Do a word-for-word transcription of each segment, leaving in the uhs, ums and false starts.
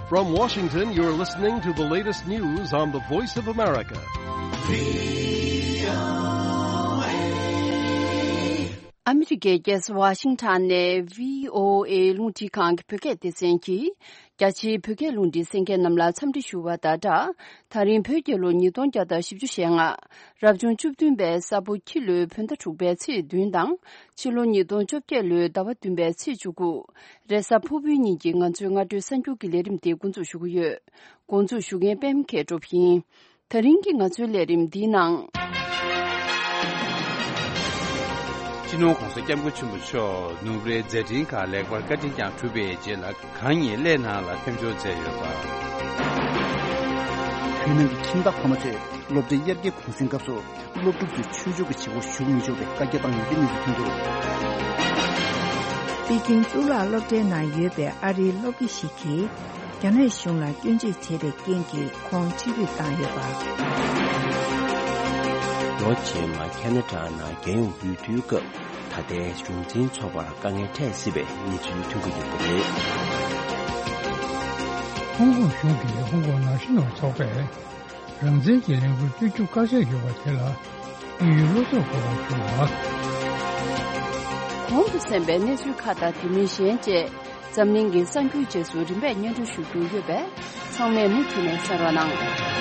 From Washington, you're listening to the latest news on the Voice of America. ཨ་མི་རི་ཀའི་རྒྱལ་ས་ཝ་ཤིང་ཊོན་ནས་བྷི་ཨོ་ཨེ་རླུང་འཕྲིན་ཁང་གི་བོད་སྐད་སྡེ་ཚན་གྱིས། རྒྱ་ཆེའི་བོད་སྐད་རླུང་འཕྲིན་གསན་མཁན་རྣམས་ལ་འཚམས་འདྲི་ཞུ་བ་དང་སྦྲགས། ད་རིང་བོད་རྒྱལ་ལོ་ཉིས་སྟོང་བརྒྱ་དང་བཞི་བཅུ་ཞེ་ལྔ། རབ་བྱུང་བཅུ་བདུན་པའི་ས་ཕོ་ཁྱི་ལོའི་བོད་ཟླ་དྲུག་པའི་ཚེས་བདུན་དང་། ཕྱི་ལོ་ཉིས་སྟོང་བཅོ་བརྒྱད་ལོའི་ཟླ་བ་བདུན་པའི་ཚེས་བཅུ་དགུ། རེས་གཟའ་ཕུར་བུའི་ཉིན་གྱི་ང་ཚོའི་སྔ་དྲོའི་གསར་འགྱུར་གྱི་ལས་རིམ་དེ་འགོ་འཛུགས་ཞུ་གི་ཡོད། འགོ་འཛུགས་ཞུ་མཁན་པད་མ་མཁས་གྲུབ་ཡིན། ད་རིང་གི་ང་ཚོའི་ལས་རིམ་འདིའི་ནང་། སྤྱི་ནོར་༸གོང་ས་༸སྐྱབས་མགོན་ཆེན་པོ་མཆོག་ནུབ་རའི་མཛད་འཕྲིན་ཁག་ལེགས་པར་བཀའ་དྲིན་བསྐྱངས་གྲུབ་པའི་རྗེས་ལ། གང་ཉིད་གླེ་ནང་ལ་ཕེབས་འབྱོར་མཛད་ཡོད་པ། བོད་ནང་གི་ཁྱིམ་བདག་ཕ་མ་ཚོས་སློབ་གྲྭའི་དབྱར་ཁའི་གུང་སེང་སྐབས་སུ་སློབ་ཕྲུག་ཚོས་ཆོས་ཕྱོགས་ཀྱི་བྱེད་སྒོ་ཞུགས་མི་ཆོག་པའི་བཀའ་རྒྱ་བཏང་ཡོད་པའི་གནས་ཚུལ་ཐོན་འདུག་པེ་ཅིང་གཙུག་ལག་སློབ་གྲྭའི་ནང་ཡོད་པའི་ཨ་རིའི་སློབ་དགེ་ཞིག་གིས། རྒྱ་ནག་གཞུང་ལ་སྐྱོན་བརྗོད་བྱས་པའི་རྐྱེན་གྱིས་ཁོང་ཕྱིར་འབུད་བཏང་ཡོད་པ། ལོ་རྗེས་མ་ཁ་ན་ཌ་ནང་རྒྱལ་ཡོངས་འོས་བསྡུའི་སྐབས། ད་ལྟའི་གཞུང་འཛིན་ཚོགས་པར་དཀའ་ངལ་འཕྲད་སྲིད་པའི་གནས་ཚུལ་ཐོན་གྱི་ཡོད་པ་རེད། ཧོང་ཀོང་གཞུང་གིས་ཧོང་ཀོང་ན་ཤིང་ནང་ཚོགས་པས་རང་བཙན་གྱི་ལས་འགུལ་སྤེལ་རྒྱུ་དཀའ་ཚེགས་ཡོད་པ་དེ་ལ་དམིགས་ཡུལ་བློ་འཚབ་དགོས་པ་བྱུང་བ། གོང་དུ་གསན་པའི་གནས་ཚུལ་ཁག་དང་དེ་མིན་གཞན་བཅས། འཛམ་གླིང་གི་གསར་འགྱུར་རྗེས་སུ་རིམ་པས་སྙན་སྒྲོན་ཞུ་རྒྱུ་ཡོད་པས། ཚང་མས་མུ་མཐུད་ནས་གསན་རོགས་གནང་།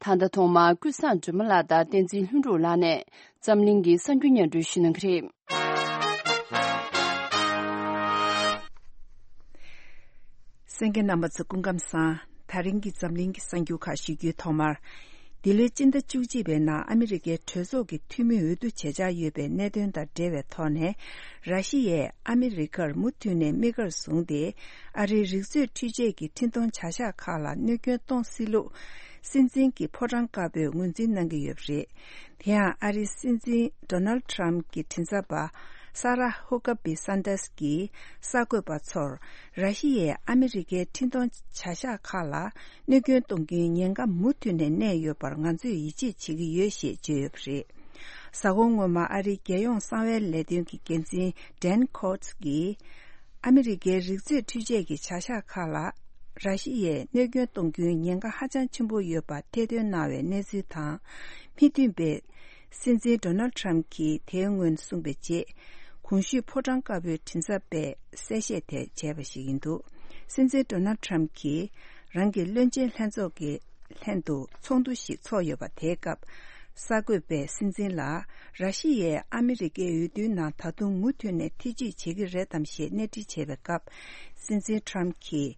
ད་ལྟ་ཐོག་མར་ཀུན་བཟང་སྒྲོལ་མ་ལགས་དང་བསྟན་འཛིན་ལྷུན་གྲུབ་ལགས་ནས་འཛམ་གླིང་གི་གསར་འགྱུར་སྙན་སྒྲོན་ཞུ་གནང་གི་རེད། གསན་མཁན་རྣམ་པ་ཚོ་སྐུ་ཁམས་བཟང་། ད་རིང་གི་འཛམ་གླིང་གི་གསར་འགྱུར་ཁག་ཞུ་རྒྱུའི་ཐོག་མར། འདི་ལོའི་སྤྱི་ཟླ་བཅུ་གཅིག་པའི་ནང་ཨ་མི་རི་ཀའི་གྲོས་ཚོགས་ཀྱི་འཐུས་མི་འོས་བསྡུ་བྱེད་འཆར་ཡོད་པའི་གནད་དོན་དང་འབྲེལ་བའི་ཐོག་ནས། ར་ཤི་ཡས་ཨ་མི་རི་ཀར་མུ་མཐུད་ནས་དམིགས་བཀར་བཟུང་སྟེ། ཨ་རིའི་རིག་མཛོད་འཕྲུལ་ཆས་ཀྱི་འཕྲིན་གཏོང་བྱ་གཞག་ཁག་ལ་གནོད་སྐྱོན་གཏོང་སྲིད་ལུགས། སྲིད་འཛིན་གྱི་ཕོ་བྲང་དཀར་པོས་ངོས་འཛིན་གནང་གི་ཡོད་པ་རེད། དེ་ཡང་ཨ་རིའི་སྲིད་འཛིན་ཌོ་ནལ་ཌི་ཊམ་གྱི་མགྲིན་ཚབ་པ་ས་ར་ཧུ་ཀ་བི་སན་ཏཱས་ཀྱིས་གསར་འགོད་པ་ཚོར། ར་ཤི་ཡས་ཨ་མི་རི་ཀའི་འཕྲིན་གཏོང་བྱ་གཞག་ཁག་ལ་གནོད་སྐྱོན་གཏོང་རྒྱུའི་ཉེན་ཁ་མུ་མཐུད་ནས་གནས་ཡོད་པར་ང་ཚོས་ཡིད་ཆེས་བྱེད་ཀྱི་ཡོད་ཞེས་བརྗོད་ཡོད་པ་རེད། གཟའ་འཁོར་སྔོན་མ་ཨ་རིའི་རྒྱལ་ཡོངས་གསང་བའི་ལས་དོན་གྱི་འགན་འཛིན་ཌན་ཁོ་ཊི་ཀྱིས། ཨ་མི་རི་ཀའི་རིག་མཛོད་འཕྲུལ་ཆས་ཀྱི་བྱ་གཞག་ཁག་ལ་ར་ཤི་ཡས་གནོད་སྐྱོན་གཏོང་རྒྱུའི་ཉེན་ཁ་ཧ་ཅང་ཆེན་པོ་ཡོད་པ་ཐེར་འདོན་གནང་བའི་གནས་ཚུལ་དང་། མི་མཐུན་པའི་སྲིད་འཛིན་ཌོ་ནལ་ཌི་ཊམ་གྱིས་དེའི་སྔོན་གསུངས་པའི་རྗེས། གོང་ཞུས་ཕོ་བྲང་དཀར་པོའི་མགྲིན་ཚབ་པས་གསལ་བཤད་དེ་བྱས་པ་ཞིག་ཡིན་འདུག་སྲིད་འཛིན་ཌོ་ནལ་ཌི་ཊམ་གྱིས་རང་གི་བློན་ཆེན་ལྷན་ཚོགས་ཀྱི་ལྷན་དུ་ཚོགས་འདུ་ཞིག་ཚོགས་ཡོད་པ། དེའི་སྐབས་གསར་འགོད་པས་སྲིད་འཛིན་ལ། ར་ཤི་ཡས་ཨ་མི་རི་ཀའི་འོས་བསྡུའི་ནང་ད་དུང་མུ་མཐུད་ནས་ཐེ་བྱུས་བྱེད་ཀྱི་རེད་དམ་ཞེས་གནས་འདྲི་བྱས་པའི་སྐབས། སྲིད་འཛིན་ཊམ་གྱིས་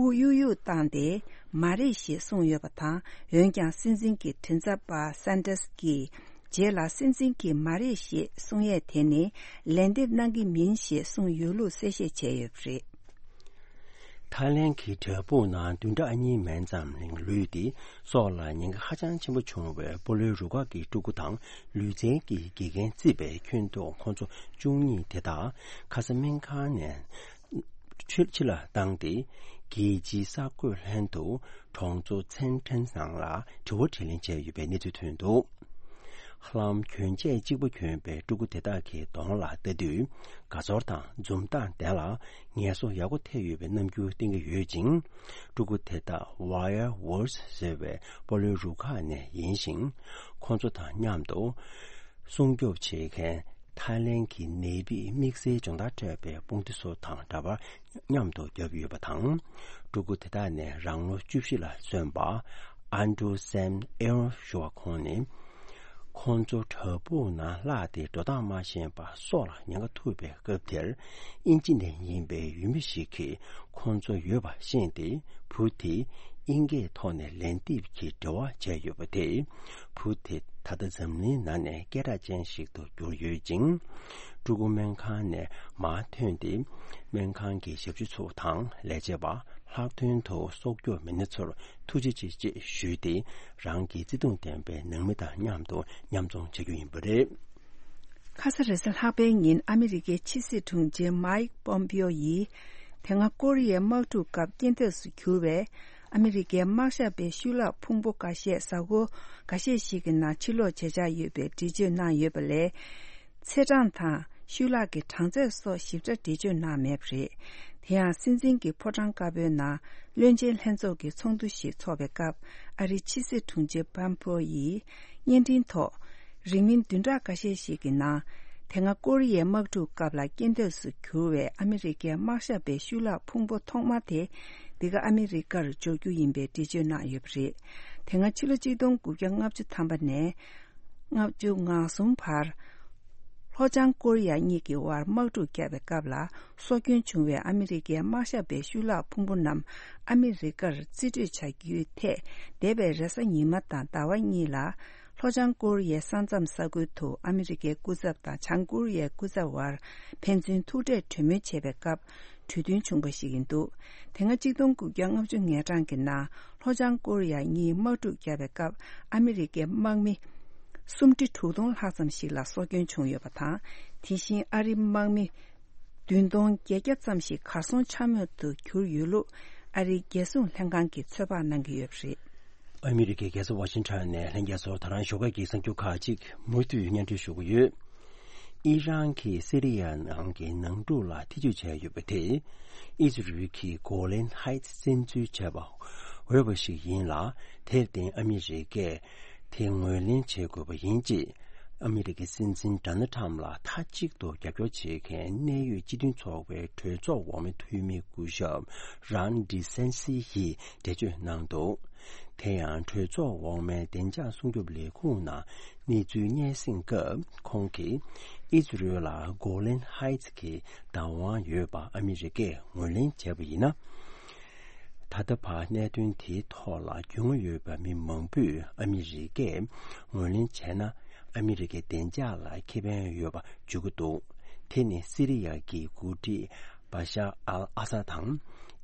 དབུགས་གཡུག་གཡུག་བཏང་སྟེ། མ་རེད་ཞེས་གསུངས་ཡོད་པ་དང་། འོན་ཀྱང་སྲིད་འཛིན་གྱི་མགྲིན་ཚབ་པ་སན་ཏཱས་ཀྱིས། རྗེས་ལ་སྲིད་འཛིན་གྱིས་མ་རེད་ཞེས་གསུང་ཡས་དེ་ནི་ལན་འདེབས་གནང་གི་མིན་ཞེས་གསུངས་ཡོད་ལུགས་གསལ་བཤད་བྱས་ཡོད་པ་རེད། ཐའི་ལེན་གྱི་བྲག་ཕུག་ནང་བདུན་ཕྲག་གཉིས་མན་ཙམ་རིང་ལུས་ཏེ། སྲོག་ལ་ཉེན་ཁ་ཧ་ཅང་ཆེན་པོ་བྱུང་བའི་སྤོ་ལོའི་རུ་ཁག་གི་ཕྲུ་གུ་དང་ལུས་རྩལ་གྱི་དགེ་རྒན་བརྩིས་པའི་ཁྱོན་བསྡོམས་ཁོང་ཚོ་བཅུ་གཉིས་དེ་དག་ཁ་ས་སྨན་ཁང་ནས་ཕྱིར་ཕྱི་ལ་བཏང་སྟེ། རྒྱལ་སྤྱིའི་གསར་འགོད་ལྷན་དུ་གྲོང་ཚོ་ཚན་ཁྲེན་ནང་ལ་དྲི་བ་དྲིས་ལན་བྱས་ཡོད་པའི་གནས་ཚུལ་ཐོན་འདུག་ཧ་ལམ་གྱོན་ཆས་གཅིག་པ་གྱོན་པའི་ཕྲུ་གུ་དེ་དག་གི་གདོང་ལ་ལྟ་དུས། དགའ་ཚོར་དང་འཛུམ་མདངས་ལྡན་ལ། ངལ་གསོ་ཡག་པོ་ཐེབས་ཡོད་པའི་རྣམ་འགྱུར་བསྟན་གྱི་ཡོད་ཅིང་། ཕྲུ་གུ་དེ་དག་Wire Works ཟེར་བའི་སྤོ་ལོའི་རུ་ཁག་ནས་ཡིན་ཞིང་། ཁོང་ཚོ་དང་མཉམ་དུ་སྲུང་སྐྱོབ་བྱེད་མཁན་ཐའི་ལེན་གྱི་ནད་དཔྱད་དམིགས་བསལ་སྦྱོང་བརྡར་སྤྲད་པའི་དཔུང་སྡེ་སོགས་དང་འདྲ་པར་མཉམ་དུ་བརྒྱབ་ཡོད་པ་དང་། ཕྲུ་གུ་དེ་དག་ནས་རང་ལོ་བཅུ་བཞི་ལ་སོན་པ་ཨན་ཌྲུ་སེམ་ཨེ་རོན་ཞུ་བ་ཁོང་ནི། ཁོང་ཚོ་བྲག་ཕུག་ནང་བརླགས་ཏེ་འགྲོ་སྟངས་མ་ཤེས་པར་སྲོག་ལ་ཉེན་ཁ་ཐུག་པའི་སྐབས་དེར། དབྱིན་ཇི་ནས་ཡིན་པའི་ཡུལ་མི་ཞིག་གིས་ཁོང་ཚོ་ཡོད་པ་ཤེས་ཏེ། བུ་དེས་དབྱིན་སྐད་ཐོག་ནས་ལན་འདེབས་ཀྱི་འབྲེལ་བ་བྱས་ཡོད་པ་དེས། བུ་དེ་ད་ལྟ་འཛམ་གླིང་ནང་ནས་སྐད་གྲགས་ཅན་ཞིག་ཏུ་གྱུར་ཡོད་ཅིང་། ཕྲུ་གུ་སྨན་ཁང་ནས་མར་ཐོན་ཏེ། སྨན་ཁང་གི་ཞབས་ཞུ་ཚོ་དང་ལས་བྱེད་པ། ལྷག་དོན་དུ་སྲོག་སྐྱོབ་མི་སྣ་ཚོར་ཐུགས་རྗེ་ཆེ་ཞེས་ཞུས་ཏེ། རང་གི་བརྩེ་དུང་ལྡན་པའི་ནང་མི་དང་མཉམ་དུ་མཉམ་འཛོམས་བྱ་རྒྱུ་ཡིན་པ་རེད། ཁ་ས་རེས་གཟའ་ལྷག་པའི་ཉིན་ཨ་མི་རི་ཀའི་ཕྱི་སྲིད་དྲུང་ཆེ་མའིག་པོམ་པིའོ་ཡིས། དེ་སྔ་ཀོ་རི་ཡའི་དམག་འཁྲུག་སྐབས་རྐྱེན་འདས་སུ་གྱུར་བའི་ཨ་མི་རི་ཀའི་དམག་ཞབས་པའི་ཤུལ་ལྷག་ཕུང་པོ་འགའ་ཤས་གཟའ་འཁོར་འགའ་ཤས་ཤིག་གི་ནང་ཕྱིར་ལོག་བྱེད་འཆར་ཡོད་པའི་འགྲེལ་བརྗོད་གནང་ཡོད་པ་ལས། ཚེས་གྲངས་དང་ ཤུལ་ལྷག་གི་གྲངས་ཚད་སོགས་ཞིབ་ཕྲ་འགྲེལ་བརྗོད་གནང་མེད་པ་རེད། དེ་ཡང་སྲིད་འཛིན་གྱི་ཕོ་བྲང་དཀར་པོའི་ནང་བློན་ཆེན་ལྷན་ཚོགས་ཀྱི་ཚོགས་འདུ་ཞིག་འཚོགས་པའི་སྐབས། ཨ་རིའི་ཕྱི་སྲིད་དྲུང་ཆེ་པམ་པོ་ཡིས་བརྙན་འཕྲིན་ཐོག་རིང་མིན་བདུན་ཕྲག་འགའ་ཤས་ཤིག་གི་ནང་། དེ་སྔ་ཀོ་རི་ཡའི་དམག་འཁྲུག་སྐབས་ལ་རྐྱེན་འདས་སུ་གྱུར་བའི་ཨ་མི་རི་ཀའི་དམག་ཞབས་པའི་ཤུལ་ལྷག་ཕུང་པོ་ཐོག་མ་དེ་འདི་ག་ཨ་མི་རི་ཀར་འབྱོར་རྒྱུ་ཡིན་པའི་འགྲེལ་བརྗོད་གནང་ཡོད་པ་རེད། དེ་སྔ་ཕྱི་ལོ་ཆིག་སྟོང་དགུ་བརྒྱ་ལྔ་བཅུ་ཐམ་པ་ནས་ལྔ་བཅུ་ང་གསུམ་བར། ལྷོ་བྱང་ཀོ་རི་ཡ་གཉིས་ཀྱི་དབར་དམག་འཁྲུག་བརྒྱབ་པའི་སྐབས་ལ། སྲོག་སྐྱོན་བྱུང་བའི་ཨ་མི་རི་ཀའི་དམག་ཞབས་པའི་ཤུལ་ལྷག་ཕུང་པོ་རྣམས་ཨ་མི་རི་ཀར་རྩིས་སྤྲོད་བྱ་རྒྱུའི་ཐད། འདས་པའི་རེས་གཟའ་ཉི་མ་དང་ཟླ་བ་གཉིས་ལ། ལྷོ་བྱང་ཀོ་རི་ཡའི་ས་མཚམས་ས་ཁུལ་དུ་ཨ་མི་རི་ཀའི་སྐུ་ཚབ་དང་བྱང་ཀོ་རི་ཡའི་སྐུ་ཚབ་དབར་ཕན་ཚུན་ཐུག་འཕྲད་གྲོས་མོལ་བྱས་པའི་སྐབས། གྲོས་མཐུན་བྱུང་པ་ཞིག་ཡིན་འདུག་དེ་སྔ་ཆིག་སྟོང་དགུ་བརྒྱ་ལྔ་བཅུ་ང་གྲངས་ཀྱི་ནང་ལྷོ་བྱང་ཀོ་རི་ཡ་གཉིས་དམག་འཁྲུག་བརྒྱབ་པའི་སྐབས། ཨ་མི་རི་ཀའི་དམག་མི་སུམ་ཁྲི་དྲུག་སྟོང་ལྷག་ཙམ་ཞིག་ལ་སྲོག་སྐྱོན་བྱུང་ཡོད་པ་དང་། དེ་བཞིན་ཨ་རིའི་དམག་མི་བདུན་སྟོང་བརྒྱད་བརྒྱ་ཙམ་ཞིག་གར་སོང་ཆ་མེད་དུ་གྱུར་ཡོད་ལུགས། ཨ་རིའི་རྒྱལ་སྲུང་ལྷན་ཁང་གིས་ཚོད་དཔག་གནང་གི་ཡོད་པ་རེད། ཨ་མི་རི་ཀའི་རྒྱལ་ས་ཝ་ཤིང་ཊོན་ནས་ལྷན་རྒྱས་ཚོར་ད་རང་ཞོགས་ཀ་གི་གསར་འགྱུར་ཁག་ཅིག་མུ་མཐུད་སྙན་སྒྲོན་ཞུ་གི་ཡོད། ཨི་རན་གྱིས་སི་རི་ཡ་ནང་གི་ནང་འཁྲུག་ལ་ཐེ་ཇུས་བྱས་ཡོད་པ་དེ། ཨི་ཛི་རུལ་གྱི་གོ་ལན་ཧའི་ཊི་བཙན་འཛུལ་བྱས་པ་འོས་པ་ཞིག་ཡིན་ལ། དེར་བརྟེན་ཨ་མི་རི་ཀས་དེ་ངོས་ལེན་བྱེད་དགོས་པ་ཡིན་ཅེས། ཨ་མི་རི་ཀའི་སྲིད་འཛིན་ཌོ་ནལ་ཊམ་ལ་མཐའ་གཅིག་ཏུ་རྒྱབ་སྐྱོར་བྱེད་མཁན་གནད་ཡོད་སྤྱི་མཐུན་ཚོགས་པའི་གྲོས་ཚོགས་འོག་མའི་འཐུས་མི་སྐུ་ཞབས་རཱན་ཌི་སན་སི་ཡིས་འགྲེལ་བརྗོད་གནང་འདུག་དེ་ཡང་གྲོས་ཚོགས་འོག་མའི་བདེ་འཇགས་སྲུང་སྐྱོབ་ལས་ཁུངས་ནང་གནས་ཚུལ་སྙན་སེང་སྐབས། ཁོང་གིས་ཨི་ཛི་རུལ་ལ་གོ་ལན་ཧའི་ཊི་གི་བདག་དབང་ཡོད་པ་ཨ་མི་རི་ཀས་ངོས་ལེན་བྱས་པ་ཡིན་ན། ད་ལྟ་བར་གནད་དོན་དེའི་ཐོག་ལ་རྒྱུས་མངའ་ཡོད་པ་མི་མང་པོས་ཨ་མི་རི་ཀས་ངོས་ལེན་བྱས་ན། ཨ་མི་རི་ཀའི་བདེ་འཇགས་ལ་ཁེ་ཕན་ཡོད་པ་བརྗོད་ཀྱི་འདུག་དེ་ནི་སི་རི་ཡ་གི་འགོ་ཁྲིད་བ་ཤར་ཨལ་ཨ་སཱད་དང་།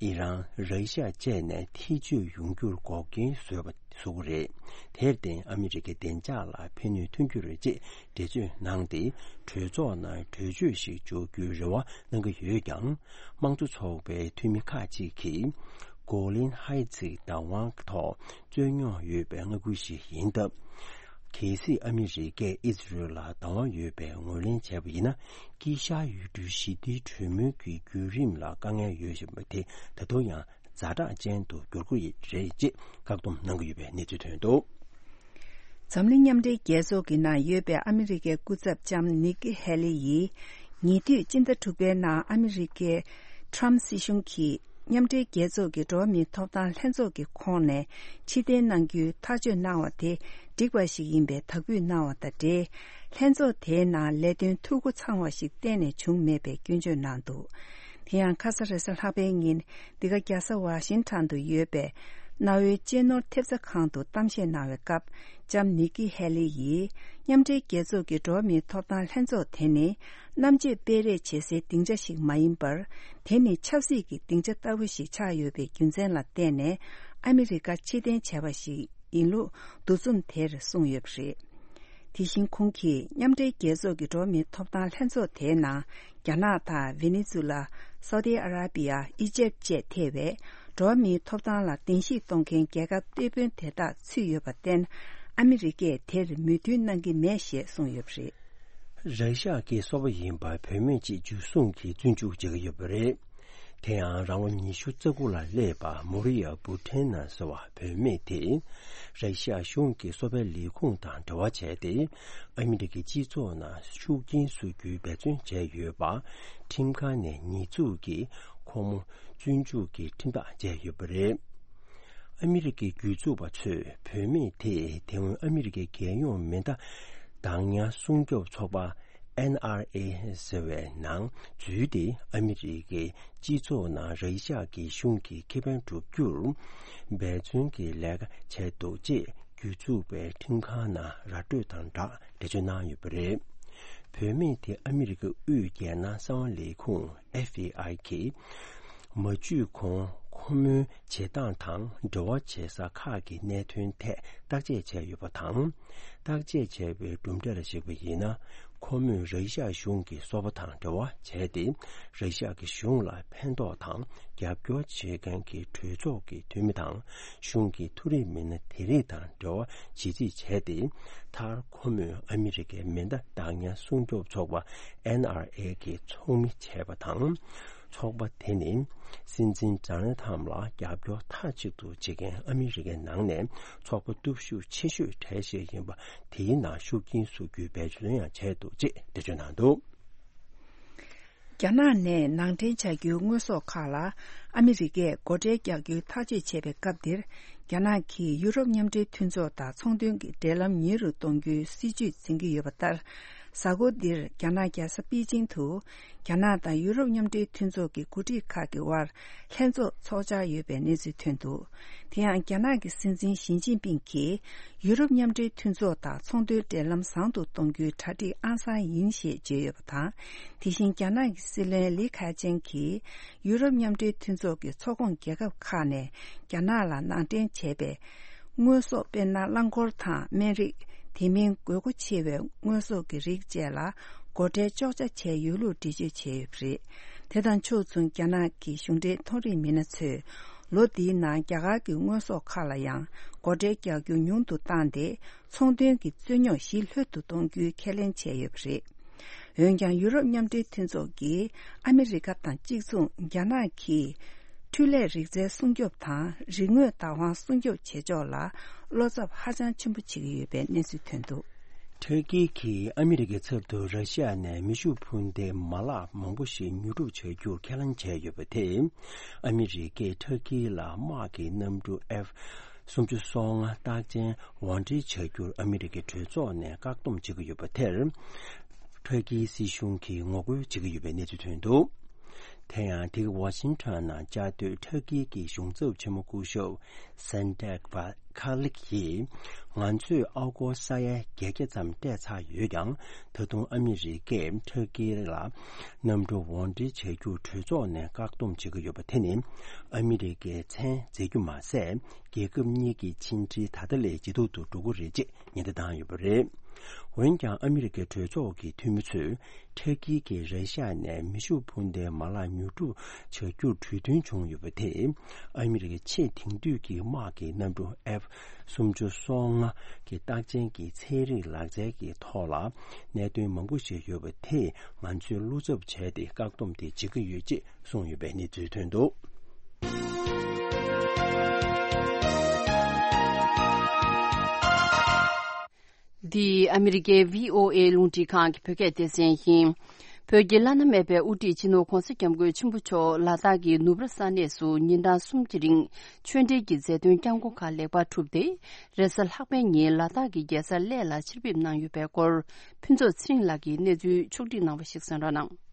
ཨི་རན། ར་ཤི་ཡ་བཅས་ནས་ཐེ་ཇུས་ཡོང་རྒྱུར་འགོག་རྐྱེན་བཟོས་པ་བཟོ་གི་རེད། དེར་བརྟེན་ཨ་མི་རི་ཀའི་བདེ་འཇགས་ལ་ཕན་ནུས་ཐོན་རྒྱུ་རེད་ཅེས་འགྲེལ་བརྗོད་གནང་སྟེ། གྲོས་ཚོགས་ནང་གྲོས་ཆོད་ཞིག་འཇོག་རྒྱུའི་རེ་བ་གནང་གི་ཡོད་ཀྱང་། དམངས་གཙོ་ཚོགས་པའི་འཐུས་མི་ཁག་ཅིག་གིས་གོ་ལིན་ཧའི་ཊི་བདག་དབང་ཐོག་རྩོད་རྙོག་ཡོད་པའི་མངའ་ཁུལ་ཞིག་ཡིན་སྟབས། གལ་སྲིད་ཨ་མི་རི་ཀས་ཨི་ཛི་རལ་ལ་བདག་དབང་ཡོད་པའི་ངོས་ལེན་བྱས་པ་ཡིན་ན། དཀྱིལ་ཤར་ཡུལ་གྲུའི་ཞི་བདེའི་གྲོས་མོལ་གྱི་བརྒྱུད་རིམ་ལ་དཀའ་ངལ་ཡོད་བཞིན་པ་དེ་ད་དུང་ཡང་ཛ་དྲག་ཅན་དུ་འགྱུར་གྱི་རེད་ཅེས་བཀག་སྡོམ་གནང་གི་ཡོད་པའི་གནས་ཚུལ་ཐོན་འདུག་འཛམ་གླིང་མཉམ་འབྲེལ་རྒྱལ་ཚོགས་ཀྱི་ནང་ཡོད་པའི་ཨ་མི་རི་ཀའི་སྐུ་ཚབ་ལྕམ་ནིག་ཀི་ཧེ་ལི་ཡིས། ཉེ་དུས་སྤྱི་ཟླ་དྲུག་པའི་ནང་ཨ་མི་རི་ཀའི་ཁྲམ་སྲིད་གཞུང་གིས་མཉམ་འབྲེལ་རྒྱལ་ཚོགས་ཀྱི་འགྲོ་བ་མིའི་ཐོབ་ཐང་ལྷན་ཚོགས་ཀྱི་ཁོངས་ནས་ཕྱིར་འཐེན་གནང་རྒྱུའི་ཐག་གཅོད་གནང་བ་དེ་འགྲིག་པ་ཞིག་ཡིན་པའི་དག་འབུལ་གནང་བ་དང་འབྲེལ། ལྷན་ཚོགས་དེའི་ནང་ལས་དོན་འཐུས་སྒོ་ཚང་བ་ཞིག་གཏན་ནས་བྱུང་མེད་པའི་སྐྱོན་བརྗོད་གནང་འདུག་དེ་ཡང་ཁ་ས་རེས་གཟའ་ལྷག་པའི་ཉིན། འདི་ག་རྒྱལ་ས་ཝ་ཤིང་ཊོན་དུ་ཡོད་པའི་གནའ་བོའི་གཅེས་ནོར་ཐེབས་རྩ་ཁང་དུ་གཏམ་བཤད་གནང་བའི་སྐབས། ལྕམ་ནིག་ཀི་ཧེ་ལི་ཡིས། མཉམ་འབྲེལ་རྒྱལ་ཚོགས་ཀྱི་འགྲོ་བ་མིའི་ཐོབ་ཐང་ལྷན་ཚོགས་དེ་ནི། གནམ་དཔྱད་སྤེལ་རེས་བྱེད་སའི་སྡིངས་ཆ་ཞིག་མ་ཡིན་པར། དེ་ནི་ཆབ་སྲིད་ཀྱི་སྡིངས་ཆ་ལྟ་བུ་ཞིག་ཆགས་ཡོད་པའི་རྒྱུ་མཚན་ལ་བརྟེན་ནས། ཨ་མི་རི་ཀ་ཕྱིར་འཐེན་བྱས་པ་ཞིག་ཡིན་ལུགས་འདུ་འཛོམས་དེར་གསུངས་ཡོད་པ་རེད། དེ་བཞིན་ཁོང་གིས་མཉམ་འབྲེལ་རྒྱལ་ཚོགས་ཀྱི་འགྲོ་བ་མིའི་ཐོབ་ཐང་ལྷན་ཚོགས་དེའི་ནང་རྒྱ་ནག་དང་ཝེ་ནེ་ཛུ་ལ། སའུ་ཏི་ཨ་ར་པི་ཡ། ཨི་ཇེབ་བཅས་ཐེ་བའི་འགྲོ་བ་མིའི་ཐོབ་ཐང་ལ་གདན་ཞུ་གཏོང་མཁན་རྒྱལ་ཁབ་སྟོབས་དཔོན་དེ་དག་ཚུད་ཡོད་པར་བརྟེན། ཨ་མི་རི་ཀས་དེར་མོས་མཐུན་གནང་གི་མེད་ཞེས་གསུངས་ཡོད་པ་རེད། ར་ཤ་གི་སོ་པ་ཡིན་པ་བུད་མེད་ཅིག་འཇུ་བཟུང་གིས་བཙོན་འཇུག་བྱེད་ཀྱི་ཡོད་པ་རེད། དེ་ཡང་རང་ལོ་ཉི་ཤུ་རྩ་དགུ་ལ་སླེབས་པ་མོ་རི་ཡ་བུ་ཁྲེན་ན་ཟེར་བ་བུད་མེད་དེ། ར་ཤ་གཞུང་གི་སོ་པའི་ལས་ཁུངས་དང་འབྲེལ་བ་བྱས་ཏེ། ཨ་མི་རི་ཀའི་སྤྱི་ཚོགས་ནང་ཤུགས་རྐྱེན་བཟོ་རྒྱུའི་འབད་བརྩོན་བྱས་ཡོད་པ། ཁྲིམས་ཁང་ནས་ཉེས་འཛུགས་ཀྱིས་ཁོང་མོ་བཙོན་འཇུག་གི་ཁྲིམས་ཐག་བཅད་ཡོད་པ་རེད། ཨ་མི་རི་ཀའི་སྒེར་ཚུགས་པ་ཚོས་བུད་མེད་དེས་དེ་སྔོན་ཨ་མི་རི་ཀའི་རྒྱལ་ཡོངས་མེ་མདའ་བདག་ཉར་སྲུང་སྐྱོབ་ཚོགས་པ། ཨེན་ཨར་ཨེ་ཟེར་བའི་ནང་འཛུལ་ཏེ། ཨ་མི་རི་ཀའི་སྤྱི་ཚོགས་ནང་ར་ཤ་གི་གཞུང་གི་ཁེ་ཕན་སྒྲུབ་རྒྱུར་འབད་བརྩོན་གྱི་ལས་ཀ་བྱས་འདུག་ཅེས་སྒེར་ཚུགས་པའི་ཁྲིམས་ཁང་ནང་ར་སྤྲོད་དང་སྦྲགས་འགྲེལ་བརྗོད་གནང་ཡོད་པ་རེད། བུད་མེད་དེ་ཨ་མི་རི་ཀའི་དབུས་རྒྱལ་ནང་གསང་བ་ལས་ཁུངས་ཨེཕ་བི་ཨའི་གིས་ མ་འཇུས་གོང་ཁོ་མོའི་བྱེད་སྟངས་དང་འབྲེལ་བ་བྱེད་ས་ཁག་གི་གནད་དོན་ཐད་བརྟག་དཔྱད་བྱས་ཡོད་པ་དང་། བརྟག་དཔྱད་བྱས་པའི་གྲུབ་འབྲས་ལ་གཞིགས་པ་ཡིན་ན། ཁོ་མོས་ར་ཤ་གཞུང་གི་སོ་པ་དང་འབྲེལ་བ་བྱས་ཏེ། ར་ཤ་གི་གཞུང་ལ་ཕན་ཐོགས་དང་རྒྱབ་སྐྱོར་བྱེད་མཁན་གྱི་གྲོས་ཚོགས་ཀྱི་འཐུས་མི་དང་། གཞུང་གི་མཐོ་རིམ་མི་སྣ་དེ་རིགས་དང་འབྲེལ་བ་ཇི་སྲིད་བྱས་ཏེ། མཐར་ཁོ་མོས་ཨ་མི་རི་ཀའི་མེ་མདའ་བདག་ཉར་སྲུང་སྐྱོབ་ཚོགས་པ་ཨེན་ཨར་ཨེ་གི་ཚོགས་མི་བྱས་པ་དང་། ཚོགས་པ་དེ་ནི་སྲིད་འཛིན་ཌོ་ནལ་ཊམ་ལ་རྒྱབ་སྐྱོར་མཐའ་གཅིག་ཏུ་བྱེད་མཁན་ཨ་མི་རི་ཀའི་ནང་ནས་ཚོགས་པ་སྟོབས་ཤུགས་ཆེ་ཤོས་གྲས་ཤིག་ཡིན་པ། དེའི་ནང་ཤུགས་རྐྱེན་བཟོ་རྒྱུའི་འབད་བརྩོན་ཡང་བྱས་འདུག་ཅེས་འགྲེལ་བརྗོད་གནང་འདུག། རྒྱ་ནག་ནས་ནང་འདྲེན་བྱ་རྒྱུའི་དངོས་ཟོག་ཁག་ལ་ཨ་མི་རི་ཀས་སྒོ་ཁྲལ་རྒྱག་རྒྱུའི་ཐག་གཅོད་བྱས་པའི་སྐབས་འདིར། རྒྱ་ནག་གིས་ཡུ་རོབ་མཉམ་འབྲེལ་མཐུན་ཚོགས་དང་ཚོང་དོན་གྱི་འབྲེལ་ལམ་ཉེ་རུ་གཏོང་རྒྱུའི་སྲིད་ཇུས་འཛིན་གྱི་ཡོད་པ་ལྟར། གཟའ་འཁོར་འདིར་རྒྱ་ནག་རྒྱལ་ས་པེ་ཅིང་དུ། རྒྱ་ནག་དང་ཡུ་རོབ་མཉམ་འབྲེལ་མཐུན་ཚོགས་ཀྱི་འགོ་ཁྲིད་ཁག་གི་དབར་ལྷན་ཚོགས་འཚོགས་འཆར་ཡོད་པའི་གནས་ཚུལ་ཐོན་འདུག། དེ་ཡང་རྒྱ་ནག་གི་སྲིད་འཛིན་ཞི་ཅིན་ཕིང་གིས། ཡུ་རོབ་མཉམ་འབྲེལ་མཐུན་ཚོགས་དང་ཚོང་དོན་འབྲེལ་ལམ་བཟང་དུ་གཏོང་རྒྱུའི་གྲ་སྒྲིག་ཨང་གསར་ཡིན་ཞེས་བརྗོད་ཡོད་པ་དང་། དེ་བཞིན་རྒྱ་ནག་གི་སྲིད་བློན་ལི་ཁེ་ཆང་གིས། ཡུ་རོབ་མཉམ་འབྲེལ་མཐུན་ཚོགས་ཀྱི་ཚོགས་ཁོངས་རྒྱལ་ཁབ་ཁག་ནས་རྒྱ་ནག་ལ་ནང་འདྲེན་བྱས་པའི་དངོས་ཟོག་དཔེར་ན། རླངས་འཁོར་དང་སྨན་རིགས། དེ་མིན་དགོས་མཁོ་ཆེ་བའི་དངོས་ཟོག་གི་རིགས་བཅས་ལ་སྒོ་ཁྲལ་གཅོག་ཆ་བྱས་ཡོད་ལུགས་འགྲེལ་བརྗོད་བྱས་ཡོད་པ་རེད། དེ་དང་ཕྱོགས་མཚུངས། རྒྱ་ནག་གི་གཞུང་འབྲེལ་མཐོ་རིམ་མི་སྣ་ཚོས། ལོ་འདིའི་ནང་རྒྱ་གར་གྱི་དངོས་ཟོག་ཁག་ལ་ཡང་སྒོ་ཁྲལ་རྒྱག་རྒྱུ་ཉུང་དུ་བཏང་སྟེ། ཚོང་དོན་གྱི་རྩོད་རྙོག་ཞི་ལྷོད་དུ་གཏོང་རྒྱུའི་ཁས་ལེན་བྱས་ཡོད་པ་རེད། འོན་ཀྱང་། ཡུ་རོབ་མཉམ་འབྲེལ་མཐུན་ཚོགས་ཀྱིས་ཨ་མི་རི་ཀ་དང་གཅིག་མཚུངས། རྒྱ་ནག་གིས་འཕྲུལ་ལས་རིག་རྩལ་སྲུང་སྐྱོབ་དང་རིག་དངོས་བདག་དབང་སྲུང་སྐྱོབ་བྱེད་ཕྱོགས་ལ་བློ་འཚབ་ཧ་ཅང་ཆེན་པོ་བྱེད་ཀྱི་ཡོད་པའི་གནས་ཚུལ་ཐོན་འདུག། ཐུར་ཀི་གིས་ཨ་མི་རི་ཀའི་ཚབ་ཏུ་ར་ཤི་ཡ་ནས་མེ་ཤུགས་འཕུར་མདེལ་མ་ལག་མང་པོ་ཞིག་ཉོ་སྒྲུབ་བྱ་རྒྱུར་ཁས་ལེན་བྱས་ཡོད་པ་དེས། ཨ་མི་རི་ཀས་ཐུར་ཀི་ལ་དམག་གི་གནམ་གྲུ་ཨེཕ་སུམ་ཅུ་སོ་ལྔ་རྟགས་ཅན་དབོར་འདྲེན་བྱ་རྒྱུར་ཨ་མི་རི་ཀའི་གྲོས་ཚོགས་ནས་བཀག་སྡོམ་བྱེད་ཀྱི་ཡོད་པ་དེར། ཐུར་ཀིའི་སྲིད་གཞུང་གིས་ངོ་རྒོལ་བྱེད་ཀྱི་ཡོད་པའི་གནས་ཚུལ་ཐོན་འདུག། དེ་ཡང་དེ་ག་ཝ་ཤིང་ཊོན་ནང་བཅའ་སྡོད་ཐུར་ཀི་གི་གཞུང་ཚབ་ཆེན་མོ་སྐུ་ཞབས་སན་ཏེག་པ་ཁ་ལིག་གིས། ང་ཚོས་ཨ་སྒོར་ས་ཡ་བརྒྱད་བརྒྱ་ཙམ་སྤྲད་ཚར་ཡོད་ཀྱང་། ད་དུང་ཨ་མི་རི་ཀས་ཐུར་ཀི་ལ་གནམ་གྲུ་དབོར་འདྲེན་བྱ་རྒྱུར་གྲོས་ཚོགས་ནས་བཀག་སྡོམ་བྱེད་ཀྱི་ཡོད་པ་དེ་ནི། ཨ་མི་རི་ཀའི་མཚན་འཛད་རྒྱུ་མ་ཟད། རྒྱལ་ཁབ་གཉིས་ཀྱི་ཕྱི་འབྲེལ་ད་ལྟ་ལས་ཇེ་སྡུག་ཏུ་འགྲོ་གི་རེད་ཅེས་ཉེན་བརྡ་བཏང་ཡོད་པ་རེད། འོན་ཀྱང་། ཨ་མི་རི་ཀའི་གྲོས་ཚོགས་ཀྱི་འཐུས་མི་ཚོས། ཐུར་ཀི་གིས་ར་ཤི་ཡ་ནས་མེ་ཤུགས་འཕུར་མདའི་མ་ལག་ཉོ་སྒྲུབ་བྱ་རྒྱུར་གྲོས་མཐུན་བྱུང་ཡོད་པ་དེས། ཨ་མི་རི་ཀའི་ཆེས་དེང་དུས་ཀྱི་དམག་གི་གནམ་གྲུ་ཨེཕ་སུམ་ཅུ་སོ་ལྔ་གི་རྟགས་ཅན་གྱི་ཚན་རིག་ལག་རྩལ་གྱི་ཐོག་ལ་གནད་དོན་མང་པོ་ཞིག་ཡོད་པ་དེས། ང་ཚོས་བློ་འཚབ་བྱས་ཏེ། བཀག་སྡོམ་དེ་བྱེད་ཀྱི་ཡོད་ཅེས་གསུངས་ཡོད་པའི་གནས་ཚུལ་ཐོན་འདུག། འདི་ཨ་མི་རི་ཀའི་བྷི་ཨོ་ཨེ་རླུང་འཕྲིན་ཁང་གི་བོད་སྐད་སྡེ་ཚན་ཡིན། བོད་ཀྱི་བླ་ན་མེད་པའི་དབུ་ཁྲིད་སྤྱི་ནོར་༧གོང་ས་༧སྐྱབས་མགོན་ཆེན་པོ་མཆོག་ལ་དྭགས་ཀྱི་ནུབ་ར་ས་གནས་སུ་ཉིན་གྲངས་གསུམ་གྱི་རིང་ཆོས་འབྲེལ་གྱི་མཛད་དོན་བསྐྱངས་སྒོ་ཁག་ལེགས་པར་གྲུབ་སྟེ། རེས་གཟའ་ལྷག་པའི་ཉིན་ལ་དྭགས་ཀྱི་རྒྱལ་ས་གླེ་ལ་ཕྱིར་ཕེབས་གནང་ཡོད་པའི་སྐོར། ཕུན་ཚོགས་ཚེ་རིང་ལགས་ཀྱིས་གནས་ཚུལ་ཕྱོགས་བསྒྲིགས་གནང་བ་ཞིག་གསན་རོགས་གནང་།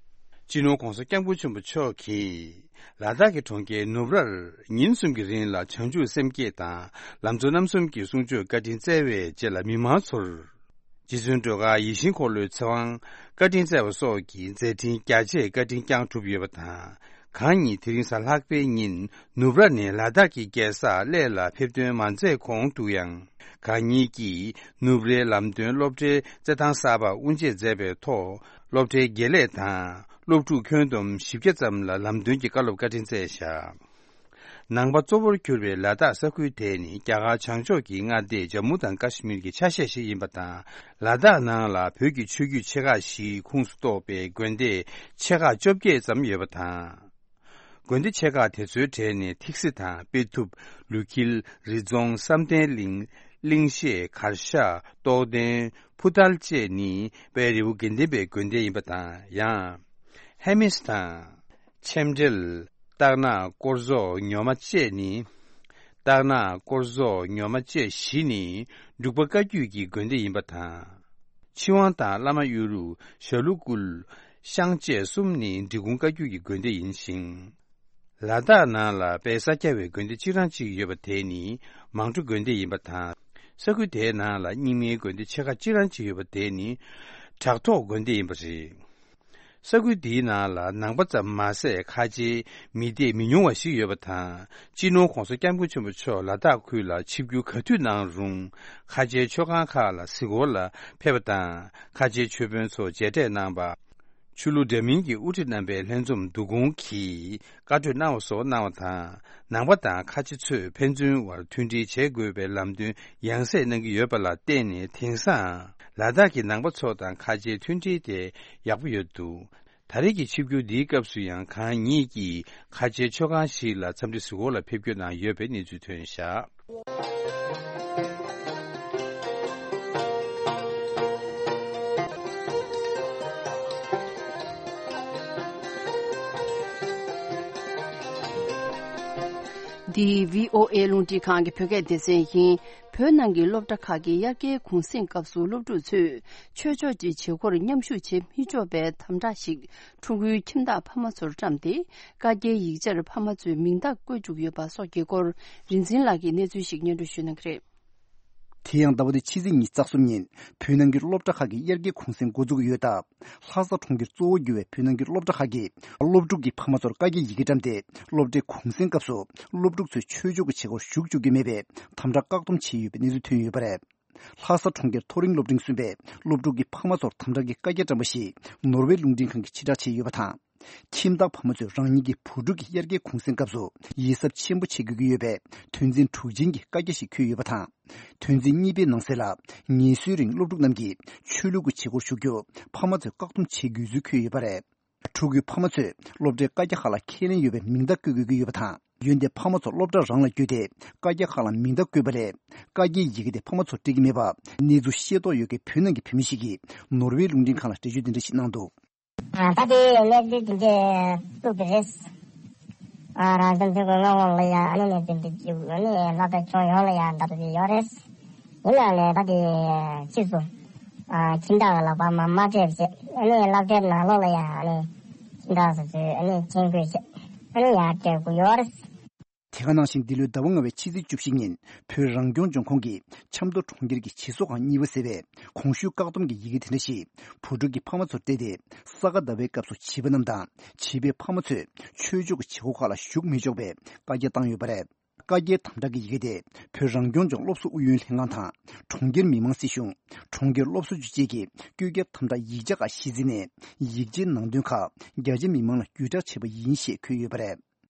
སྤྱི་ནོར་༧གོང་ས་༧སྐྱབས་མགོན་ཆེན་པོ་མཆོག་གིས་ལ་དྭགས་ཀྱི་གྲོང་ཁྱེར་ནུབ་རར་ཉིན་གསུམ་གྱི་རིང་ལ་བྱང་ཆུབ་སེམས་བསྐྱེད་དང་ལམ་གཙོ་རྣམ་གསུམ་གྱི་གསུང་ཆོས་བཀའ་དྲིན་སྩལ་བའི་རྗེས་ལ་མི་མང་ཚོར་རྗེ་བཙུན་སྒྲོལ་དཀར་ཡིད་བཞིན་འཁོར་ལོའི་ཚེ་དབང་བཀའ་དྲིན་སྩལ་བ་སོགས་ཀྱི་མཛད་འཕྲིན་རྒྱ་ཆེའི་བཀའ་དྲིན་བསྐྱངས་གྲུབ་ཡོད་པ་དང་། གང་ཉིད་དེ་རིང་གཟའ་ལྷག་པའི་ཉིན་ནུབ་ར་ནས་ལ་དྭགས་ཀྱི་རྒྱལ་ས་གླེ་ལ་ཕེབས་ཐོན་མ་མཛད་གོང་དུ་ཡང་། གང་ཉིད་ཀྱིས་ནུབ་རའི་ལམ་སྟོན་སློབ་གྲྭའི་རྩེད་ཐང་གསར་པ་དབུ་འབྱེད་མཛད་པའི་ཐོག་སློབ་གྲྭའི་དགེ་ལས་དང་སློབ་ཕྲུག་ཁྱོན་བསྡོམས་བཞི་བརྒྱ་ཙམ་ལ་ལམ་སྟོན་གྱི་བཀའ་སློབ་བཀའ་དྲིན་སྩལ་བཞག། ནང་པ་གཙོ་བོར་གྱུར་པའི་ལ་དྭགས་ས་ཁུལ་དེ་ནི་རྒྱ་གར་བྱང་ཕྱོགས་ཀྱི་མངའ་སྡེ་ཇམ་མུ་དང་ཀ་ཤི་མིར་གྱི་ཆ་ཤས་ཤིག་ཡིན་པ་དང་། ལ་དྭགས་ནང་ལ་བོད་ཀྱི་ཆོས་བརྒྱུད་ཆེ་ཁག་བཞིའི་ཁོངས་སུ་གཏོགས་པའི་དགོན་སྡེ་ཆེ་ཁག་བཅོ་བརྒྱད་ཙམ་ཡོད་པ་དང་། དགོན་སྡེ་ཆེ་ཁག་དེ་ཚོའི་གྲས་ནས་ཐིག་སེ་དང་དཔེ་ཐུབ། ལུས་འཁྱིལ། རི་རྫོང་། བསམ་གཏན་གླིང་། གླིང་ཤེད། གར་ཞ། རྟོགས་ལྡན། ཕུ་ཐལ་བཅས་ནི་དཔལ་རི་བོ་དགེ་ལྡན་པའི་དགོན་སྡེ་ཡིན་པ་དང་། ཡང་། ཧེ་མིས་དང་། ཆེམ་འབྲེལ། སྟག་ནག། སྐོར་རྫོགས། ཉོ་མ་བཅས་ནི། སྟག་ནག། སྐོར་རྫོགས། ཉོ་མ་བཅས་བཞི་ནི་འབྲུག་པ་བཀའ་བརྒྱུད་ཀྱི་དགོན་སྡེ་ཡིན་པ་དང་། ཆི་ཝང་དང་བླ་མ་གཡུ་རུ། ཞྭ་ལུ་ཀུལ། ཤང་བཅས་གསུམ་ནི་འབྲི་གུང་བཀའ་བརྒྱུད་ཀྱི་དགོན་སྡེ་ཡིན་ཞིང་། ལ་དྭགས་ནང་ལ་དཔལ་ས་སྐྱ་བའི་དགོན་སྡེ་གཅིག་རང་གཅིག་ཡོད་པ་དེ་ནི་མང་སྤྲོ་དགོན་སྡེ་ཡིན་པ་དང་། ས་ཁུལ་དེའི་ནང་ལ་རྙིང་མའི་དགོན་སྡེ་ཆེ་ཁག་གཅིག་རང་གཅིག་ཡོད་པ་དེ་ནི་བྲག་ཐོག་དགོན་སྡེ་ཡིན་པ་རེད། ས་ཁུལ་འདིའི་ནང་ལ་ནང་པ་ཙམ་མ་ཟད་ཁ་ཆེའི་མི་སྡེ་མི་ཉུང་བ་ཞིག་ཡོད་པ་དང་། སྤྱི་ནོར་༧གོང་ས་༧སྐྱབས་མགོན་ཆེན་པོ་མཆོག་ལ་དྭགས་ཁུལ་ལ་ཆིབས་བསྒྱུར་ག་དུས་གནང་རུང་། ཁ་ཆེའི་མཆོད་ཁང་ཁག་ལ་གཟིགས་སྐོར་ལ་ཕེབས་པ་དང་། ཁ་ཆེའི་མཆོད་དཔོན་ཚོ་མཇལ་འཕྲད་གནང་པ། ཆོས་ལུགས་འདྲ་མིན་གྱི་དབུ་ཁྲིད་རྣམ་པའི་ལྷན་འཛོམས་བསྡུ་སྐོང་གིས་བཀའ་གྲོས་གནང་བ་སོགས་གནང་བ་དང་། ནང་པ་དང་ཁ་ཆེ་ཚོས་ཕན་ཚུན་བར་མཐུན་སྒྲིལ་བྱེད་དགོས་པའི་ལམ་སྟོན་ཡང་སེ་གནང་གི་ཡོད་པ་ལ་བརྟེན་ནས། དེང་སང་ལ་དྭགས་ཀྱི་ནང་པ་ཚོ་དང་ཁ་ཆེའི་མཐུན་སྒྲིལ་དེ་ཡག་པོ་ཡོད་འདུག་ད་རེས་ཀྱི་ཆིབས་བསྒྱུར་འདིའི་སྐབས་སུ་ཡང་གང་ཉིད་ཀྱིས་ཁ་ཆེའི་མཆོད་ཁང་ཞིག་ལ་འཚམས་འདྲི་གཟིགས་སྐོར་ལ་ཕེབས་སྐྱོད་གནང་ཡོད་པའི་གནས་ཚུལ་ཐོན་བཞག་འདི་བྷི་ཨོ་ཨེ་རླུང་འཕྲིན་ཁང་གི་བོད་སྐད་སྡེ་ཚན་ཡིན། བོད་ནང་གི་སློབ་གྲྭ་ཁག་གི་དབྱར་ཁའི་གུང་གསེང་སྐབས་སུ་སློབ་ཕྲུག་ཚོས་ཆོས་ཕྱོགས་ཀྱི་བྱེད་སྒོར་མཉམ་ཞུགས་བྱེད་མི་ཆོག་པའི་དམ་དྲག་ཞིག་ཕྲུ་གུའི་ཁྱིམ་བདག་ཕ་མ་ཚོར་བཀྲམ་སྟེ། བཀའ་རྒྱའི་ཡིག་ཆར་ཕ་མ་ཚོས་མིང་རྟགས་བཀོད་བཅུག་ཡོད་པ་སོགས་ཀྱི་སྐོར། རིག་འཛིན་ལགས་ཀྱིས་གནས་ཚུལ་ཞིག་སྙན་སྒྲོན་ཞུ་གནང་གི་རེད། དེ་ཡང་ཟླ་བ་འདིའི་ཕྱི་ཚེས་ཉི་ཤུ་རྩ་གསུམ་ཉིན་བོད་ནང་གི་སློབ་གྲྭ་ཁག་གི་དབྱར་ཁའི་གུང་གསེང་འགོ་འཛུགས་ཡོད་སྟབས། ལྷ་ས་གྲོང་ཁྱེར་གཙོ་བོ་གྱུར་བའི་བོད་ནང་གི་སློབ་གྲྭ་ཁག་གིས་སློབ་ཕྲུག་གི་ཕ་མ་ཚོར་བཀའ་རྒྱའི་ཡི་གེ་བཀྲམ་སྟེ། སློབ་གྲྭའི་གུང་གསེང་སྐབས་སུ་སློབ་ཕྲུག་ཚོས་ཆོས་ཕྱོགས་ཀྱི་བྱེད་སྒོར་ཞུགས་བཅུག་རྒྱུ་མེད་པའི་དམ་དྲག་བཀག་སྡོམ་བྱས་ཡོད་པའི་གནས་ཚུལ་ཐོན་ཡོད་པ་རེད། ལྷ་ས་གྲོང་ཁྱེར་མཐོ་རིམ་སློབ་འབྲིང་གསུམ་པས་སློབ་ཕྲུག་གི་ཕ་མ་ཚོར་དམ་དྲག་གི་བཀའ་རྒྱ་བཀྲམ་པ་ཞིག་ནོར་ཝེ་རླུང་འཕྲིན་ཁང་གིས་ཕྱིར་བསྒྲགས་བྱས་ཡོད་པ་དང་། ཁྱིམ་བདག་ཕ་མ་ཚོས་རང་ཉིད་ཀྱི་བུ་ཕྲུག་གི་དབྱར་ཁའི་གུང་གསེང་སྐབས་སུ་ཡིད་གཟབ་ཆེན་པོ་བྱེད་དགོས་ཀྱི་ཡོད་པའི་དོན་ཚན་དྲུག་ཅན་གྱི་བཀའ་རྒྱ་ཞིག་འཁོད་ཡོད་པ་དང་། དོན་ཚན་གཉིས་པའི་ནང་གསལ་ལ། ངལ་གསོའི་རིང་སློབ་ཕྲུག་རྣམས་ཀྱིས་ཆོས་ལུགས་ཀྱི་བྱེད་སྒོར་ཞུགས་རྒྱུ་ཕ་མ་ཚོས་བཀག་སྡོམ་བྱེད་དགོས་ཚུལ་འཁོད་ཡོད་པ་རེད། ཕྲུ་གུའི་ཕ་མ་ཚོས་སློབ་གྲྭའི་བཀའ་རྒྱ་ཁག་ལ་ཁས་ལེན་ཡོད་པའི་མིང་རྟགས་བཀོད་དགོས་ཀྱི་ཡོད་པ་དང་། འོན་ཏེ་ཕ་མ་ཚོ་སློབ་གྲྭ་རང་ལ་བསྐྱོད་དེ་བཀའ་རྒྱ་ཁག་ལ་མིང་རྟགས་བཀོད་པ་ལས། བཀའ་རྒྱའི་ཡི་གེ་དེ་ཕ་མ་ཚོར་སྤྲད་ཀྱི་མེད་པ། གནས་ཚུལ་ཤེས་རྟོགས་ཡོད་མཁན་བོད་ནང་གི་བུད་མེད་ཞིག་གིས་ནོར་ཝེ་རླུང་འཕྲིན་ཁང་ལ་འགྲེལ་བརྗོད་འདི་འདྲ་ཞིག་གནང་འདུག་ད་ལྟའི་གནས་ཚུལ་དེ་འདྲས་བཙུགས་པ་རེད། ཨ་རང་བྱུང་ཐོན་ཁུངས་མངགས་དབང་ལ་ཡ་ཨ་ནི་གནས་ཚུལ་འདི་བརྒྱུད་ཨ་ནི་ལྷ་ས་ཁྱོན་ཡོངས་ལ་ཡ་འདྲ་པོ་ཞིག་ཡོད་རེད། ཡིན་ནའང་ལས་ད་དེ་ཕྱིས་སུ་ཨ་ཁྱིམ་བདག་གི་ལག་པར་མ་མ་སྤྲད་པ་བྱས་ཨ་ནི་སློབ་གྲྭའི་ནང་ལོགས་ལ་ཡ་ཨ་ནི་ཁྱིམ་བདག་སོ་སོས་ཨ་ནི་མཆན་འགོད་བྱས་ཨ་ནི་ཡར་སྤྲད་དགོས་ཡོད་རེད། དེ་ག་ནང་བཞིན་འདི་ལོའི་ཟླ་བ་ལྔ་པའི་ཕྱི་ཚེས་བཅུ་བཞི་ཉིན་བོད་རང་སྐྱོང་ལྗོངས་ཁོངས་ཀྱི་ཆབ་མདོ་གྲོང་ཁྱེར་གྱི་བྱེས་སོ་ཁང་གཉིས་པ་ཟེར་བས་གོང་ཞུས་བཀག་སྡོམ་གྱི་ཡི་གེ་དེ་འདྲ་ཞིག་བུ་ཕྲུག་གི་ཕ་མ་ཚོར་སྤྲད་དེ། ས་ག་ཟླ་བའི་སྐབས་སུ་བྱིས་པ་རྣམས་དང་བྱིས་པའི་ཕ་མ་ཚོས་ཆོས་ཕྱོགས་ཀྱི་བྱེད་སྒོ་ཁག་ལ་ཞུགས་མི་ཆོག་པའི་བཀའ་རྒྱ་བཏང་ཡོད་པ་རེད། བཀའ་རྒྱའི་དམ་དྲག་གི་ཡི་གེ་དེ་བོད་རང་སྐྱོང་ལྗོངས་སློབ་གསོ་ཨུ་ཡོན་ལྷན་ཁང་དང་གྲོང་ཁྱེར་མི་དམངས་སྲིད་གཞུང་། གྲོང་ཁྱེར་སློབ་གསོ་ཅུས་བཅས་ཀྱིས་བཀོད་ཁྱབ་དམ་དྲག་ཡིག་ཆ་ཁག་གཞི་འཛིན་ནས་ཡིག་ཆའི་ནང་དོན་ཁག་རྒྱ་ཆེ་མི་མང་ལ་བརྒྱུད་བསྒྲགས་བྱས་པ་ཡིན་ཞེས་འཁོད་ཡོད་པ་རེད།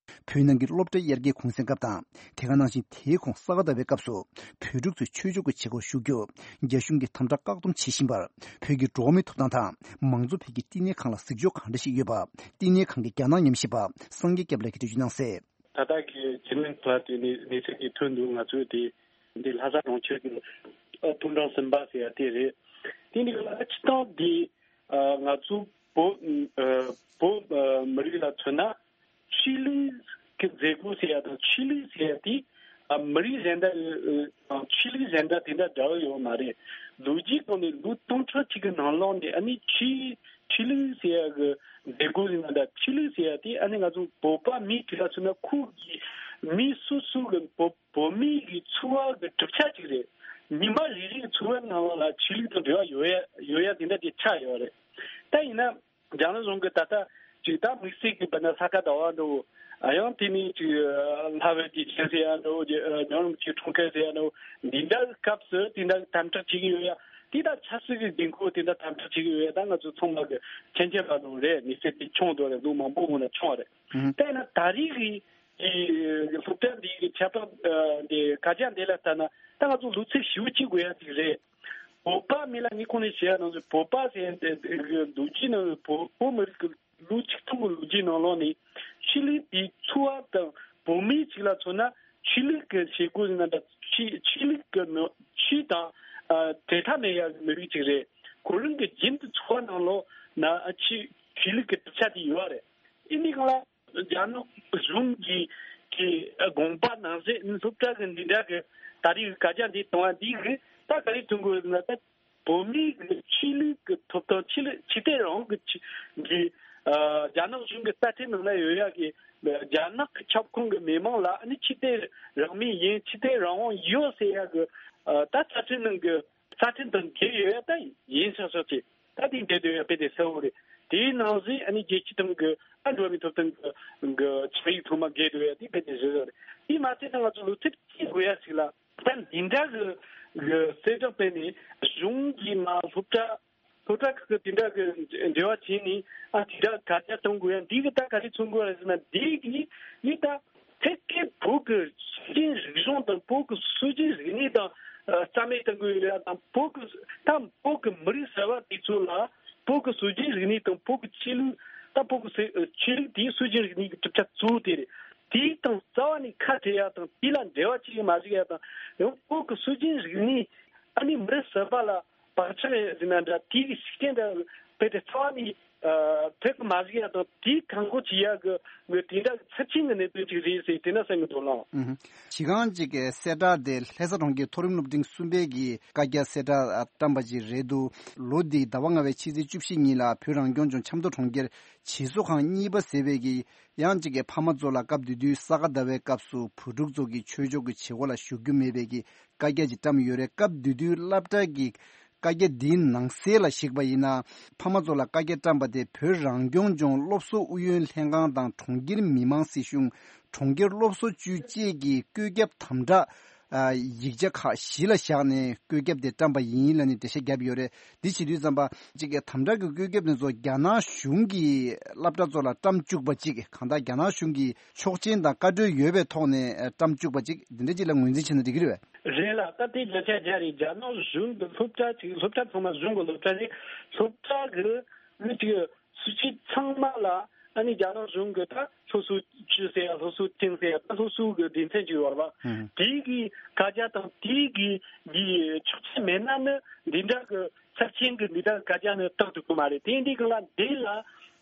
བོད་ནང་གི་སློབ་གྲྭའི་དབྱར་ཁའི་གུང་སེང་སྐབས་དང་། དེ་ག་ནང་བཞིན་དེའི་གོང་ས་ག་ཟླ་བའི་སྐབས་སུ་བོད་ཕྲུག་ཚོས་ཆོས་ཕྱོགས་ཀྱི་བྱེད་སྒོར་ཞུགས་རྒྱུ་རྒྱ་གཞུང་གིས་དམ་དྲག་བཀག་སྡོམ་བྱེད་བཞིན་པར་བོད་ཀྱི་འགྲོ་བ་མིའི་ཐོབ་ཐང་དང་མང་གཙོ་ཕན་གྱི་བསྟི་གནས་ཁང་ལ་གཟིགས་ཕྱོགས་གང་འདྲ་ཞིག་ཡོད་པ་བསྟི་གནས་ཁང་གི་རྒྱ་ནག་ཉམས་ཞིབ་པ་སངས་རྒྱས་སྐྱབས་ལགས་ཀྱིས་འགྲེལ་བརྗོད་གནང་གསལ། ད་ལྟ་གི་ཇི་མིན་ཐོག་དེ་ནས་གནས་ཚུལ་དེ་ཐོན་འདུག་ང་ཚོས་དེ་འདི་ལྷ་ས་གྲོང་ཁྱེར་གྱི་ཐུང་ཀྲང་སིམ་པ་ཟེར་ཡ་དེ་རེད། དེ་འདི་ལ་སྤྱི་བཏང་དེ་ང་ཚོ་བོད་བོད་མི་རིགས་ལ་མཚོན་ན། ཆོས་ལུགས་ཀྱི་མཛད་སྒོ་ཟེར་ཡ་དང་ཆོས་ལུགས་ཟེར་ཡ་དེ་མི་རིགས་གཞན་དག་དང་ཆོས་ལུགས་གཞན་དག་དེ་འདྲ་འདྲ་བོ་ཡོད་མ་རེད། ལོ་རྒྱུས་སྟེང་ནས་ལོ་སྟོང་ཕྲག་གཅིག་གི་ནང་ལོགས་ནས་ཨ་ནི་ཆོས་ཆོས་ལུགས་ཟེར་ཡ་གི་མཛད་སྒོ་ཡིན་ན་འདྲ་ཆོས་ལུགས་ཟེར་ཡ་དེ་ཨ་ནི་ང་ཚོ་བོད་པ་མི་དེ་ལ་མཚོན་ན་ཁོ་གི་མི་སོ་སོ་གི་བོད་བོད་མི་གི་འཚོ་བ་གི་གྲུབ་ཆ་ཅིག་རེད། ཉི་མ་རེ་རེ་གི་འཚོ་བའི་ནང་ལ་ཆོས་ལུགས་དང་འབྲེལ་བ་ཡོད་ཡ་ཡོད་ཡ་དེ་འདྲ་དེ་ཆགས་ཡོད་རེད། ད་ཡིན་ན། རྒྱ་ནག་གཞུང་གིས་ད་ལྟ་ཅིག་ད་དམིགས་བསལ་གྱི་བོད་ན་ས་ག་ཟླ་བ་འདྲ་བོ། ཡང་དེ་ནས་ཅིག་ལྷ་བོད་རྗེས་དྲན་ཟེར་ཡ་འདྲ་བོ། ཉང་རུམ་གྱི་འཁྲུངས་སྐར་ཟེར་ཡ་འདྲ་བོ། འདི་འདྲ་སྐབས་སུ་དེ་འདྲ་དམ་དྲག་བྱེད་ཀྱི་ཡོད་ཡ། དེ་ད་ཆབ་སྲིད་ཀྱི་འགན་ཁུར་དེ་འདྲ་དམ་དྲག་བྱེད་ཀྱི་ཡོད་ཡ། ད་ང་ཚོ་ཚང་མ་གི་མཁྱེན་མཁྱེན་པ་འདྲ་བོ་རེད། མི་ཚེ་དེ་ཆུང་དུ་རེད། ལོ་མང་པོ་སྔོན་ལ་ཆུང་བ་རེད། དེས་ན་ད་རེས་ཀྱི་སློབ་གྲྭ་འདི་གི་ཁྱད་པར་འདི་བཀའ་རྒྱ་འདི་ལ་ལྟ་ན་ད་ང་ཚོ་ལོ་ཚིགས་ཞེ་པོ་གཅིག་དགོས་ཡ་ཅིག་རེད། བོད་པ་མི་ལ་ངས་ཁོང་ནས་བཤད་ཡ་ནང་བཞིན་བོད་པ་ཟེར་ཡ་འདི་གི་ལོ་རྒྱུས་ནང་བོད་བོད་མི་རིགས་ཀྱི་ལོ་ཆིག་སྟོང་གི་ལོ་རྒྱུས་ནང་ལོགས་ནས་ཆོས་ལུགས་དེའི་འཚོ་བ་དང་བོད་མི་ཅིག་ལ་མཚོན་ན་ཆོས་ལུགས་ཀྱི་བྱེད་སྒོ་ཡིན་ན་འདྲ་ཆོས་ཆོས་ལུགས་ཀྱི་ནང་ཆོས་དང་ཨ་འབྲལ་ཐབས་མེད་ཡ་གི་མི་རིགས་ཅིག་རེད། ཁོ་རང་གི་རྒྱུན་དུ་འཚོ་བ་ནང་ལོགས་ན་ཨ་ཆོས་ཆོས་ལུགས་ཀྱི་གྲུབ་ཆ་དེ་ཡོད་རེད། ཨིན་དེ་གང་ལ། རྒྱ་ནག་གཞུང་གི་གི་དགོངས་པ་ནང་བཞིན་སློབ་གྲྭ་གི་འདི་འདྲ་གི་ད་རེས་བཀའ་རྒྱ་འདི་གཏོང་བ་འདི་གི་ད་ག་རེ་ཐོན་དགོས་ན། ད་བོད་མིའི་གི་ཆོས་ལུགས་ཀྱི་ཐོབ་ཐང་ཆོས་ལུགས་ཆོས་དད་རང་དབང་གི་ཆོས་གི་ཨ་རྒྱ་ནག་གཞུང་གི་རྩ་ཁྲིམས་ནང་ན་ཡོད་ཡ་གི་རྒྱ་ནག་གི་ཁྱབ་ཁོངས་གི་མི་མང་ལ་ཨ་ནི་ཆོས་དད་རང་མོས་ཡིན། ཆོས་དད་རང་དབང་ཡོད་ཟེར་ཡ་གི་ཨ་ད་རྩ་ཁྲིམས་ནང་གི་རྩ་ཁྲིམས་དང་འགལ་ཡོད་ཡ་ད་ཡིན་ཆོག་ཆོག་ཅིག་ད་དེ་འདྲ་དེ་ཡང་དཔེ་དེ་གསལ་བོ་རེད། དེའི་ནང་བཞིན་ཨ་ནི་རྒྱལ་སྤྱི་དང་གི་ཨ་འགྲོ་བ་མིའི་ཐོབ་ཐང་གི་གི་ཆིངས་ཡིག་ཚང་མ་འགལ་འདུག་ཡ་དེ་དཔེ་དེ་བཞི་ཡོད་རེད། དེ་མ་ཚད་ད་ང་ཚོ་ལོ་ཚིགས་གཅིག་དགོས་ཡ་ཞིག་ལ། ད་འདི་འདྲ་གི་གི་གསལ་བསྒྲགས་སྤེལ་ནས་གཞུང་གིས་མ་སློབ་གྲྭ་སློབ་གྲྭ་ཁག་གི་དེ་འདྲ་གི་འབྲེལ་བ་བྱས་ནས་ཨ་དེ་འདྲ་དཀའ་སྤྱད་གཏོང་དགོས་ཡ་འདི་གི་ད་ག་རེ་མཚོན་དགོས་རེད་ཟེར་ན། འདི་གི་ཡིན་ད། ཐད་ཀའི་བོད་ཀྱི་སྲོལ་རྒྱུན་རིག་གཞུང་དང་བོད་ཀྱི་སྲོལ་རྒྱུན་རིག་གནས་དང་ཨ་རྩ་མེད་གཏོང་གི་ཡོད་ཡ་དང་། བོད་ཀྱི་ད་བོད་ཀྱི་མི་རིགས་ཟེར་བ་དེ་ཚོ་ལ་བོད་ཀྱི་སྲོལ་རྒྱུན་རིག་གནས་དང་བོད་ཀྱི་ཆོས་ལུགས། ད་བོད་ཀྱི་སྲོལ་ཆོས་ལུགས་དེའི་སྲོལ་རྒྱུན་རིག་གནས་ཀྱི་གྲུབ་ཆ་གཙོ་བོ་དེ་རེད། དེའི་སྟེང་རྩ་བ་ནས་ཁ་བྲལ་ཡ་དང་དེ་ལ་འབྲེལ་བ་བྱེད་ཀྱི་མ་བཅུག་ཡ་དང་། ཡང་བོད་ཀྱི་སྲོལ་རྒྱུན་རིག་གནས་ཨ་ནི་མི་རིགས་ཟེར་བ་ལ་བག་ཆགས་ཡོད་ཟེར་ན་འདྲ། དེའི་ཤུགས་རྐྱེན་འདྲ་དཔེ་དེ་རྩ་བ་ནས་ཨ་ཐེབས་ཀྱི་མ་བཅུག་ཡ་དང་། དེའི་བཀག་འགོག་བྱེད་ཡ་གི་གི་དེ་འདྲ་གི་ཚབས་ཆེན་གྱི་གནད་དོན་ཅིག་རེད་ཟེར་དེ་འདྲ་གསུང་གི་འདུག་ལགས། ཨུ་ཧུ། གཞི་རྐང་གཅིག་གི་གསལ་བསྒྲགས་དེ་ལྷ་ས་གྲོང་ཁྱེར་མཐོ་རིམ་སློབ་འབྲིང་གསུམ་པའི་གི་བཀའ་རྒྱ་གསལ་བསྒྲགས་བཀྲམ་པ་ཅིག་རེད་འདུག་ལོ་འདིའི་ཟླ་བ་ལྔ་པའི་ཕྱི་ཚེས་བཅུ་བཞི་ཉིན་ལ་བོད་རང་སྐྱོང་ལྗོངས་ཆབ་མདོ་གྲོང་ཁྱེར་བྱེས་བཟོ་ཁང་གཉིས་པ་ཟེར་བའི་གི་ཡང་གཅིག་གི་ཕ་མ་ཚོ་ལ་སྐབས་དེ་དུས་ས་ག་ཟླ་བའི་སྐབས་སུ་བོད་ཕྲུག་ཚོ་གི་ཆོས་ཕྱོགས་ཀྱི་བྱེད་སྒོ་ལ་ཞུགས་རྒྱུ་མེད་པའི་གི་བཀའ་རྒྱ་ཅིག་བཀྲམ་ཡོད་རེད། སྐབས་དེ་དུས་སློབ་གྲྭ་གི་བཀའ་རྒྱ་འདིའི་ནང་གསལ་ལ་གཞིགས་པ་ཡིན་ན། ཕ་མ་ཚོ་ལ་བཀའ་རྒྱ་བཀྲམ་པ་དེ་བོད་རང་སྐྱོང་ལྗོངས་སློབ་གསོ་ཨུ་ཡོན་ལྷན་ཁང་དང་གྲོང་ཁྱེར་མི་དམངས་སྲིད་གཞུང་། གྲོང་ཁྱེར་སློབ་གསོ་ཅུས་བཅས་ཀྱི་བཀོད་ཁྱབ་དམ་དྲག་ཨ་ཡིག་ཆ་ཁག་གཞི་ལ་བཞག་ནས་བཀོད་ཁྱབ་དེ་བཀྲམ་པ་ཡིན་ལབ་ནས་འགྲེལ་བཤད་བརྒྱབ་ཡོད་རེད། འདི་བྱེད་དུས་ཙམ་པ་གཅིག་གི་དམ་དྲག་གི་བཀོད་ཁྱབ་དེ་ཚོ་རྒྱ་ནག་གཞུང་གི་སློབ་གྲྭ་ཚོ་ལ་བཀྲམ་བཅུག་པ་གཅིག་གང་ལྟར་རྒྱ་ནག་གཞུང་གི་ཆོག་མཆན་དང་བཀའ་འཁྲོལ་ཡོད་པའི་ཐོག་ནས་བཀྲམ་བཅུག་པ་གཅིག་འདི་འདྲ་གཅིག་ལ་ངོས་འཛིན་བྱས་ན་འགྲིག་གི་རེད་པས། རེད་ལགས། ད་དེ་བརྒྱ་ཆ་བརྒྱ་རེད། རྒྱ་ནག་གཞུང་གི་སློབ་གྲྭ་ཅིག་སློབ་གྲྭ་ཚང་མ་གཞུང་གི་སློབ་གྲྭ་རེད། སློབ་གྲྭ་གི་མི་གཅིག་སྲིད་ཇུས་ཚང་མ་ལ་ཨ་ནི་རྒྱ་ནག་གཞུང་གི་ད་སློབ་གསོ་ཅུས་ཟེར་ཡ་སློབ་གསོ་ཐིན་ཟེར་ཡ་ད་སློབ་གསོ་གི་སྡེ་ཚན་ཅིག་ཡོད་རེད་པ། ཧུམ། དེའི་གི་བཀའ་རྒྱ་དང་དེའི་གི་གི་ཆོག་མཆན་མེད་ན་ནི་འདི་འདྲ་གི་ཚབས་ཆེན་གི་འདི་འདྲ་གི་བཀའ་རྒྱ་ནི་བཏང་ཐུབ་ཀྱི་མ་རེད། དེ་འདི་གི་ལ་འདི་ལ་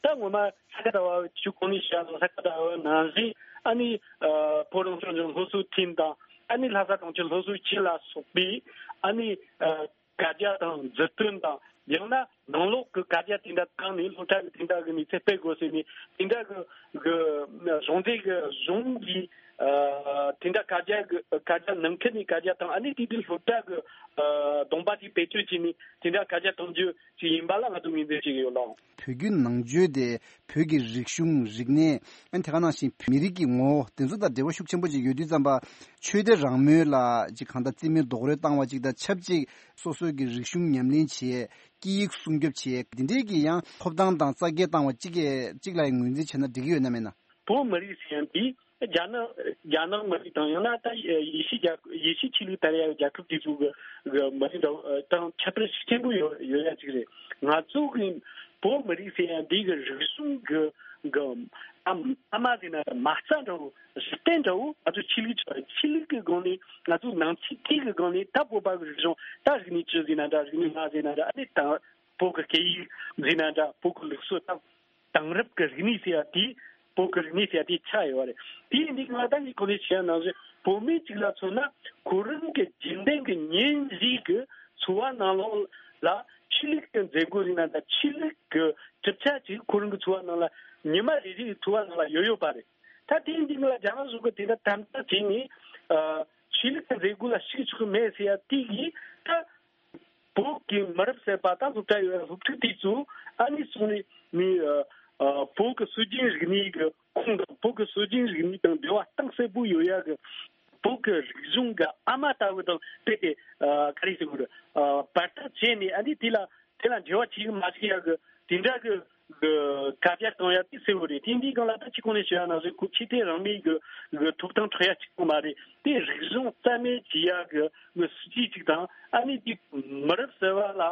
ད་ངོ་མ་ས་ག་ཟླ་བ་ཆུ་གོང་ནས་བཤད་ལ་ས་ག་ཟླ་བ་ནང་བཞིན་ཨ་ནི་ཨ་བོད་རང་སྐྱོང་ལྗོངས་སློབ་གསོ་ཐིན་དང་ཨ་ནི་ལྷ་ས་གྲོང་ཁྱེར་སློབ་གསོ་ཅུས་ལ་སོགས་པའི་ཨ་ནི་ཨ་བཀའ་རྒྱ་དང་མཛུབ་སྟོན་དང་། ཡང་ན་ནང་ལོགས་ཀྱི་བཀའ་རྒྱ་དེ་འདྲ་བཏང་ནས་སློབ་གྲྭ་གི་དེ་འདྲ་གི་གནས་ཚད་སྤེལ་དགོས་ཟེར་ནས་དེ་འདྲ་གི་གི་གཞུང་འབྲེལ་གི་གཞུང་གིས་ཨ་དེ་འདྲ་བཀའ་རྒྱ་གི་བཀའ་རྒྱ་ནང་ཁུལ་ནས་བཀའ་རྒྱ་བཏང་། ཨ་ནི་དེ་དུས་སློབ་གྲྭ་གི་ཨ་གདོང་པ་དེ་བེད་སྤྱོད་བྱས་ནས་དེ་འདྲ་བཀའ་རྒྱ་གཏོང་རྒྱུ་ཅིག་ཡིན་པ་ལ་ང་ཚོ་ངོས་འཛིན་བྱེད་ཀྱི་ཡོད་ལགས། བོད་བརྒྱུད་ནང་ཆོས་དེ་བོད་ཀྱི་རིག་གཞུང་། རིག་གནས། ཨ་ནི་དེ་ག་ནང་བཞིན་མི་རིགས་ཀྱི་ངོ་བོ་དེ་ཚོ་དང་འབྲེལ་བ་ཤུགས་ཆེན་པོ་ཅིག་ཡོད་དུས་ཙམ་པ། ཆོས་དད་རང་མོས་ལ་ཅིག་གང་ལྟར་རྩིས་མེད་རྡོག་རོལ་བཏང་བ་ཅིག་དང་ཆབས་ཅིག་སོ་སོའི་གི་རིག་གཞུང་ཉམས་ལེན་བྱེད། སྐད་ཡིག་སྲུང་སྐྱོབ་བྱེད། འདི་འདྲའི་གི་ཡང་ཐོབ་ཐང་དང་རྩ་འགེངས་བཏང་བ་ཅིག་གི་ཅིག་ལ་ཡང་ངོས་འཛིན་བྱས་ན་འགྲིག་གི་ཡོད་ན་མེད་ན། བོད་མི་རིགས་ཟེར་ཡ་འདི་རྒྱ་ནག་རྒྱ་ནག་མི་རིགས་དང་ཡང་ན་ད་ཡེ་ཤུ་རྒྱལ་ཡེ་ཤུ་ཆོས་ལུགས་དར་ཡ་རྒྱལ་ཁབ་དེ་ཚོ་གི་གི་མི་རིགས་འདྲ་བོ་དང་ཁྱད་པར་ཤུགས་ཆེན་པོ་ཡོད་ཡོད་ཡ་ཅིག་རེད། ང་ཚོ་གི་བོད་མི་རིགས་ཟེར་ཡ་འདི་གི་རིག་གཞུང་གི་གི་ཨ་ཨ་མ་ཟེར་ན་མ་རྩ་འདྲ་བོ། གཞི་རྟེན་འདྲ་བོ། ང་ཚོ་ཆོས་ལུགས་ཆོས་ལུགས་ཀྱི་སྒང་ནས་ང་ཚོ་ནང་ཆོས་སྐད་ཀྱི་སྒང་ནས་ད་བོད་པ་གི་རིག་གཞུང་ད་རིག་གནས་ཅི་ཟེར་ན་འདྲ། རིག་གནས་ང་ཟེར་ན་འདྲ། ཨ་ནི་ད་བོད་ཀྱི་སྐད་ཡིག་ཟེར་ན་འདྲ། བོད་ཀྱི་ལུགས་སྲོལ་ད་དེང་རབས་ཀྱི་རིག་གནས་ཟེར་ཡ་དེ། བོད་ཀྱི་རིག་གནས་ཟེར་ཡ་དེ་ཆགས་ཡོད་རེད། དེ་ཡིན་དུས་ང་ད་ངས་གོང་ནས་བཤད་ཡ་ནང་བཞིན་བོད་མི་གཅིག་ལ་མཚོན་ན་ཁོ་རང་གི་རྒྱུན་ལྡན་གྱི་ཉིན་རེའི་གི་འཚོ་བ་ནང་ལོགས་ལ་ཆོས་ལུགས་ཀྱི་མཛད་སྒོ་ཟེར་ན་འདྲ། ཆོས་ལུགས་ཀྱི་གྲུབ་ཆ་ཅིག་ཁོ་རང་གི་འཚོ་བ་ནང་ལ་ཉི་མ་རེ་རེའི་འཚོ་བ་ནང་ལ་ཡོད་ཡོད་པ་རེད། ད་དེ་ཡིན་དུས་ང་ལ་རྒྱ་ནག་གཞུང་གིས་དེ་འདྲ་དམ་དྲག་བྱས་ནས་ཨ་ཆོས་ལུགས་ཀྱི་མཛད་སྒོ་ལ་ཞུགས་ཆོག་གི་མེད་ཟེར་ཡ་དེ་གིས་ད་བོད་ཀྱི་མི་རབས་གསར་པ་ད་སློབ་གྲྭ་ཡོད་ཡ་སློབ་ཕྲུག་དེ་ཚོ་ཨ་ནི་སོང་ནས་ནི་ཨ་ཨ་བོད་ཀྱི་སྲོལ་རྒྱུན་རིག་གནས་ཀྱི་ཁུངས་དང་བོད་ཀྱི་སྲོལ་རྒྱུན་རིག་གནས་དང་འབྲེལ་བ་གཏིང་ཟབ་པོ་ཡོད་ཡ་གི་བོད་ཀྱི་རིག་གཞུང་གི་ཨ་མ་ལྟ་བུ་དང་དཔེ་དེ་ཨ་ག་རེ་ཟེར་དགོས་རེད། ཨ་བར་ཐག་བྱས་ནས་ཨ་ནི་དེ་ལ་དེ་ལ་འབྲེལ་བ་བྱེད་ཀྱི་མ་བྱེད་ཡ་གི་དེ་འདྲ་གི་གི་བཀའ་རྒྱ་གཏོང་ཡ་དེ་གསལ་བོ་རེད། དེ་འདིའི་སྒང་ལ་ད་ཅི་གོང་ནས་ཞུ་ཡ་ནང་བཞིན་ཁོ་ཆོས་དད་རང་མོས་གི་གི་ཐོབ་ཐང་འཕྲོག་ཡ་གཅིག་པོ་མ་རེད། དེ་རིག་གཞུང་རྩ་མེད་བྱེད་ཡ་གི་གི་སྲིད་ཇུས་གཅིག་དང་། ཨ་ནི་དེ་མི་རབས་གསར་བ་ལ་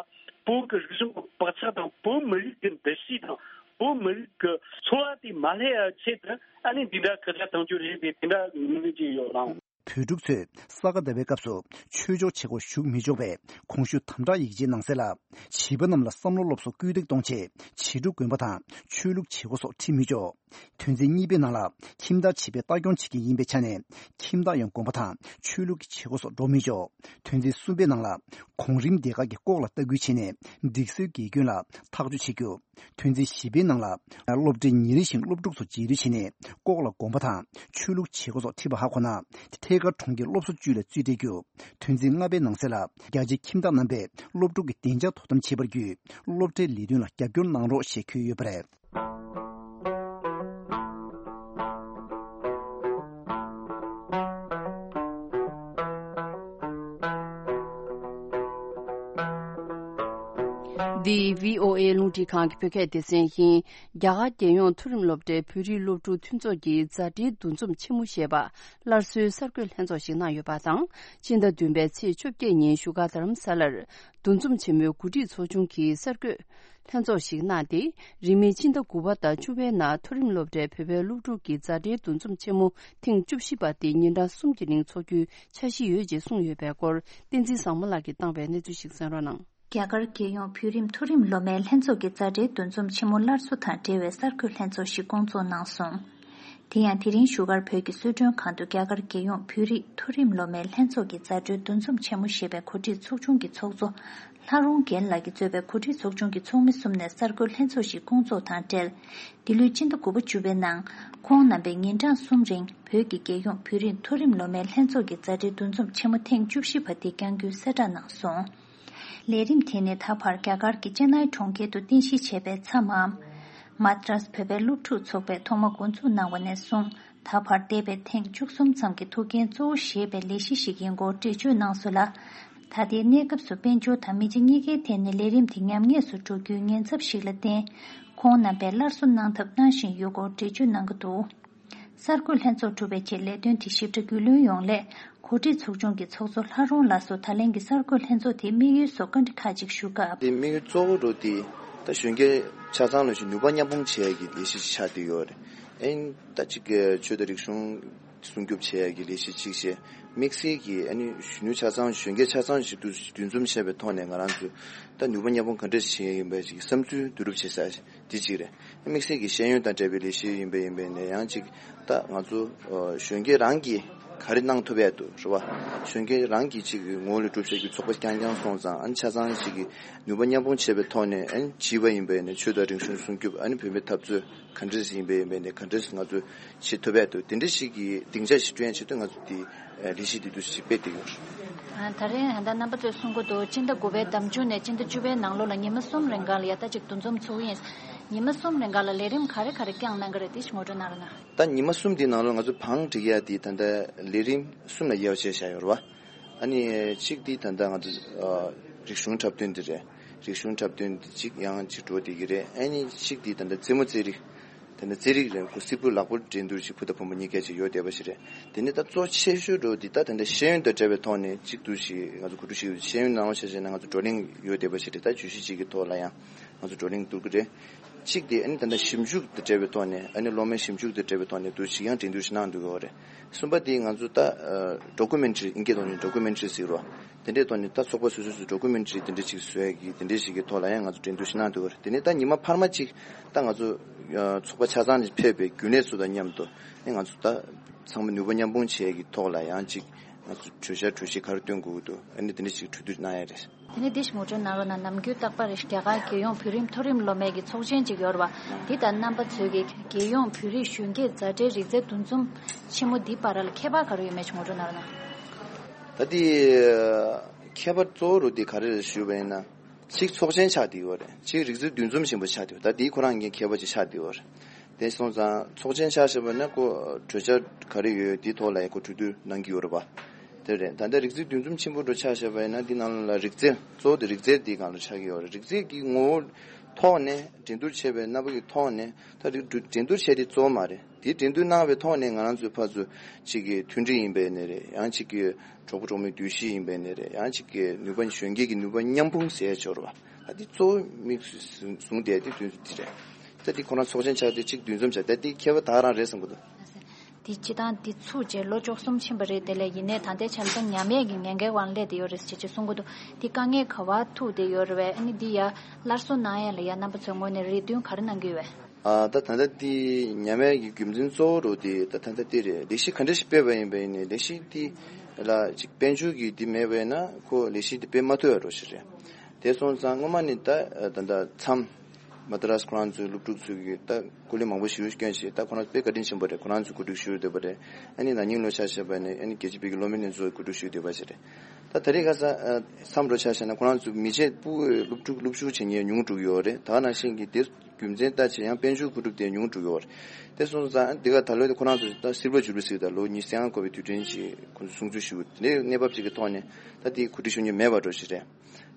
བོད་ཀྱི་རིག་གཞུང་གི་བག་ཆགས་དང་བོད་མི་རིགས་ཀྱི་འདུ་ཤེས་དང་བོད་མི་རིགས་ཀྱི་འཚོ་བ་དེ་མ་བསླད་ཡ་ཆེད་དུ་ཨ་ནི་འདི་འདྲ་བཀའ་རྒྱ་གཏོང་རྒྱུ་རེད་པས། དེ་འདྲ་ངོས་འཛིན་བྱས་ཡོད་ལགས། བོད་ཕྲུག་ཚོས་ས་ག་ཟླ་བའི་སྐབས་སུ་ཆོས་ཕྱོགས་བྱེད་སྒོར་ཞུགས་མི་ཆོག་པའི་གོང་ཞུས་དམ་དྲག་ཡིག་ཆའི་ནང་གསལ་ལ། བྱིས་པ་རྣམས་ལ་བསམ་བློ་སློབ་གསོ་སྐུལ་འདེད་གཏོང་ཆེད་བྱིས་ཕྲུག་དགོན་པ་དང་ཆོས་ལུགས་བྱེད་སྒོ་སོགས་ཁྲིད་མི་ཆོག་དོན་ཚན་གཉིས་པའི་ནང་ལ་ཁྱིམ་བདག་བྱིས་པའི་ལྟ་སྐྱོང་བྱེད་མཁན་ཡིན་པའི་ཆ་ནས་ཁྱིམ་བདག་ཡང་དགོན་པ་དང་ཆོས་ལུགས་ཀྱི་བྱེད་སྒོ་སོགས་འགྲོ་མི་ཆོག་དོན་ཚན་གསུམ་པའི་ནང་ལ་གོང་རིམ་སྡེ་ཁག་གིས་ལྐོག་ལ་ལྟ་སྐུལ་བྱས་ནས་སྒྲིག་སྲོལ་འགལ་སྐྱོན་ལ་ཐག་གཅོད་བྱེད་རྒྱུ། ཐོན་རྫས་བཞི་པའི་ནང་ལ་སློབ་གྲྭའི་ཉིན་རེ་བཞིན་སློབ་ཕྲུག་ཚོ་བརྗེ་རེས་བྱས་ནས་ལྐོག་ལ་དགོན་པ་དང་ཆོས་ལུགས་བྱེད་སྒོ་སོགས་ཁྲིད་པ་ཧ་གོ་ན། ཐད་ཀར་གྲོང་ཁྱེར་སློབ་གསོ་ཅུས་ལ་རྩིས་སྤྲད་རྒྱུ། ཐོན་རྫས་ལྔ་པའི་ནང་གསེས་ལ་རྒྱ་ཆེའི་ཁྱིམ་བདག་རྣམ་པས་སློབ་ཕྲུག་གི་བདེ་འཇགས་དོ་དམ་བྱེད་པར་བརྒྱུད། སློབ་གྲྭའི་ལས་དོན་ལ་རྒྱབ་སྐྱོར་གནང་རོགས་ཞེས་འཁོད་ཡོད་པ་རེད། འདི་བྷི་ཨོ་ཨེ་རླུང་འཕྲིན་ཁང་གི་བོད་སྐད་སྡེ་ཚན་ཡིན། རྒྱ་གར་རྒྱལ་ཡོངས་མཐོ་རིམ་སློབ་གྲྭའི་བོད་རིགས་སློབ་ཕྲུག་མཐུན་ཚོགས་ཀྱིས་མཛའ་འབྲེལ་འདུ་འཛོམས་ཆེན་མོ་ཞེས་པ་སླར་གསོའི་གསར་འགོད་ལྷན་ཚོགས་ཤིག་གནང་ཡོད་པ་དང་། སྤྱི་ཟླ་བདུན་པའི་ཚེས་བཅོ་བརྒྱད་ཉིན་བཞུགས་སྒར་རྡ་རམ་ས་ལར་འདུ་འཛོམས་ཆེན་མོའི་གོ་སྒྲིག་ཚོགས་ཆུང་གིས་གསར་འགོད་ལྷན་ཚོགས་ཤིག་གནང་སྟེ། རིང་མིན་སྤྱི་ཟླ་དགུ་པ་དང་བཅུ་པའི་ནང་མཐོ་རིམ་སློབ་གྲྭའི་བོད་པའི་སློབ་ཕྲུག་གི་མཛའ་འབྲེལ་འདུ་འཛོམས་ཆེན་མོ་ཐེངས་བཅུ་བཞི་པ་དེ་ཉིན་གྲངས་གསུམ་གྱི་རིང་འཚོགས་རྒྱུའི་འཆར་གཞི་ཡོད་ཅེས་གསུངས་ཡོད་པའི་སྐོར། བསྟན་འཛིན་བཟང་མོ་ལགས་ཀྱིས་བཏང་བའི་གནས་ཚུལ་ཞིག་གསན་རོགས་གནང་། རྒྱ་གར་རྒྱལ་ཡོངས་བོད་རིགས་མཐོ་རིམ་སློབ་མའི་ལྷན་ཚོགས་ཀྱི་མཛའ་འབྲེལ་འདུ་འཛོམས་ཆེན་མོ་སླར་གསོ་དང་འབྲེལ་བའི་གསར་འགོད་ལྷན་ཚོགས་ཤིག་བསྐོང་ཚོགས་གནང་སོང་། དེ་ཡང་དེ་རིང་བཞུགས་སྒར་བོད་ཀྱི་གསོལ་མགྲོན་ཁང་དུ་རྒྱ་གར་རྒྱལ་ཡོངས་བོད་རིགས་མཐོ་རིམ་སློབ་མའི་ལྷན་ཚོགས་ཀྱི་མཛའ་འབྲེལ་འདུ་འཛོམས་ཆེན་མོ་ཞེས་པའི་གོ་སྒྲིག་ཚོགས་ཆུང་གི་ཚོགས་གཙོ་ལྷ་རོང་རྒྱལ་ལགས་ཀྱིས་གཙོས་པའི་གོ་སྒྲིག་ཚོགས་ཆུང་གི་ཚོགས་མི་གསུམ་ནས་གསར་འགོད་ལྷན་ཚོགས་ཤིག་བསྐོང་ཚོགས་དང་འབྲེལ། འདི་ལོའི་སྤྱི་ཟླ་དགུ་པ་བཅུ་པའི་ནང་ཁོང་རྣམ་པས་ཉིན་གྲངས་གསུམ་རིང་བོད་ཀྱི་རྒྱལ་ཡོངས་བོད་རིགས་མཐོ་རིམ་སློབ་མའི་ལྷན་ཚོགས་ཀྱི་མཛའ་འབྲེལ་འདུ་འཛོམས་ཆེན་མོ་ཐེངས་བཅུ་བཞི་པ་དེ་བསྐྱང་རྒྱུའི་གསལ་བསྒྲགས་གནང་སོང་། ལས་རིམ་དེ་ནི་ད་བར་རྒྱ་གར་གྱི་ཅེ་ནའི་གྲོང་ཁྱེར་དུ་རྟེན་གཞི་བྱས་པའི་མཚམས་མམ། མ་ཏྲ་སི་བོད་པའི་སློབ་ཕྲུག་ཚོགས་པས་ཐོག་མ་འགོ་འཛུགས་གནང་བ་ནས་བཟུང་ད་བར་འདས་པའི་ཐེངས་བཅུ་གསུམ་ཙམ་གྱི་ཐུགས་འགན་གཙོ་བོ་བཞེས་པའི་ལས་གཞི་ཞིག་ཡིན་སྐོར་འགྲེལ་བརྗོད་གནང་སོང་ལ། ད་ལྟའི་གནས་སྐབས་སུ་དཔལ་འབྱོར་དང་མི་ཆ་གཉིས་ཀའི་ཐད་ནས་ལས་རིམ་དེ་ཉམས་ཉེས་སུ་འགྲོ་རྒྱུའི་ཉེན་ཚབས་ཤིག་ལ་བརྟེན། ཁོང་རྣམ་པས་སླར་གསོ་གནང་ཐབས་གནང་བཞིན་ཡོད་སྐོར་འགྲེལ་བརྗོད་གནང་གི་འདུག་གསར་འགོད་ལྷན་ཚོགས་གྲུབ་པའི་རྗེས་ལས་དོན་དེ་ཞིབ་ཕྲ་རྒྱུས་ལོན་ཡོང་སླད་གོ་སྒྲིག་ཚོགས་ཆུང་གི་ཚོགས་གཙོ་ལྷ་རོང་ལགས་སུ་ད་ལན་གྱི་གསར་འགོད་ལྷན་ཚོགས་དེའི་དམིགས་ཡུལ་སོགས་བཀའ་འདྲི་ཁག་ཅིག་ཞུ་སྐབས། དེ་དམིགས་ཡུལ་གཙོ་བོ་རུ་དེ་ད་གཞོན་སྐྱེས་ཆ་ཚང་ལ་ཞིག་ནུས་པ་མཉམ་སྤུངས་བྱེད་ཡག་གི་ལས་གཞི་ཞིག་ཆགས་བསྡད་ཡོད་རེད། ཨེ་ད་ཅིག་ཆོས་དང་རིག་གཞུང་སྲུང་སྐྱོབ་བྱེད་ཡག་གི་ལས་གཞི་གཅིག་བྱས། དམིགས་བསལ་གྱི་ཨ་ནི་གཞོན་ནུ་ཆ་ཚང་གཞོན་སྐྱེས་ཆ་ཚང་ཞིག་ཏུ་འདུ་འཛོམས་བྱས་པའི་ཐོག་ནས་ང་རང་ཚོས་ད་ནུས་པ་མཉམ་སྤུངས་ག་འདྲ་ཞིག་བྱེད་ཡག་ཡིན་པའི་ཅིག་བསམ་ཚུལ་བསྡུ་རུབ་བྱེད་ས། དེ་གཅིག་རེད། དམིགས་བསལ་གྱི་ཤེས་ཡོན་དང་འབྲེལ་བའི་ལས་གཞི་ཡིན་པ་ཡིན་པས་ནས་ཡང་གཅིག་ད་ང་ཚོ་ཨ་གཞོན་སྐྱེས་རང་གིས་ག་རེ་གནང་ཐུབ་ཡག་འདུག་རེད་བ། གཞོན་སྐྱེས་རང་གིས་གཅིག་གི་ངོ་བོ་ལ་གྲུབ་བྱེད་ཀྱི་ཚོགས་པ་རྐྱང་རྐྱང་སོང་ཙང་ཨ་ནི་ཆ་ཚང་གཅིག་གི་ནུས་པ་མཉམ་སྤུངས་བྱས་པའི་ཐོག་ནས་ཨ་ནི་བྱིས་པ་ཡིན་པས་ནས་ཆོས་དང་རིག་གཞུང་སྲུང་སྐྱོབ་ཨ་ནི་བུད་མེད་འཐབ་རྩོད་ག་འདྲ་ཞིག་ཡིན་པས་ཡིན་པས་ནས་ག་འདྲ་ཞིག་ང་ཚོས་བྱེད་ཐུབ་ཡག་འདུག་དེ་འདྲ་ཞིག་གི་སྡིངས་ཆ་ཞིག་བསྐྲུན་ཡག་ཆེད་དུ་ང་ཚོ་དེ་ལས་གཞི་འདི་འདུག་ཞིག་སྤེལ་བསྡད་ཡོད། ད་རེས་ད་ལྟ་རྣམ་པ་ཚོས་གསུང་གི་འདུག་སྤྱི་ཟླ་དགུ་པའི་ཟླ་མཇུག་ནས་སྤྱི་ཟླ་བཅུ་པའི་ནང་ལོགས་ལ་ཉི་མ་གསུམ་རིང་ག་ལ་ཡ་ད་ཅིག་འདུ་འཛོམས་ཚུགས་ཡིན། ཉི་མ་གསུམ་རིང་ག་ལ་ལས་རིམ་ག་རེ་ག་རེ་བསྐྱངས་གནང་གི་རེད། དེ་ཞིག་ངོ་སྤྲོད་གནང་རོགས་གནང་། ད་ཉི་མ་གསུམ་འདིའི་ནང་ལོགས་ང་ཚོ་བང་སྒྲིག་ཡག་འདི་ད་ལྟ་ལས་རིམ་གསུམ་ལ་དབྱེ་བ་ཕྱེ་བཞག་ཡོད་རེད་བ། ཨ་ནི་གཅིག་འདི་ད་ལྟ་ང་ཚོ་ཨ་རིག་གཞུང་འཁྲབ་སྟོན་འདི་རེད། རིག་གཞུང་འཁྲབ་སྟོན་འདི་གཅིག་ཡང་གཅིག་འགྲོ་བསྡད་ཀྱི་རེད། ཨ་ནི་གཅིག་འདི་ད་ལྟ་རྩེད་མོ་རྩེད་རིགས། དེ་ནས་རྩེད་རིགས་རེད། ཁོ་སིལ་བུ་ལག་པོ་འགྲན་བསྡུར་ཞིག་བུ་དང་བུ་མོ་གཉིས་ཀ་ཅིག་ཡོད་བསྡད་པ་ཞིག་རེད། དེ་ནས་ད་གཙོ་ཆེ་ཤོས་འགྲོ་འདི་ད་དེ་འདྲ་ཤེས་ཡོན་དང་འབྲེལ་བའི་ཐོག་ནས་གཅིག་ཏུ་ཞིག་ང་ཚོ་གོ་སྒྲིག་ཞིག་ཡོད། ཤེས་ཡོན་ནང་ལོགས་ཆ་བཞག་ན་ང་ཚོ་བགྲོ་གླེང་ཡོད་བསྡད་པ་ཞིག་རེད། ད་བརྗོད་གཞི་གཅིག་གི་ཐོག་ལ་ཡང་ང་ཚོ་བགྲོ་གླེང་བསྡུར་གི་རེད། གཅིག་དེ་ཨ་ནི་ད་ལྟ་ཞིབ་འཇུག་དང་འབྲེལ་བའི་ཐོག་ནས་ཨ་ནི་སློབ་མའི་ཞིབ་འཇུག་དང་འབྲེལ་བའི་ཐོག་ནས་འདུག་ཞིག་ཡང་འགྲན་བསྡུར་ཞིག་གནང་འདུག་གི་རེད། གསུམ་པ་དེ་ང་ཚོ་ད་ཌོ་ཀུ་མེན་ཊ་རི་ཨིན་སྐད་ཐོག་ནས་ཌོ་ཀུ་མེན་ཊ་རི་ཟེར་བ། དེ་འདྲའི་ཐོག་ནས་ད་ཚོགས་པ་སོ་སོ་སོ་ཌོ་ཀུ་མེན་ཊ་རི་དེ་འདྲ་ཅིག་བཟོ་ཡག་གི་དེ་འདྲ་ཞིག་གི་ཐོག་ལ་ཡང་ང་ཚོ་འགྲན་བསྡུར་ཞིག་གནང་འདུག་གི་རེད། དེ་ནས་ད་ཉི་མ་འཕར་མ་ཅིག་ད་ང་ཚོ་ཚོགས་པ་ཆ་ཚང་ནས་ཕེབས་པའི་རྒྱུན་ལས་ཚོ་དང་མཉམ་དུ་ཨ་ང་ཚོ་ད་ཚང་མ་ནུས་པ་མཉམ་སྤུངས་བྱེད་ཡག་གི་ཐོག་ལ་ཡང་ཅིག་ང་ཚོ་གྲོས་འཆར་གྲོས་གཞི་ག་རེ་བཏོན་དགོས་ཀྱི་འདུག་ཨ་ནི་དེ་འདྲ་ཅིག་གྲོས་བསྡུར་གནང་ཡག་རེད། དེ་ནས་འདི་ཞིག་ངོ་སྤྲོད་གནང་རོགས་གནང་། ནམ་རྒྱུན་རྟག་པར་རྒྱ་གར་རྒྱལ་ཡོངས་བོད་རིགས་མཐོ་རིམ་སློབ་མའི་གི་ཚོགས་ཆེན་ཅིག་ཡོད་རེད་བ། འདི་ལྟར་རྣམ་པ་ཚོས་ཀྱི་རྒྱལ་ཡོངས་བོད་རིགས་གཞོན་སྐྱེས་མཛའ་འབྲེལ་རིག་རྩལ་འདུ་འཛོམས་ཆེན་མོ་འདི་བར་ལ་ཁྱད་པར་ག་རེ་ཡོད་མེད་ཅིག་ངོ་སྤྲོད་གནང་རོགས་གནང་། ད་འདི་ཁྱད་པར་གཙོ་བོ་རུ་འདི་ག་རེ་རེད་ཞུས་པ་ཡིན་ན། གཅིག་ཚོགས་ཆེན་ཆགས་བསྡད་ཡོད་རེད། གཅིག་རིག་རྩལ་འདུ་འཛོམས་ཆེན་པོ་ཆགས་བསྡད་ཡོད། ད་འདི་ཁོ་རང་གི་ཁྱད་པར་ཅིག་ཆགས་བསྡད་ཡོད་རེད། དེ་སོང་ཙང་ཚོགས་ཆེན་ཆ་བཞག་པ་ན་ཁོ་གྲོས་འཆར་ག་རེ་ཡོད་དེའི་ཐོག་ལ་ཡང་ཁོ་གྲོས་བསྡུར་གནང་གི་ཡོད་རེད་པ། དེ་རེད། ད་ལྟ་རིག་རྩལ་འདུ་འཛོམས་ཆེན་པོ་འགྲོ་ཆ་བཞག་པ་ཡིན་ན་འདི་ནང་ལ་རིག་རྩལ་གཙོ་བོ་དེ་རིག་རྩལ་འདིའི་སྒང་ལ་ཆགས་ཀྱི་ཡོད་རེད། རིག་རྩལ་གྱི་ངོ་བོ་ཐོག་ནས་འགྲན་བསྡུར་བྱས་པའི་རྣམ་པ་གི་ཐོག་ནས་ད་རིག་འགྲན་བསྡུར་བྱས་དེ་གཙོ་བོ་མ་རེད། དེ་འགྲན་བསྡུར་གནང་བའི་ཐོག་ནས་ང་རང་ཚོའི་ཕར་ཚུར་གཅིག་གི་མཐུན་སྒྲིལ་ཡིན་པའི་ནས་རེད། ཡང་གཅིག་གི་གྲོགས་པོ་གྲོགས་མོའི་འདུ་ཤེས་ཡིན་པའི་ནས་རེད། ཡང་གཅིག་གི་ནུས་པ་གཞོན་སྐྱེས་ཀྱི་ནུས་པ་མཉམ་སྤུངས་ཟེར་ཡ་ཅིག་ཡོད་རེད་པ། ད་འདི་གཙོ་བོ་དམིགས་སུ་བཟུང་བསྡད་དེ་དོན་དུ་དེ་རེད། ད་འདི་ཁོ་རང་ཚོགས་ཆེན་ཆགས་དུས་གཅིག་འདུ་འཛོམས་བྱས། ད་འདི་ཁྱད་པར་ད་རང་རེད་བསམ་གི་འདུག་འདི་སྤྱི་བཏང་འདི་ཚུགས་རྗེས་ལོ་བཅུ་གསུམ་ཕྱིན་པ་རེད། དེ་ལས་ཡིན་ནའི་ད་ལྟའི་ཆར་ད་ཉམས་ཡག་གི་ངན་འགལ་དབང་སླེབས་བསྡད་ཡོད་རེད་ཅེས་ཅེས་གསུང་གི་འདུག་འདི་དཀའ་ངལ་ག་བ་ཐུག་བསྡད་ཡོད་རེད་པས། ཨ་ནི་འདི་ཡ་སླར་གསོ་གནང་ཡ་ལ་ཡ་རྣམ་པ་ཚོའི་ངོས་ནས་རེ་འདུན་ག་རེ་གནང་གི་ཡོད་པས། ཨ་ད་ད་ལྟ་འདི་ཉམས་ཡག་གི་རྒྱུ་མཚན་གཙོ་བོ་རུ་དེ་ད་ད་ལྟ་འདི་རེད། ལས་གཞི་ག་འདྲ་ཞིག་སྤེལ་བ་ཡིན་པ་ཡིན་ནའི་ལས་གཞི་འདི་ལ་ཅིག་དཔལ་འབྱོར་གྱི་འདི་མེད་པ་ཡིན་ན་ཁོ་ལས་གཞི་འདི་སྤེལ་མ་ཐུབ་ཡ་འགྲོ་ཞིག་རེད། དེ་སོང་ཙང་སྔོན་མ་ནས་ད་ད་ད་མཚམས་ མ་ཏྲ་སི་ཁོ་རང་ཚོའི་སློབ་ཕྲུག་ཚོས་ཀྱི་ད་སྐུ་ལས་མང་པོ་ཞིག་བསྐྱོན་བྱས། ད་ཁོ་རང་ཚོ་དཔེ་བཀའ་དྲིན་ཆེན་པོ་རེད། ཁོ་རང་ཚོས་གོ་སྒྲིག་ཞུས་བསྡད་པ་རེད། ཨ་ནི་ན་ནིང་ལོ་ཆ་བཞག་པ་ནས་ཨ་ནི་རྒྱལ་སྤྱིའི་དཔེ་སྐྱིད་སློབ་མའི་ལྷན་ཚོགས་གོ་སྒྲིག་ཞུས་བསྡད་པ་ཞིག་རེད། ད་ད་རེས་ཁ་སང་ཨ་མཚམས་འགྲོ་ཆ་བཞག་ན་ཁོ་རང་ཚོ་མི་བྱེད་སྤུ་བོའི་སློབ་ཕྲུག་སློབ་ཞུགས་བྱེད་མཁན་ཉུང་འགྲོ་གི་ཡོད་རེད། ད་ནང་བཞིན་གྱི་དེ་རྒྱུ་མཚན་ལྟ་བྱས་ཡང་དཔལ་འབྱོར་བཀོད་སྒྲིག་དེ་ཉུང་འགྲོ་གི་ཡོད་རེད། དེ་སོང་ཙང་འདི་ག་ད་ལོ་དེ་ཁོ་རང་ཚོ་ད་སིལ་བར་ཇུ་བི་ལི་ཟེར། ད་ལོ་ཉི་ཤུ་རྩ་ལྔ་འཁོར་བའི་དུས་དྲན་ཅིག་ཁོ་ཚོ་སྲུང་བརྩི་ཞུ། དེ་འདྲའི་གནས་བབ་ཅིག་གི་ཐོག་ནས་ད་དེ་གོ་སྒྲིག་ཞུ་མཁན་མེད་པ་འགྲོ་ཞིག་རེད།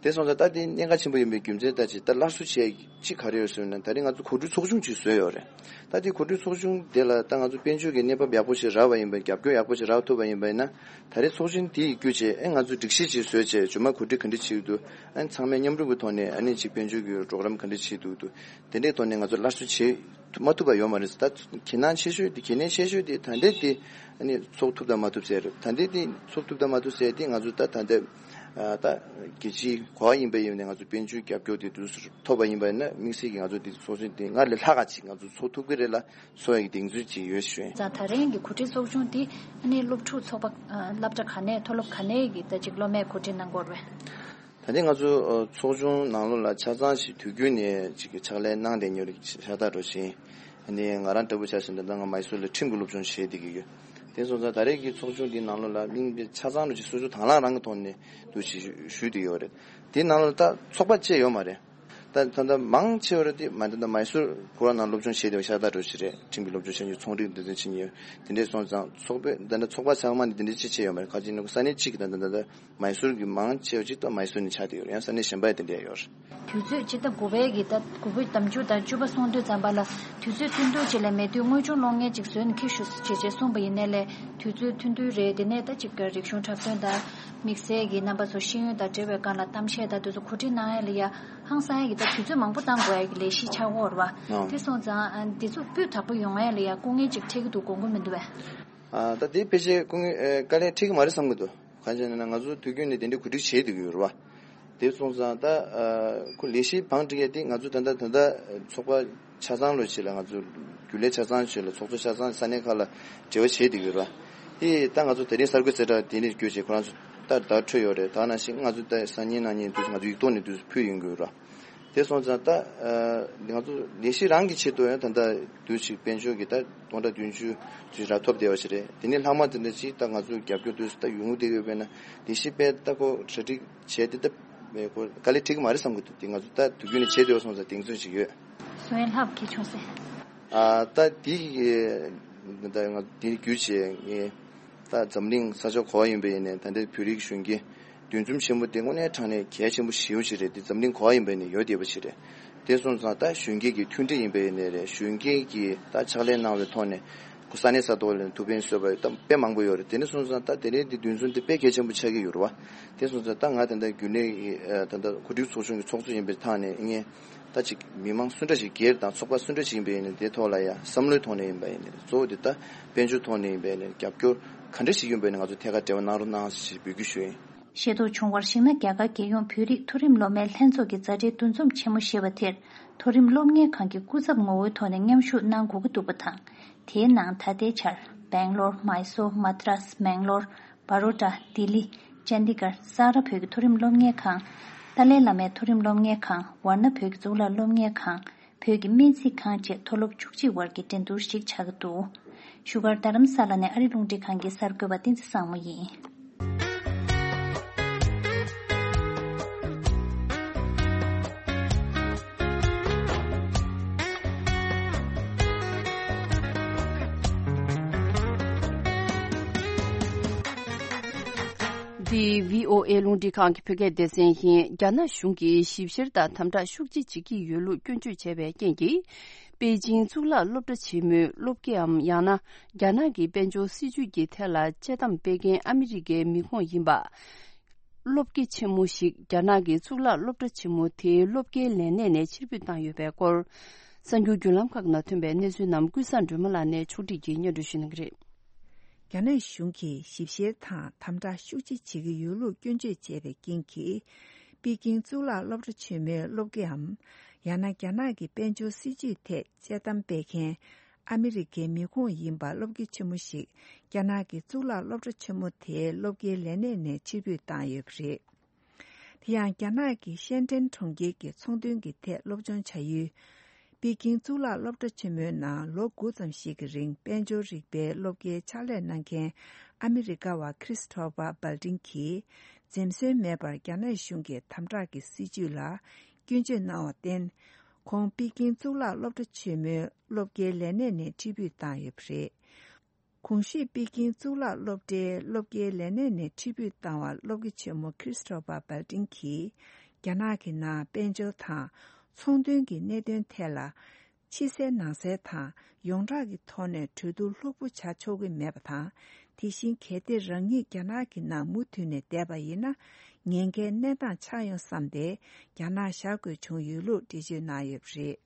དེ་སོང་ཙང་ད་དེ་གནད་འགག་ཆེན་པོ་ཡིན་པའི་རྒྱུ་མཚན་ལྟ་ཅི། ད་སླར་གསོ་བྱེད་ཅིག་ག་རེ་ཡོད་ཟེར་ན། ད་རེས་ང་ཚོ་གོ་སྒྲིག་ཚོགས་ཆུང་ཅིག་བཟོས་ཡོད་རེད། ད་དེ་གོ་སྒྲིག་ཚོགས་ཆུང་དེ་ལ་ད་ང་ཚོ་དཔལ་འབྱོར་གྱི་གནས་བབ་ཡག་པོ་ཞིག་རག་པ་ཡིན་པ། རྒྱབ་སྐྱོར་ཡག་པོ་ཞིག་རག་ཐུབ་པ་ཡིན་པ་ཡིན་ན། ད་རེས་ཚོགས་ཆུང་དེ་ཡིས་བརྒྱུད་བྱས་ཨེ་ང་ཚོ་སྒྲིག་གཞི་ཅིག་བཟོས་བྱས་རྗེས་མ་གོ་སྒྲིག་ག་འདྲ་བྱེད་ཀྱི་འདུག་ཨ་ནི་ཚང་མས་མཉམ་རུབ་ཀྱི་ཐོག་ནས་ཨ་ནི་ཅིག་དཔལ་འབྱོར་གྱི་གྲོགས་རམ་ག་འདྲ་བྱེད་ཐུབ་ཀྱི་འདུག་དེ་འདྲའི་ཐོག་ནས་ང་ཚོ་སླར་གསོ་བྱེད་ཐུབ་མ་ཐུབ་པ་ཡོད་མ་རེད། ད་གལ་ནང་ཆེ་ཤོས་དེ་གལ་གནད་ཆེ་ཤོས་དེ་ད་ལྟའི་དེ་ཨ་ནི་ཚོགས་ཐུབ་དང་མ་ཐུབ་ཟེར་རེད། ད་ལྟའི་དེ་ཚོགས་ཐུབ་དང་མ་ཐུབ་ཟེར་དེ་ང་ཚོ་ད་ད་ལྟ་ཨ་ད་རྒྱལ་སྤྱིའི་གོ་བ་ཡིན་པ་ཡིན་ནས་ང་ཚོ་དཔལ་འབྱོར་རྒྱབ་སྐྱོར་དེ་དུས་སུ་ཐོབ་པ་ཡིན་པ་ཡིན་ན། དམིགས་བསལ་གྱི་ང་ཚོ་དེ་ཚོགས་ཆེན་དེ་སྔར་ལས་ལྷག་ག་ཅིག་ང་ཚོ་ཚོགས་ཐུབ་ཀྱི་རེད་ལ་བཟོ་ཡ་གི་གདེང་ཚོད་ཅིག་ཡོད་ཞུ་ཡིན། ཙང་ད་རིང་གི་གོ་སྒྲིག་ཚོགས་ཆུང་དེ་ཨ་ནི་སློབ་ཕྲུག་ཚོགས་པ་ཨ་སློབ་གྲྭ་ག་ནས་མཐོ་སློབ་ག་ནས་ཀྱི་ད་ཅིག་སློབ་མས་གོ་སྒྲིག་གནང་གི་ཡོད་རེད་པས། ད་ཐེངས་ང་ཚོ་ཨ་ཚོགས་ཆུང་ནང་ལོགས་ལ་ཆ་ཚང་ཞིག་དུས་རྒྱུན་ནས་ཅིག་གི་ཕྱག་ལས་གནང་བསྡད་མྱོང་རིགས་ཤ་སྟག་འགྲོ་བཞིན། ཨ་ནི་ང་རང་འདྲ་པོ་ཆ་བཞག་ན་ད་ལྟ་ང་མའི་སུར་ལ་ཁྲིམས་ཀྱི་སློབ་སྦྱོང་བྱེད་བསྡད་ཀྱི་ཡོད། དེ་སོང་ཙང་ད་རེས་ཀྱི་ཚོགས་ཆུང་འདིའི་ནང་ལོགས་ལ་གླེང་སྟེགས་ཆ་ཚང་རུ་ཅིག་སོ་སོ་དང་བླངས་རང་གི་ཐོག་ནས་འདུ་ཞིག་ཞུས་བསྡད་ཡོད་རེད། དེའི་ནང་ལོགས་ད་ཚོགས་པ་བཅས་ཡོད་མ་རེད། ད་ད་ལྟ་མང་ཆེ་བ་རེད་དེ་མ་ད་ལྟ་མའི་སུར་གུ་ར་ནང་སློབ་སྦྱོང་བྱེད་བསྡད་པ་ཤ་སྟག་འགྲོ་བཞིན་རེད། ཁྲིམས་ཀྱི་སློབ་སྦྱོང་བྱེད་མཁན་ཚོང་རིག་འདི་འདྲ་བྱེད་མཁན་ཡོད། དེ་འདྲས་སོང་ཙང་ཚོགས་པས་ད་ལྟ་ཚོགས་པ་ཚང་མ་ནས་འདི་འདྲས་ཅིག་བྱས་ཡོད་མ་རེད། ཁ་ཅིག་ནི་ས་གནས་གཅིག་གི་ད་ད་ད་ལྟ་མའི་སུར་གྱི་མང་ཆེ་བ་ཅིག་ད་མའི་སུར་ནས་ཆགས་བསྡད་ཡོད་རེད། ཡང་ས་གནས་གཞན་པ་ཡང་དེ་འདྲས་ཡོད་རེད། དུས་ཚོད་སྤྱི་ཟླ་དགུ་པའི་གི་ཟླ་དགུ་པའི་ཟླ་མཇུག་དང་བཅུ་པ་སོང་དུས་ཙམ་པ་ལ་དུས་ཚོད་ཐུང་ཐུང་ཅིག་ལས་མེད་དུས་དངོས་སྦྱོང་སློབ་གཉེར་ཅིག་བཟོས་ནས་འཁྱེར་ཤོག་ཅེས་ཅེས་གསུངས་པ་ཡིན་ནའི་ལས་དུས་ཚོད་ཐུང་ཐུང་རེད། དེ་ནས་ད་ཅིག་གི་རིག་གཞུང་འཁྲབ་སྟོན་དང་དམིགས་བསལ་གྱི་རྣམ་པ་ཚོ་ཤེས་ཡོན་དང་འབྲེལ་བའི་སྒང་ལ་གཏམ་བཤད་དང་དེ་ཚོ་གོ་སྒྲིག་གནང་ཡ་ལ་ཡ་ཧང་སང་ཡ་གི་ད་དུས་ཚོད་མང་པོ་བཏང་དགོས་ཡ་གི་ལས་གཞི་ཆགས་ཀྱི་ཡོད་རེད་པ། ཨང་། དེ་སོང་ཙང་ཨ་འདི་ཚོ་སྤུས་དག་པོ་ཡོང་ཡ་ལ་ཡ་སྐུ་ངལ་ཅིག་འཕྲད་ཀྱི་འདུག་དགོངས་ཀྱི་མི་འདུག་པས། ཨ་ད་དེ་ཕལ་ཆེར་སྐུ་ངལ་ཨ་དཀའ་ལས་འཕྲད་ཀྱི་མ་རེད་བསམ་གྱི་འདུག་གང་ཡིན་ཟེར་ན་ང་ཚོ་དུས་རྒྱུན་ནས་དེ་འདྲའི་གོ་སྒྲིག་བྱས་བསྡད་ཀྱི་ཡོད་རེད་པ། དེ་སོང་ཙང་ད་ཨ་ཁོ་ལས་གཞི་བང་སྒྲིག་ཡས་དེ་ང་ཚོ་ད་ལྟ་ད་ལྟ་ཚོགས་པ་ཆ་ཚང་ལོ་ཆེད་ལ་ང་ཚོ་རྒྱུན་ལས་ཆ་ཚང་ཆེད་ལ་ཚོགས་གཙོ་ཆ་ཚང་ས་གནས་ཁག་ལ་འབྲེལ་བ་བྱས་བསྡད་ཀྱི་ཡོད་རེད་པ། དེ་ད་ང་ཚོ་དེ་རིང་གསར་འགོད་གསལ་བསྒྲགས་དེ་ནས་བསྐྱོད་བྱས་ཁོ་རང་ཚོ་ད་བརྡ་འཕྲོད་ཡོད་རེད། ད་ནང་བཞིན་ང་ཚོ་ད་སང་ཉིན་གནངས་ཉིན་དུས་ང་ཚོ་ཡིག་ཐོག་ནས་དུས་ཕུལ་ཡོང་གི་ཡོད་རེད་པ། དེ་སོང་ཙང་ད་ཨ་ང་ཚོ་ལས་གཞི་རང་གི་ཆེད་དུ་ཡང་ད་ལྟ་དུས་ཅིག་དཔལ་འབྱོར་གྱི་ད་སྟོང་ཕྲག་བདུན་ཅུ་ཅིག་རག་ཐོབ་བསྡད་པ་ཞིག་རེད། དེ་ནས་ལྷག་མ་དེ་འདྲ་ཅིག་ད་ང་ཚོ་རྒྱབ་སྐྱོར་དུས་སུ་ད་ཡོང་གི་བསྡད་ཡོད་པས་ན་ལས་གཞི་དཔེ་ད་ཁོ་གྲ་སྒྲིག་བྱས་ཏེ་ད་ཁོ་དཀའ་ལས་འཕྲད་ཀྱི་མ་རེད་བསམ་གྱི་འདུག་དེ་ང་ཚོ་ད་དུས་རྒྱུན་ནས་བྱས་བསྡད་པ་སོང་ཙང་གདེང་ཚོད་ཅིག་ཡོད། བཟོ་ཡ་ལྷག་གི་བྱུང་སེ། ཨ་ད་དེ་ད་ང་དེ་བརྒྱུད་བྱས་ངས་ད་འཛམ་གླིང་ས་ཕྱོགས་ག་པར་ཡིན་པ་ཡིན་ནའི་ད་ལྟའི་བོད་རིགས་གཞོན་སྐྱེས་འདུ་འཛོམས་ཆེན་པོ་དེ་དངོས་གནས་དྲང་གནས་གལ་ཆེན་པོ་ཞེ་པོ་ཅིག་རེད། དེ་འཛམ་གླིང་ག་པར་ཡིན་པ་ཡིན་ནའི་ཡོད་བསྡད་པ་ཞིག་རེད། དེ་སོང་ཙང་ད་གཞོན་སྐྱེས་ཀྱི་མཐུན་སྒྲིལ་ཡིན་པ་ཡིན་ནའི་རེད། གཞོན་སྐྱེས་ཀྱིས་ད་ཕྱག་ལས་གནང་བའི་ཐོག་ནས་ཁོ་ས་གནས་ས་ཐོག་ལ་ཐུགས་ཕན་གསོས་པ་ད་དཔེ་མང་པོ་ཡོད་རེད། དེ་འདྲ་སོང་ཙང་ད་དེ་རིང་འདི་འདུ་འཛོམས་དེ་དཔེ་གལ་ཆེན་པོ་ཆགས་ཀྱི་ཡོད་རེད་པ། དེ་སོང་ཙང་ད་ང་ད་ལྟ་རྒྱུན་ལས་ཀྱི་ད་ལྟ་གོ་སྒྲིག་ཚོགས་ཆུང་གི་ཚོགས་གཙོ་ཡིན་པའི་ཐོག་ནས་ངས་ད་ཅིག་མི་མང་སུ་འདྲ་ཞིག་སྒེར་དང་ཚོགས་པ་སུ་འདྲ་ཞིག་ཡིན་པ་ཡིན་ནའི་དེ་ཐོག་ལ་ཡང་བསམ་བློའི་ཐོག་ནས་ཡིན་པ་ཡིན་ནའི་གཙོ་བོ་དེ་ད་དཔལ་འབྱོར་ཐོག་ནས་ཡིན་པ་ཡིན་ནའི་རྒྱབ་སྐྱོར་ག་འདྲ་ཞིག་ཡིན་པ་ཡིན་ནའི་ང་ཚོ་ཐད་ཀར་འབྲེལ་བ་གནང་རོགས་གནང་ཞེས་འབོད་སྐུལ་ཞུ་ཡིན། ཤེས་རྟོགས་བྱུང་བར་གཞིགས་ན། རྒྱ་གར་རྒྱལ་ཡོངས་བོད་རིགས་མཐོ་རིམ་སློབ་མའི་ལྷན་ཚོགས་ཀྱི་མཛའ་འབྲེལ་འདུ་འཛོམས་ཆེན་མོ་ཞེས་པ་དེར་མཐོ་རིམ་སློབ་གཉེར་ཁང་གི་སྐུ་ཚབ་ངོ་བོའི་ཐོག་ནས་མཉམ་ཞུགས་གནང་དགོས་ཀྱི་འདུག་པ་དང་། དེའི་ནང་ད་ལྟའི་ཆར་སྦེང་ལོར། མའི་སོར། མ་ཏྲ་སི། མེང་ལོར། བ་རོ་ཌ། ལྡི་ལི། ཅན་ཌི་གར། སཱ་ར་བོད་ཀྱི་མཐོ་རིམ་སློབ་གཉེར་ཁང་། ཏཱ་ལའི་བླ་མའི་མཐོ་རིམ་སློབ་གཉེར་ཁང་། ཝཱ་ཎ་བོད་ཀྱི་གཙུག་ལག་སློབ་གཉེར་ཁང་། བོད་ཀྱི་སྨན་རྩིས་ཁང་བཅས་མཐོ་སློབ་བཅུ་གཅིག་བར་གྱི་འགྲན་བསྡུར་ཞིག་ཆགས་ཀྱི་འདུག་བཞུགས་སྒར་རྡ་རམ་ས་ལ་ནས་ཨ་རི་རླུང་འཕྲིན་ཁང་གི་གསར་འགོད་པ་བསྟན་འཛིན་བཟང་མོ་ཡིན། འདི་བྷི་ཨོ་ཨེ་རླུང་འཕྲིན་ཁང་གི་བོད་སྐད་སྡེ་ཚན་ཡིན། རྒྱ་ནག་གཞུང་གིས་ཞིབ་བཤེར་དང་དམ་དྲག་ཤུགས་ཆེ་བྱེད་ཀྱི་ཡོད་ལུགས་སྐྱོན་བརྗོད་བྱས་པའི་རྐྱེན་གྱིས། པེ་ཅིང་གཙུག་ལག་སློབ་གྲྭ་ཆེན་མོའི་སློབ་དགེའམ་ཡང་ན་རྒྱ་ནག་གི་དཔལ་འབྱོར་སྲིད་ཇུས་ཀྱི་ཐད་ལ་དཔྱད་གཏམ་སྤེལ་མཁན་ཨ་མི་རི་ཀའི་མི་ཁོངས་ཡིན་པ། སློབ་དགེ་ཆེན་མོ་ཞིག་རྒྱ་ནག་གི་གཙུག་ལག་སློབ་གྲྭ་ཆེན་མོ་དེའི་སློབ་དགེའི་ལས་གནས་ནས་ཕྱིར་འབུད་བཏང་ཡོད་པའི་སྐོར། གསར་འགྱུར་བརྒྱུད་ལམ་ཁག་ནང་ཐོན་པའི་གནས་ཚུལ་རྣམས་ཀུན་བཟང་སྒྲོལ་མ་ལགས་ནས་ཕྱོགས་སྒྲིག་གིས་སྙན་སྒྲོན་ཞུ་གནང་གི་རེད། རྒྱ་ནག་གཞུང་གིས་ཞིབ་བཤེར་དང་དམ་དྲག་ཤུགས་ཆེ་བྱེད་ཀྱི་ཡོད་ལུགས་སྐྱོན་བརྗོད་བྱས་པའི་རྐྱེན་གྱིས། པེ་ཀིང་གཙུག་ལག་སློབ་གྲྭ་ཆེན་མོའི་སློབ་དགེའམ། ཡང་ན་རྒྱ་ནག་གི་དཔལ་འབྱོར་སྲིད་ཇུས་ཐད་དཔྱད་གཏམ་སྤེལ་མཁན་ཨ་མི་རི་ཀའི་མི་ཁོངས་ཡིན་པ་སློབ་དགེ་ཆེན་མོ་ཞིག་རྒྱ་ནག་གི་གཙུག་ལག་སློབ་གྲྭ་ཆེན་མོ་དེའི་སློབ་དགེའི་ལས་གནས་ནས་ཕྱིར་འབུད་བཏང་ཡོད་པ་རེད། དེ་ཡང་རྒྱ་ནག་གི་ཤན་ཀྲེན་གྲོང་ཁྱེར་གྱི་ཚོང་དོན་གྱི་ཐད་སློབ་སྦྱོང་བྱ་ཡུལ་ པེ་ཀིང་གཙུག་ལག་སློབ་གྲྭ་ཆེན་མོའི་ནང་ལོ་དགུ་ཙམ་ཞིག་གི་རིང་དཔལ་འབྱོར་རིག་པའི་སློབ་དགེའི་ཕྱག་ལས་གནང་མཁན་ཨ་མི་རི་ཀ་བ་ཁྲིས་ཐོ་པ་སྦལ་ཏིན་གྱིས་འཛེམ་ཟོན་མེད་པར་རྒྱ་ནག་གཞུང་གི་དམ་དྲག་གི་སྲིད་བྱུས་ལ་སྐྱོན་བརྗོད་གནང་བར་བརྟེན། ཁོང་པེ་ཀིང་གཙུག་ལག་སློབ་གྲྭ་ཆེན་མོའི་སློབ་དགེའི་ལས་གནས་ནས་ཁྲི་འབོད་བཏང་ཡོད་པ་རེད། གོང་ཞུས་པེ་ཀིང་གཙུག་ལག་སློབ་གྲྭའི་སློབ་དགེའི་ལས་གནས་ནས་ཁྲི་འབོད་བཏང་བ་སློབ་དགེ་ཆེན་མོ་ཁྲིས་ཐོ་པ་སྦལ་ཏིན་གྱིས། རྒྱ་ནག་གི་ནང་དཔལ་འབྱོར་དང་ཚོང་དོན་གྱི་གནད་དོན་ཐད་ལ། ཕྱི་གསལ་ནང་གསལ་དང་ཡོངས་གྲགས་ཀྱི་ཐོག་ནས་གྲོས་བསྡུར་ལྷུག་པོ་བྱ་ཆོག་གི་མེད་པ་དང་། དེ་བཞིན་གལ་ཏེ་རང་ཉིད་རྒྱ་ནག་གི་ནང་མུ་མཐུད་ནས་བསྡད་པ་ཡིན་ན། ཉེན་ཁའི་གནས་སྟངས་ཆགས་ཡོང་བསམ་སྟེ། རྒྱ་ནག་བཞག་དགོས་བྱུང་ཡོད་ལུགས་འགྲེལ་བརྗོད་གནང་ཡོད་པ་རེད།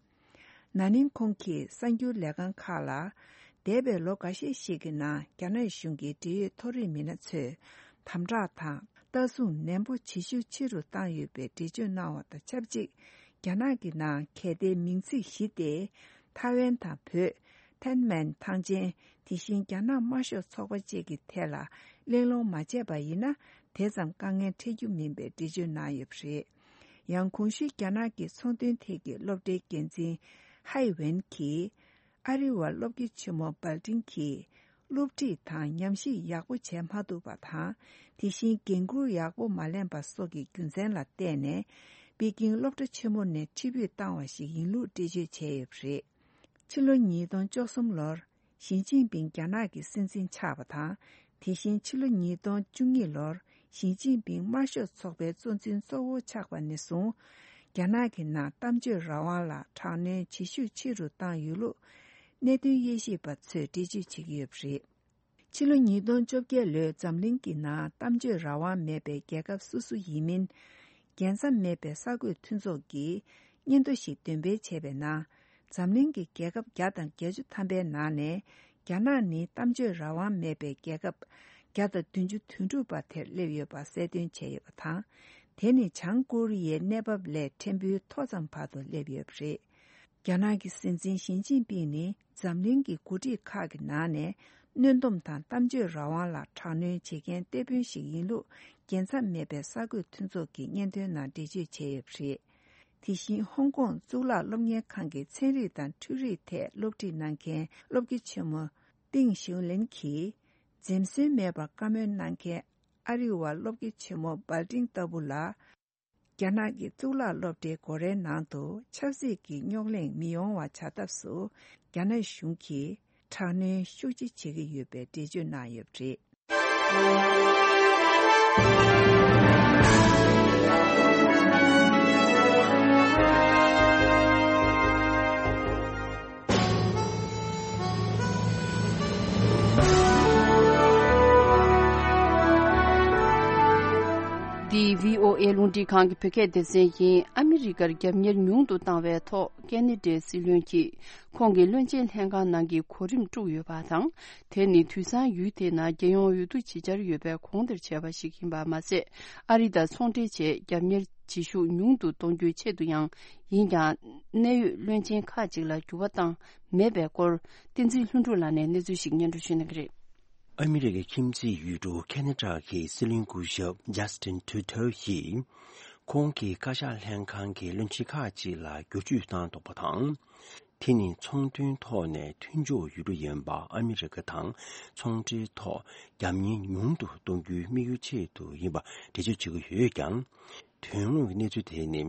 ན་ནིང་ཁོང་གིས་གསར་འགྱུར་ལས་ཁང་ཁག་ལ། འདས་པའི་ལོ་འགའ་ཤས་ཤིག་གི་ནང་རྒྱ་ནག་གཞུང་གི་འབྲེལ་ཡོད་མཐོ་རིམ་མི་སྣ་ཚོས་དམ་དྲག་དང་ལྟ་སྲུང་ནན་པོ་བྱེད་ཤུགས་ཆེ་རུ་བཏང་ཡོད་པའི་འགྲེལ་བརྗོད་གནང་བ་དང་ཆབས་ཅིག་རྒྱ་ནག་གི་ནང་གལ་ཏེ་མིང་ཚིག་བཞི་སྟེ། ཐའེ་ཝན་དང་བོད། ཐེན་མན་ཐང་ཆེན། དེ་བཞིན་རྒྱ་ནག་དམར་ཤོག་ཚོགས་པ་བཅས་ཀྱི་ཐད་ལ་གླེང་སློང་མ་བྱས་པ་ཡིན་ན། དེ་ཙམ་དཀའ་ངལ་འཕྲད་རྒྱུ་མིན་པའི་འགྲེལ་བརྗོད་གནང་ཡོད་པ་རེད། ཡང་གོང་ཞུས་རྒྱ་ནག་གི་ཚོང་དོན་ཐད་ཀྱི་སློབ་གྲྭའི་འགན་འཛིན་ཧའེ་ཝེན་གྱིས། ཨ་རི་བ་སློབ་དགེ་ཆེན་མོ་སྦལ་ཏིན་གྱིས་སློབ་ཁྲིད་དང་ཉམས་ཞིབ་ཡག་པོ་བྱས་མ་ཐུབ་པ་དང་། དེ་བཞིན་འགན་འཁུར་ཡག་པོ་མ་ལེན་པ་སོགས་ཀྱི་རྒྱུ་མཚན་ལ་བརྟེན་ནས། པེ་ཀིང་སློབ་གྲྭ་ཆེན་མོ་ནས་ཁྲི་འབོད་བཏང་བ་ཞིག་ཡིན་ལུགས་འགྲེལ་བརྗོད་བྱས་ཡོད་པ་རེད། ཕྱི་ལོ་ཉིས་སྟོང་བཅུ་གསུམ་ལོར། ཞི་ཅིན་ཕིང་རྒྱ་ནག་གི་སྲིད་འཛིན་ཆགས་པ་དང་། དེ་བཞིན་ཕྱི་ལོ་ཉིས་སྟོང་བཅུ་གཉིས་ལོར། ཞི་ཅིན་ཕིང་དམར་ཤོག་ཚོགས་པའི་གཙོ་འཛིན་གཙོ་བོ་ཆགས་པ་ནས་བཟུང་། རྒྱ་ནག་གི་ནང་གཏམ་བརྗོད་རང་དབང་ལ་དྲག་གནོན་བྱེད་ཤུགས་ཆེ་རུ་བཏང་ཡོད་ལུགས། གནད་དོན་དབྱེ་ཞིབ་པ་ཚོས་འགྲེལ་བརྗོད་བྱེད་ཀྱི་ཡོད་པ་རེད། ཕྱི་ལོ་ཉིས་སྟོང་བཅོ་བརྒྱད་ལོའི་འཛམ་གླིང་གི་ནང་གཏམ་བརྗོད་རང་དབང་མེད་པའི་རྒྱལ་ཁབ་སོ་སོ་ཡིན་མིན། རྒྱལ་མཚམས་མེད་པའི་གསར་འགོད་མཐུན་ཚོགས་ཀྱིས་སྙན་ཐོ་ཞིག་འདོན་སྤེལ་བྱས་པའི་ནང་། འཛམ་གླིང་གི་རྒྱལ་ཁབ་བརྒྱ་དང་བརྒྱད་ཅུ་ཐམ་པའི་ནང་ནས། རྒྱ་ནག་ནི་གཏམ་བརྗོད་རང་དབང་མེད་པའི་རྒྱལ་ཁབ་བརྒྱ་དང་བདུན་ཅུ་དོན་དྲུག་པ་དེར་སླེབས་ཡོད་པ་གསལ་སྟོན་བྱས་ཡོད་པ་དང་། དེ་ནི་བྱང་ཀོ་རི་ཡའི་གནས་བབ་ལས་ཕྲན་བུའི་མཐོ་ཙམ་བར་དུ་སླེབས་ཡོད་པ་རེད། རྒྱ་ནག་གི་སྲིད་འཛིན་ཞི་ཅིན་ཕིང་ནི་འཛམ་གླིང་གི་འགོ་ཁྲིད་ཁག་གི་ནང་ནས་གནོན་སྡོམ་དང་གཏམ་བརྗོད་རང་དབང་ལ་དྲག་གནོན་བྱེད་མཁན་གཏེ་དཔོན་ཞིག་ཡིན་ལུགས་རྒྱལ་མཚམས་མེད་པའི་གསར་འགོད་མཐུན་ཚོགས་ཀྱི་སྙན་ཐོའི་ནང་འགྲེལ་བརྗོད་བྱས་ཡོད་པ་རེད། དེ་བཞིན་ཧོང་ཀོང་གཙུག་ལག་སློབ་གཉེར་ཁང་གི་ཚན་རིག་དང་འཕྲུལ་རིག་ཐད་སློབ་ཁྲིད་གནང་མཁན་སློབ་དགེ་ཆེན་མོ་ཏིང་ཞིའུ་ལིན་གྱིས། འཛེམ་ཟོན་མེད་པར་བཀའ་མོལ་གནང་མཁན་ཨ་རི་བ་སློབ་དགེ་ཆེན་མོ་སྦལ་ཏིང་ལྟ་བུ་ལ། རྒྱ་ནག་གི་གཙུག་ལག་སློབ་གྲྭའི་སྒོ་རའི་ནང་དུ་ཆབ་སྲིད་ཀྱི་རྙོག་གླེང་མི་ཡོང་བ་བྱ་ཐབས་སུ། རྒྱ་ནག་གཞུང་གིས་དྲག་གནོན་ཤུགས་ཆེ་བྱེད་ཀྱི་ཡོད་པའི་འགྲེལ་བརྗོད་གནང་ཡོད་པ་རེད། འདི་བྷི་ཨོ་ཨེ་རླུང་འཕྲིན་ཁང་གི་བོད་སྐད་སྡེ་ཚན་ཡིན། ཨ་མི་རི་ཀར་རྒྱབ་གཉེར་ཉུང་དུ་བཏང་བའི་ཐོག་ཀེ་ན་ཌའི་སྲིད་བློན་གྱིས་ཁོང་གི་བློན་ཆེན་ལྷན་ཁང་ནང་གི་གོ་རིམ་དཀྲུགས་ཡོད་པ་དང་། དེ་ནི་དུས་སང་ཡུལ་དེའི་ནང་རྒྱལ་ཡོངས་འོས་བསྡུ་ཅིག་བྱར་ཡོད་པའི་གོང་དེར་བྱས་པ་ཞིག་ཡིན་པ་མ་ཟད། ཨ་རི་དང་ཚོང་འབྲེལ་ཆེད་རྒྱབ་གཉེར་བྱེད་ཤུགས་ཉུང་དུ་གཏོང་རྒྱུའི་ཆེད་དུ་ཡང་ཡིན་ཀྱང་། གནད་ཡོད་བློན་ཆེན་ཁག་ཅིག་ལ་འགྱུར་བ་བཏང་མེད་པའི་སྐོར། བསྟན་འཛིན་ལྷུན་གྲུབ་ལགས་ནས་གནས་ཚུལ་ཞིག་སྙན་སྒྲོན་ཞུ་གནང་གི་རེད། ཨ་མི་རི་ཀའི་ཁྱིམ་མཚེས་ཡུལ་གྲུ་ཁེ་ན་ཌ་གི་སྲིད་བློན་སྐུ་ཞབས་ཇ་སི་ཊིན་ཊུ་ཌོ་ཡིས། ཁོང་གིས་བཀའ་ཤག་ལྷན་ཁང་གི་བློན་ཆེན་ཁག་ཅིག་ལ་བསྒྱུར་བཅོས་བཏང་འདུག་པ་དང་། དེ་ནི་ཚོང་དོན་ཐོག་ནས་མཐུན་ཕྱོགས་ཡུལ་གྲུ་ཡིན་པ་ཨ་མི་རི་ཀ་དང་ཚོང་འབྲེལ་ཐོག་རྒྱབ་གཉེར་ཉུང་དུ་གཏོང་རྒྱུའི་དམིགས་ཡུལ་ཆེད་དུ་ཡིན་པ་འགྲེལ་བརྗོད་བྱེད་ཀྱི་ཡོད་ཀྱང་། དོན་དངོས་ཀྱི་གནས་ཚུལ་དེ་ནི།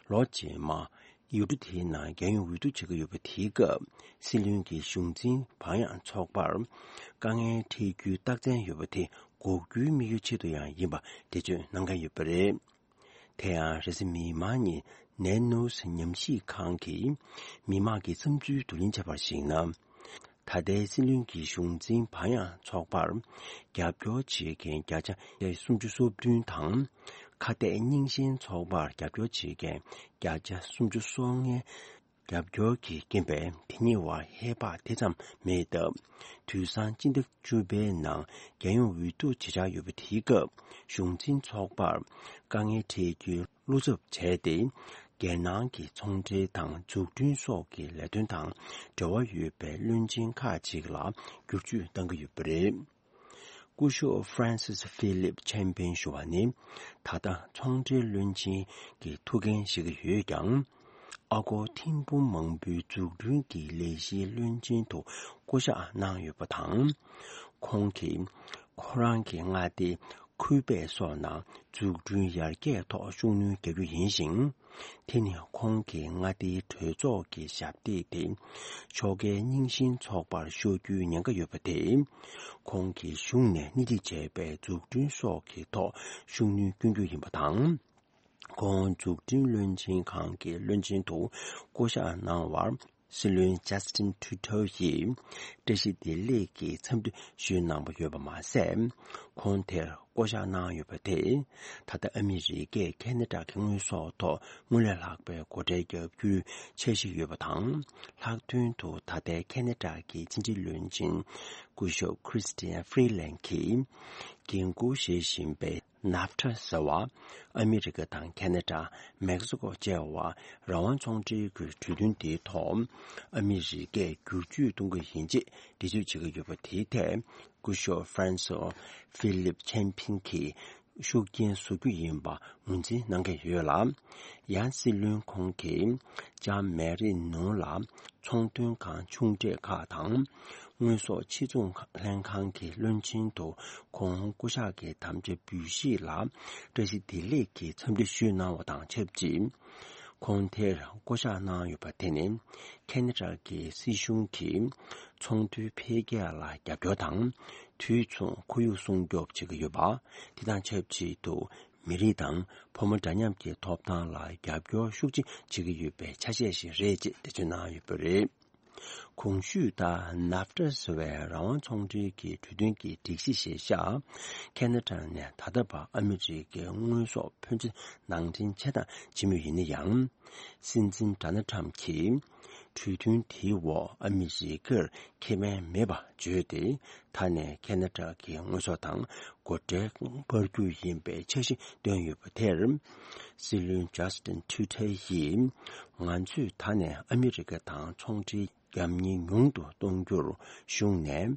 ལོ་རྗེས་མ། ཡུལ་གྲུ་དེའི་ནང་རྒྱལ་ཡོངས་འོས་བསྡུ་བྱེད་ཀྱི་ཡོད་པ་དེའི་སྐབས། སྲིད་བློན་གྱི་གཞུང་འཛིན་བག་ཡངས་ཚོགས་པར། དཀའ་ངལ་འཕྲད་རྒྱུའི་རྟགས་མཚན་ཡོད་པ་དེ་འགོག་རྒྱུའི་དམིགས་ཡུལ་ཆེད་དུ་ཡང་ཡིན་པ་འགྲེལ་བརྗོད་གནང་མཁན་ཡོད་པ་རེད། དེ་ཡང་རེས་གཟའ་མིག་དམར་ཉིན་ནན་ནོས་ཉམས་ཞིབ་ཁང་གིས་མི་མང་གི་བསམ་ཚུལ་བསྡུ་ལེན་བྱས་པར་གཞིགས་ན། ད་ལྟའི་སྲིད་བློན་གྱི་གཞུང་འཛིན་བག་ཡངས་ཚོགས་པར་རྒྱབ་སྐྱོར་བྱེད་མཁན་བརྒྱ་ཆ་སུམ་ཅུ་སོ་བདུན་དང་། ཁ་གཏད་རྙིང་ཞེན་ཚོགས་པར་རྒྱབ་སྐྱོར་བྱེད་མཁན་བརྒྱ་ཆ་སུམ་ཅུ་སོ་ལྔའི་རྒྱབ་སྐྱོར་གྱི་རྐྱེན་པས་དེ་གཉིས་བར་ཧེ་བག་དེ་ཙམ་མེད་སྟབས། དུས་སང་སྤྱི་ཟླ་བཅུ་པའི་ནང་རྒྱལ་ཡོངས་འོས་བསྡུ་བྱེད་འཆར་ཡོད་པ་དེའི་སྐབས། གཞུང་འཛིན་ཚོགས་པར་དཀའ་ངལ་འཕྲད་རྒྱུའི་བློ་འཚབ་བྱས་ཏེ། རྒྱལ་ནང་གི་ཚོང་འབྲེལ་དང་འཛུགས་སྐྲུན་སོགས་ཀྱི་ལས་དོན་དང་འབྲེལ་བ་ཡོད་པའི་བློན་ཆེན་ཁག་ཅིག་ལ་བསྒྱུར་བཅོས་གཏང་གི་ཡོད་པ་རེད། སྐུ་ཞབས་Francis Philip Chapman ཞུ་བ་ནི། ད་ལྟ་ཚོང་འབྲེལ་བློན་ཆེན་གྱི་ཐུགས་འགན་བཞེས་ཀྱི་ཡོད་ཀྱང་། ཨ་སྒོར་ཐེར་འབུམ་མང་པོའི་འཛུགས་སྐྲུན་གྱི་ལས་གཞིའི་བློན་ཆེན་དུ་བསྐོ་གཞག་གནང་ཡོད་པ་དང་། ཁོང་གིས་ཁོ་རང་གི་མངའ་སྡེའི་ཁུའི་པེག་སོགས་ནང་འཛུགས་སྐྲུན་ཡར་རྒྱས་ཐོག་ཤུགས་སྣོན་རྒྱག་རྒྱུ་ཡིན་ཞིང་། དེ་ནི་ཁོང་གི་མངའ་སྡེའི་གྲོས་ཚོགས་ཀྱི་ཞབས་སྟེགས་དེ་ཕྱོགས་འགལ་རྙིང་ཞེན་ཚོགས་པར་ཤོར་རྒྱུའི་ཉེན་ཁ་ཡོད་པ་དེས། ཁོང་གིས་གཞུང་ནས་སྣེ་ཁྲིད་བྱས་པའི་འཛུགས་སྐྲུན་སོགས་ཀྱི་ཐོག་ཤུགས་སྣོན་སྐྱོན་རྒྱུ་ཡིན་པ་དང་། ཁོང་འཛུགས་སྐྲུན་བློན་ཆེན་ཁང་གི་བློན་ཆེན་དུ་བསྐོ་གཞག་གནང་བར། སྲིད་བློན་ཇ་སི་ཏིན་ཁྲུ་ཏོ་ཡིས་བཀྲ་ཤིས་བདེ་ལེགས་ཀྱི་འཚམས་འདྲི་ཞུས་གནང་བ་ཡོད་པ་མ་ཟད། ཁོང་དེར་བསྐོ་གཞག་གནང་ཡོད་པ་དེས། ད་ལྟ་ཨ་མི་རི་ཀས་ཁེ་ན་ཌ་གི་དངོས་ཟོག་ཐོག་སྔོན་ལས་ལྷག་པའི་སྒོ་ཁྲལ་བརྒྱབ་རྒྱུའི་འཆར་གཞི་ཡོད་པ་དང་། ལྷག་དོན་དུ་ད་ལྟའི་ཁེ་ན་ཌ་གི་ཕྱི་འབྲེལ་བློན་ཆེན་སྐུ་ཞབས་ཁྲི་སི་ཏི་ཡན་ཧྥི་རི་ལན་གྱིས་འགན་འཁུར་བཞེས་བཞིན་པའི། ནབ་ཐ་ཟེར་བ། ཨ་མི་རི་ཀ་དང་ཁེ་ན་ཌ། མེག་སི་ཀོ་བཅས་པ་རང་དབང་ཚོང་འབྲེལ་གྱི་གྲོས་མཐུན་དེའི་ཐོག་ཨ་མི་རི་ཀས་བསྒྱུར་བཅོས་གཏོང་གི་ཡིན་ཅེས་འགྲེལ་བརྗོད་བྱེད་ཀྱི་ཡོད་པ་དེའི་ཐད། སྐུ་ཞབས་ཧྥ་རན་སོ་ཧྥི་ལིབ་ཆན་ཕིན་གྱིས་ཤུགས་རྐྱེན་བཟོ་རྒྱུ་ཡིན་པ་ངོས་འཛིན་གནང་གི་ཡོད་ལ། ཡང་སྲིད་བློན་ཁོང་གིས་ལྕམ་མེ་རི་ནུ་ལ། ཚོང་དོན་ཁང་ཆུང་གྲས་ཁག་དང་། དངོས་ཟོག་ཕྱིར་ཚོང་ལྷན་ཁང་གི་བློན་ཆེན་དུ་ཁོང་བསྐོ་གཞག་གི་དམ་བཅའ་འབུལ་བཞེས་ལ་བཀྲ་ཤིས་བདེ་ལེགས་ཀྱི་འཚམས་འདྲི་ཞུས་གནང་བ་དང་ཆབས་ཅིག་ཁོང་དེར་བསྐོ་གཞག་གནང་ཡོད་པ་དེ་ནི། ཁེ་ན་ཌ་གི་སྲིད་གཞུང་གིས་ཚོང་དོན་འཕེལ་རྒྱས་ལ་རྒྱབ་སྐྱོར་དང་། དུས་མཚུངས་ཁོར་ཡུག་སྲུང་སྐྱོབ་བྱེད་ཀྱི་ཡོད་པ། དེ་དང་ཆབས་ཅིག་ཏུ། མི་རིགས་དང་ཕོ་མོ་འདྲ་མཉམ་གྱི་ཐོབ་ཐང་ལ་རྒྱབ་སྐྱོར་ཤུགས་ཆེ་བྱེད་ཀྱི་ཡོད་པའི་ཆ་ཤས་ཤིག་རེད་ཅེས་འགྲེལ་བརྗོད་གནང་ཡོད་པ་རེད། གོང་ཞུས་ལྟར་ནབ་ཏྲ་ཟེར་བའི་རང་དབང་ཚོང་འབྲེལ་གྱི་གྲོས་མཐུན་གྱི་སྒྲིག་གཞི་གཞིར་བཞག་ཁེ་ན་ཌ་ནས་ད་ལྟ་བར་ཨ་མི་རི་ཀའི་དངོས་ཟོག་ཕོན་ཆེ་ནང་འདྲེན་བྱས་དང་བྱེད་མུས་ཡིན་ན་ཡང་། སྲིད་འཛིན་ཌོ་ནལ་ཊམ་གྱིས་གྲོས་མཐུན་དེའི་འོག་ཨ་མི་རི་ཀར་ཁེ་ཕན་མེད་པ་བརྗོད་དེ། ད་ནས་ཁེ་ན་ཌ་གི་དངོས་ཟོག་དང་སྒོ་ཁྲལ་སྤར་རྒྱུ་ཡིན་པའི་འཆར་གཞི་བཏོན་ཡོད་པ་དེར། སྲིད་བློན་ཇ་སི་ཏིན་ཁྲུ་ཏོ་ཡིས། ང་ཚོས་ད་ནས་ཨ་མི་རི་ཀ་དང་ཚོང་འབྲེལ་རྒྱབ་གཉེར་ཉུང་དུ་གཏོང་རྒྱུར་གཞུང་ནས་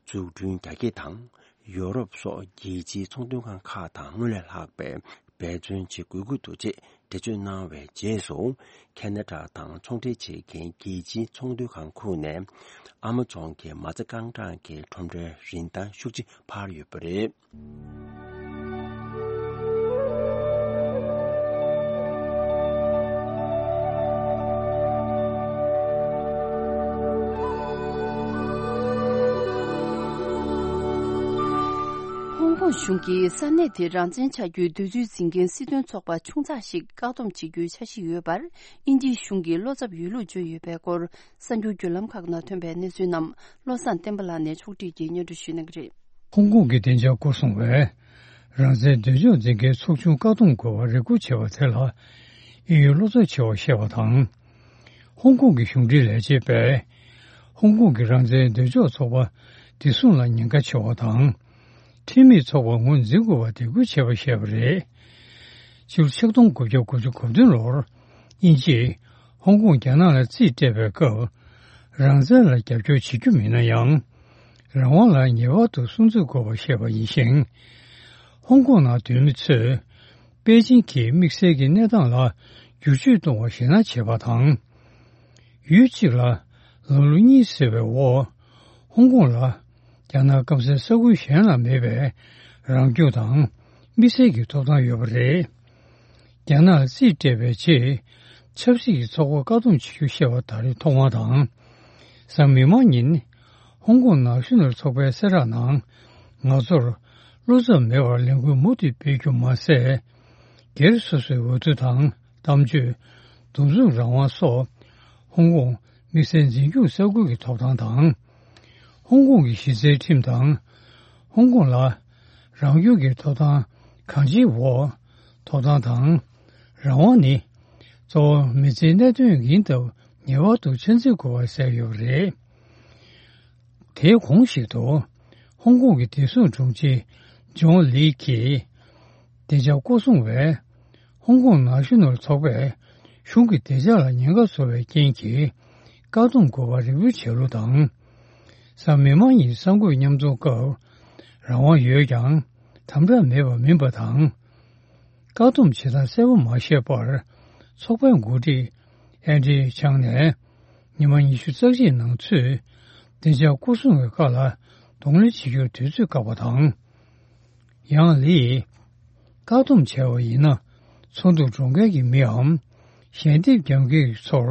འཛུགས་སྐྲུན་རྒྱ་སྐྱེད་དང་། ཡོ་རོབ་སོགས་རྒྱལ་སྤྱིའི་ཚོང་དོན་ཁང་ཁག་དང་སྔོན་ལས་ལྷག་པའི་འབད་བརྩོན་བྱེད་དགོས་ཀྱི་འདུག་ཅེས་འགྲེལ་བརྗོད་གནང་བའི་རྗེས་སུ། ཁེ་ན་ཌ་དང་ཚོང་འབྲེལ་བྱེད་མཁན་རྒྱལ་སྤྱིའི་ཚོང་དོན་ཁང་ཁག་ནས་ཨ་མ་ཛོན་གྱི་མ་རྩ་རྐང་གྲངས་ཀྱི་ཁྲོམ་རའི་རིན་ཐང་ཤུགས་ཆེ་འཕར་ཡོད་པ་རེད། ཧོང་ཀོང་གཞུང་གིས་ས་གནས་དེ་རང་བཙན་ཆགས་རྒྱུའི་འདོད་ཚུལ་འཛིན་མཁན་སྲིད་དོན་ཚོགས་པ་ཆུང་ཙག་ཞིག་བཀག་སྡོམ་བྱེད་རྒྱུའི་འཆར་གཞི་ཡོད་པར། དབྱིན་ཇིའི་གཞུང་གིས་བློ་འཚབ་ཡོད་ལུགས་བརྗོད་ཡོད་པའི་སྐོར། གསར་འགྱུར་བརྒྱུད་ལམ་ཁག་ནང་ཐོན་པའི་གནས་ཚུལ་རྣམས་བློ་བཟང་བསྟན་པ་ལགས་ནས་ཕྱོགས་སྒྲིག་གིས་སྙན་སྒྲོན་ཞུ་གནང་གི་རེད། ཧོང་ཀོང་གི་བདེ་འཇགས་སྐོར་སྲུང་བས་རང་བཙན་འདོད་ཕྱོགས་འཛིན་མཁན་ཚོགས་ཆུང་བཀག་སྡོམ་དགོས་པར་རེ་སྐུལ་བྱས་པ་དེ་ལ་དབྱིན་ཡུལ་བློ་འཚབ་ཆེ་བ་བཤད་པ་དང་། ཧོང་ཀོང་གི་གཞུང་འབྲེལ་ལས་བྱེད་པས་ཧོང་ཀོང་གི་རང་བཙན་འདོད་ཕྱོགས་ཚོགས་པ་བདེ་སྲུང་ལ་ཉེན་ཁ་ཆེ་བ་དང་། ཁྲིམས་མེད་ཚོགས་པ་ངོས་འཛིན་དགོས་པར་དེ་སྐུལ་བྱས་པ་བཤད་པ་རེད། ཕྱི་ལོ་ཆིག་སྟོང་དགུ་བརྒྱ་དགུ་བཅུ་གོ་བདུན་ལོར་དབྱིན་ཇིས་ཧོང་ཀོང་རྒྱ་ནག་ལ་རྩིས་སྤྲད་པའི་སྐབས། རང་བཙན་ལ་རྒྱབ་སྐྱོར་བྱེད་རྒྱུ་མིན་ན་ཡང་། རང་དབང་ལ་ངེས་པར་དུ་སྲུང་བརྩི་དགོས་པ་བཤད་པ་ཡིན་ཞིང་། ཧོང་ཀོང་ནང་སྡོད་མི་ཚོས་པེ་ཅིང་གིས་དམིགས་བསལ་གྱི་གནས་སྟངས་ལ་བསྒྱུར་བཅོས་གཏོང་བར་ཞེད་སྣང་བྱེད་པ་དང་། ཡུལ་གཅིག་ལ་ལམ་ལུགས་གཉིས་ཟེར་བའི་འོག་ཧོང་ཀོང་ལ་རྒྱ་ནག་སྐམ་སའི་ས་ཁུལ་གཞན་ལ་མེད་པའི་རང་སྐྱོང་དང་དམིགས་བསལ་གྱི་ཐོབ་ཐང་ཡོད་པ་རེད། རྒྱ་ནག་རྩིས་སྤྲད་པའི་རྗེས་ཆབ་སྲིད་ཀྱི་ཚོགས་པ་བཀག་སྡོམ་བྱེད་རྒྱུ་བཤད་པ་ད་རེས་ཐོག་མ་དང་། གཟའ་མིག་དམར་ཉིན་ཧོང་ཀོང་ནང་ཤུལ་ནས་ཚོགས་པའི་གསལ་བསྒྲགས་ནང་། ང་ཚོར་བློ་འཚབ་མེད་པར་ལས་འགུལ་མུ་མཐུད་སྤེལ་རྒྱུ་མ་ཟད། སྒེར་སོ་སོའི་འོས་བསྡུ་དང་གཏམ་བརྗོད། འདུ་འཛོམས་རང་དབང་སོགས་ཧོང་ཀོང་དམིགས་བསལ་འཛིན་སྐྱོང་ས་ཁུལ་གྱི་ཐོབ་ཐང་དང་། ཧོང་ཀོང་གི་གཞི་རྩའི་ཁྲིམས་དང་། ཧོང་ཀོང་ལ་རང་སྐྱོང་གི་ཐོབ་ཐང་གང་ཅིའི་འོག་ཐོབ་ཐང་དང་། རང་དབང་ནི་གཙོ་བོ་མི་ཚེའི་གནད་དོན་ཡིན་སྟབས་ངེས་པར་དུ་ཆ་འཛིན་དགོས་པར་གསལ་ཡོད་པ་རེད། དེའི་གོང་ཞིག་ཏུ། ཧོང་ཀོང་གི་བདེ་སྲུང་དྲུང་ཆེ་ཇོན་ལི་གིས། བདེ་འཇགས་སྐོར་སྲུང་བས། ཧོང་ཀོང་ནང་ཤུལ་ནོར་ཚོགས་པས། གཞུང་གི་བདེ་འཇགས་ལ་ཉེན་ཁ་བཟོ་བའི་རྐྱེན་གྱིས། བཀག་སྡོམ་དགོས་པར་རེ་སྐུལ་བྱས་ལུགས་དང་། གཟའ་མིག་དམར་ཉིན་གསར་འགོད་མཉམ་འཛོམས་སྐབས། རང་དབང་ཡོད་ཀྱང་། དམ་དྲག་མེད་པ་མིན་པ་དང་། བཀག་སྡོམ་བྱེད་སྟངས་གསལ་པོ་མ་ཤེས་པར། ཚོགས་པའི་འགོ་ཁྲིད། ཨན་ཌི་ཆང་ནས་ཉི་མ་ཉི་ཤུ་རྩ་གཅིག་ནང་ཚུད་བདེ་འཇགས་སྐོར་སྲུང་གི་ཁག་ལ་གདོང་ལེན་བྱེད་རྒྱུར་དུས་ཚོད་བཀག་པ་དང་། ཡང་ལི་ཡིས་བཀག་སྡོམ་བྱས་པ་ཡིན་ན་ཚོགས་འདུར་འགྲོ་མཁན་གྱི་མིའམ་ཞལ་འདེབས་རྒྱག་མཁན་གྱི་ཚོར་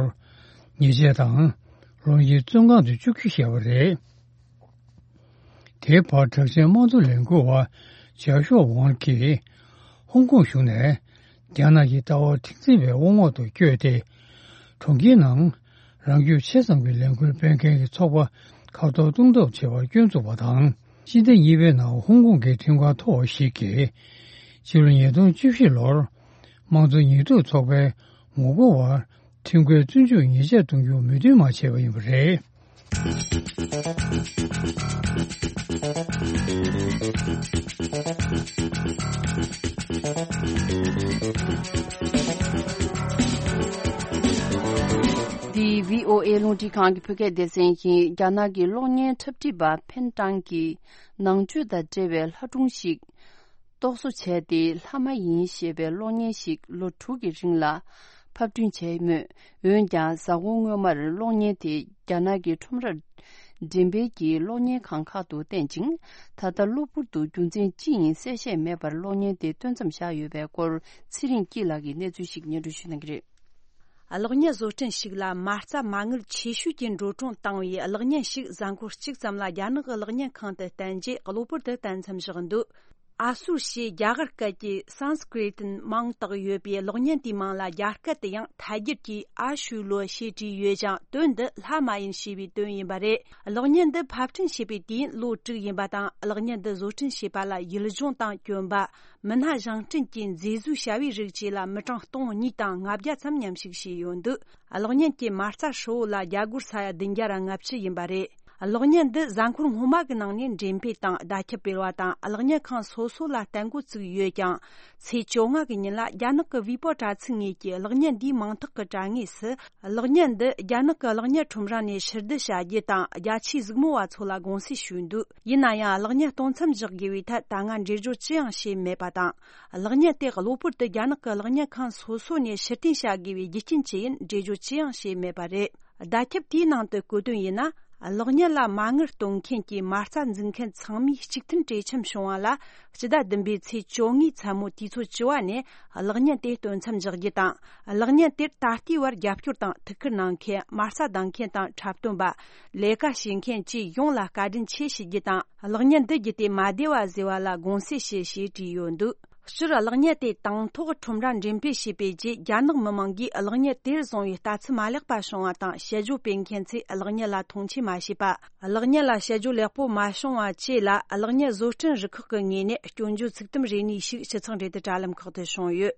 ཉེས་ཆད་དང་ལོ་གཉིས་བཙོན་ཁང་དུ་བཅུག་རྒྱུ་བཤད་པ་རེད། དེའི་བར་དྲག་ཆས་དམངས་གཙོ་ལས་འགུལ་བ་ཇཱ་ཤོ་ཝང་གིས་ཧོང་ཀོང་གཞུང་ནས་རྒྱ་ནག་གི་ལྟ་བ་མཁྲེགས་འཛིན་པའི་དབང་འོག་ཏུ་བསྐྱོད་དེ། གྲོང་ཁྱེར་ནང་རང་རྒྱུད་ཆེ་ཙམ་གྱི་ལས་འགུལ་སྤེལ་མཁན་གྱི་ཚོགས་པ་ཁ་གཏོར་གཏོང་ཐབས་བྱེད་པར་སྐྱོན་བཙུགས་པ་དང་། སྤྱི་ཟླ་གཉིས་པའི་ནང་ཧོང་ཀོང་གི་ཁྲིམས་ཁང་མཐོ་བ་ཞིག་གིས་ཕྱི་ལོ་ཉིས་སྟོང་བཅུ་བཞི་ལོར་དམངས་གཙོ་ཉེས་འཛུགས་ཚོགས་པའི་ངོ་རྒོལ་བར་ཁྲིམས་འགལ་བཙོན་འཇུག་ཉེས་ཆད་གཏོང་རྒྱུ་མོས་མཐུན་མ་བྱས་པ་ཡིན་པ་རེད། འདི་བྷི་ཨོ་ཨེ་རླུང་འཕྲིན་ཁང་གི་བོད་སྐད་སྡེ་ཚན་ཡིན། རྒྱ་ནག་གི་གློག་བརྙན་འཁྲབ་ཁྲིད་པ་ཕེན་ཀྲང་གིས་ནང་ཆོས་དང་འབྲེལ་བའི་ལྷ་སྒྲུང་ཞིག་རྟོག་བཟོ་བྱས་ཏེ། ལྷ་མ་ཡིན་ཞེས་པའི་གློག་བརྙན་ཞིག་ལོ་དྲུག་གི་རིང་ལ་ཕབ་སྐྲུན་བྱས་མོད། འོན་ཀྱང་། གཟའ་འཁོར་སྔོན་མར་གློག་བརྙན་དེ་རྒྱ་ནག་གི་ཁྲོམ་རར་འགྲེམས་སྤེལ་གྱིས་གློག་བརྙན་ཁང་ཁག་ཏུ་བསྟན་ཅིང་། ད་ལྟ་གློ་བུར་དུ་རྒྱུ་མཚན་ཅི་ཡིན་གསལ་བཤད་མེད་པར་གློག་བརྙན་དེ་སྟོན་མཚམས་བཞག་ཡོད་པའི་སྐོར། ཚེ་རིང་སྐྱིད་ལགས་ཀྱིས་གནས་ཚུལ་ཞིག་སྙན་སྒྲོན་ཞུ་གནང་གི་རེད། གློག་བརྙན་བཟོ་སྐྲུན་ཞིག་ལ་མ་རྩ་མ་དངུལ་ཆེ་ཤོས་ཀྱི་འགྲོ་གྲོན་བཏང་བའི་གློག་བརྙན་ཞིག་གཟའ་འཁོར་གཅིག་ཙམ་ལ་རྒྱ་ནག་གི་གློག་བརྙན་ཁང་དུ་བསྟན་རྗེས། གློ་བུར་དུ་བསྟན་མཚམས་བཞག་འདུག་ཨ་སུར་ཞེས་རྒྱ་གར་སྐད་ཀྱི་སཾ་སྐྲི་ཏན་མིང་བཏགས་ཡོད་པའི་གློག་བརྙན་དེའི་མིང་ལ་རྒྱ་སྐད་དུ་ཡང་ཐད་སྒྱུར་གྱིས་ཨ་ཤུ་ལོ་ཞེས་བྲིས་ཡོད་ཀྱང་། དོན་འདི་ལྷ་མ་ཡིན་ཞེས་པའི་དོན་ཡིན་པ་རེད། གློག་བརྙན་འདི་ཕབ་སྐྲུན་བྱས་པའི་དུས་ཡུན་ལོ་དྲུག་ཡིན་པ་དང་། གློག་བརྙན་འདི་བཟོ་སྐྲུན་བྱས་པ་ལ་ཡུལ་ལྗོངས་དང་གྱོན་པ། མི་སྣ་བཞེངས་སྐྲུན་གྱི་མཛེས་བཟོའི་བྱ་བའི་རིགས་བཅས་ལ་མི་གྲངས་སྟོང་གཉིས་དང་ལྔ་བརྒྱ་ཙམ་མཉམ་ཞུགས་བྱས་ཡོད་འདུག་གློག་བརྙན་གྱི་མ་རྩ་ཧྲིལ་བོ་ལ་རྒྱ་སྒོར་ས་ཡ་བདུན་བརྒྱ་ར་ལྔ་བཅུ་ཡིན་པ་རེད། གློག་བརྙན་འདི་གཟའ་འཁོར་སྔོན་མ་གི་ནང་ནས་འགྲེམས་སྤེལ་དང་བརྡ་ཁྱབ་སྤེལ་བ་དང་། གློག་བརྙན་ཁང་སོ་སོ་ལ་བསྟན་འགོ་བཙུགས་ཡོད་ཀྱང་། ཚེས་བཅོ་ལྔ་གི་ཉིན་ལ་རྒྱ་ནག་གི་ཝི་པོ་དྲ་ཚིགས་ངོས་ཀྱི་གློག་བརྙན་འདིའི་མིང་རྟགས་ཀྱི་དྲ་ངོས་སུ། གློག་བརྙན་འདི་རྒྱ་ནག་གི་གློག་བརྙན་ཁྲོམ་ར་ནས་ཕྱིར་བསྡུ་བྱ་རྒྱུ་དང་། རྒྱ་ཆེའི་གཟིགས་མོ་བ་ཚོ་ལ་དགོངས་སེལ་ཞུས་འདུག་ཡིན་ན་ཡང་། གློག་བརྙན་སྟོན་མཚམས་བཞག་དགོས་པའི་ཐད་ད་སྔ་འགྲེལ་བརྗོད་ཅི་ཡང་བྱས་མེད་པ་དང་། གློག་བརྙན་དེ་གློ་བུར་དུ་རྒྱ་ནག་གི་གློག་བརྙན་ཁང་སོ་སོ་ནས་ཕྱིར་འཐེན་བྱ་དགོས་པའི་རྒྱུ་རྐྱེན་ཅི་ཡིན་འགྲེལ་བརྗོད་ཅི་ཡང་བྱས་མེད་པ་རེད། བརྡ་ཁྱབ་དེའི་ནང་དུ་བཀོད་དོན་ཡིན་ན། གློག་བརྙན་ལ་མ་དངུལ་གཏོང་མཁན་གྱི་མ་རྩ་འཛུགས་མཁན་ཚང་མས་གཅིག་མཐུན་གྲོས་འཆམ་བྱུང་བ་ལ། སྤྱི་ཟླ་བདུན་པའི་ཚེས་བཅོ་ལྔའི་མཚན་མོ་དུས་ཚོད་བཅུ་པ་ནས་གློག་བརྙན་དེ་སྟོན་མཚམས་འཇོག་རྒྱུ་དང་། གློག་བརྙན་དེར་ད་ལྟའི་བར་རྒྱབ་སྐྱོར་དང་ཐུགས་ཁུར་གནང་མཁན། མ་རྩ་འདང་མཁན་དང་འཁྲབ་སྟོན་པ། ལས་ཀ་བྱེད་མཁན་བཅས་ཡོངས་ལ་བཀའ་དྲིན་ཆེ་ཞུ་རྒྱུ་དང་། གློག་བརྙན་འདི་བརྒྱུད་དེ་མ་བདེ་བ་བཟོས་པ་ལ་དགོངས་སེལ་ཞུ། ཞེས་བྲིས་ཡོད་འདུག་སྤྱིར་གློག་བརྙན་དེ་དང་ཐོག་ཁྲོམ་ར་འགྲེམས་སྤེལ་བྱས་པའི་རྗེས། རྒྱ་ནག་མི་མང་གིས་གློག་བརྙན་དེར་བཟུང་བའི་ལྟ་ཚུལ་མ་ལེགས་པ་བྱུང་བ་དང་། དཔྱད་བརྗོད་སྤེལ་མཁན་ཚོས་གློག་བརྙན་ལ་མཐོང་ཆེན་མ་བྱས་པ། གློག་བརྙན་ལ་དཔྱད་བརྗོད་ལེགས་པོ་མ་བྱུང་བ་བཅས་ལ། གློག་བརྙན་བཟོ་སྐྲུན་རུ་ཁག་གི་ངོས་ནས་སྐྱོན་བརྗོད་ཚིག་དུམ་རེ་གཉིས་ཤིག་སྤྱི་ཚོགས་འབྲེལ་མཐུད་དྲ་ལམ་ཁག་ཏུ་བྱུང་ཡོད།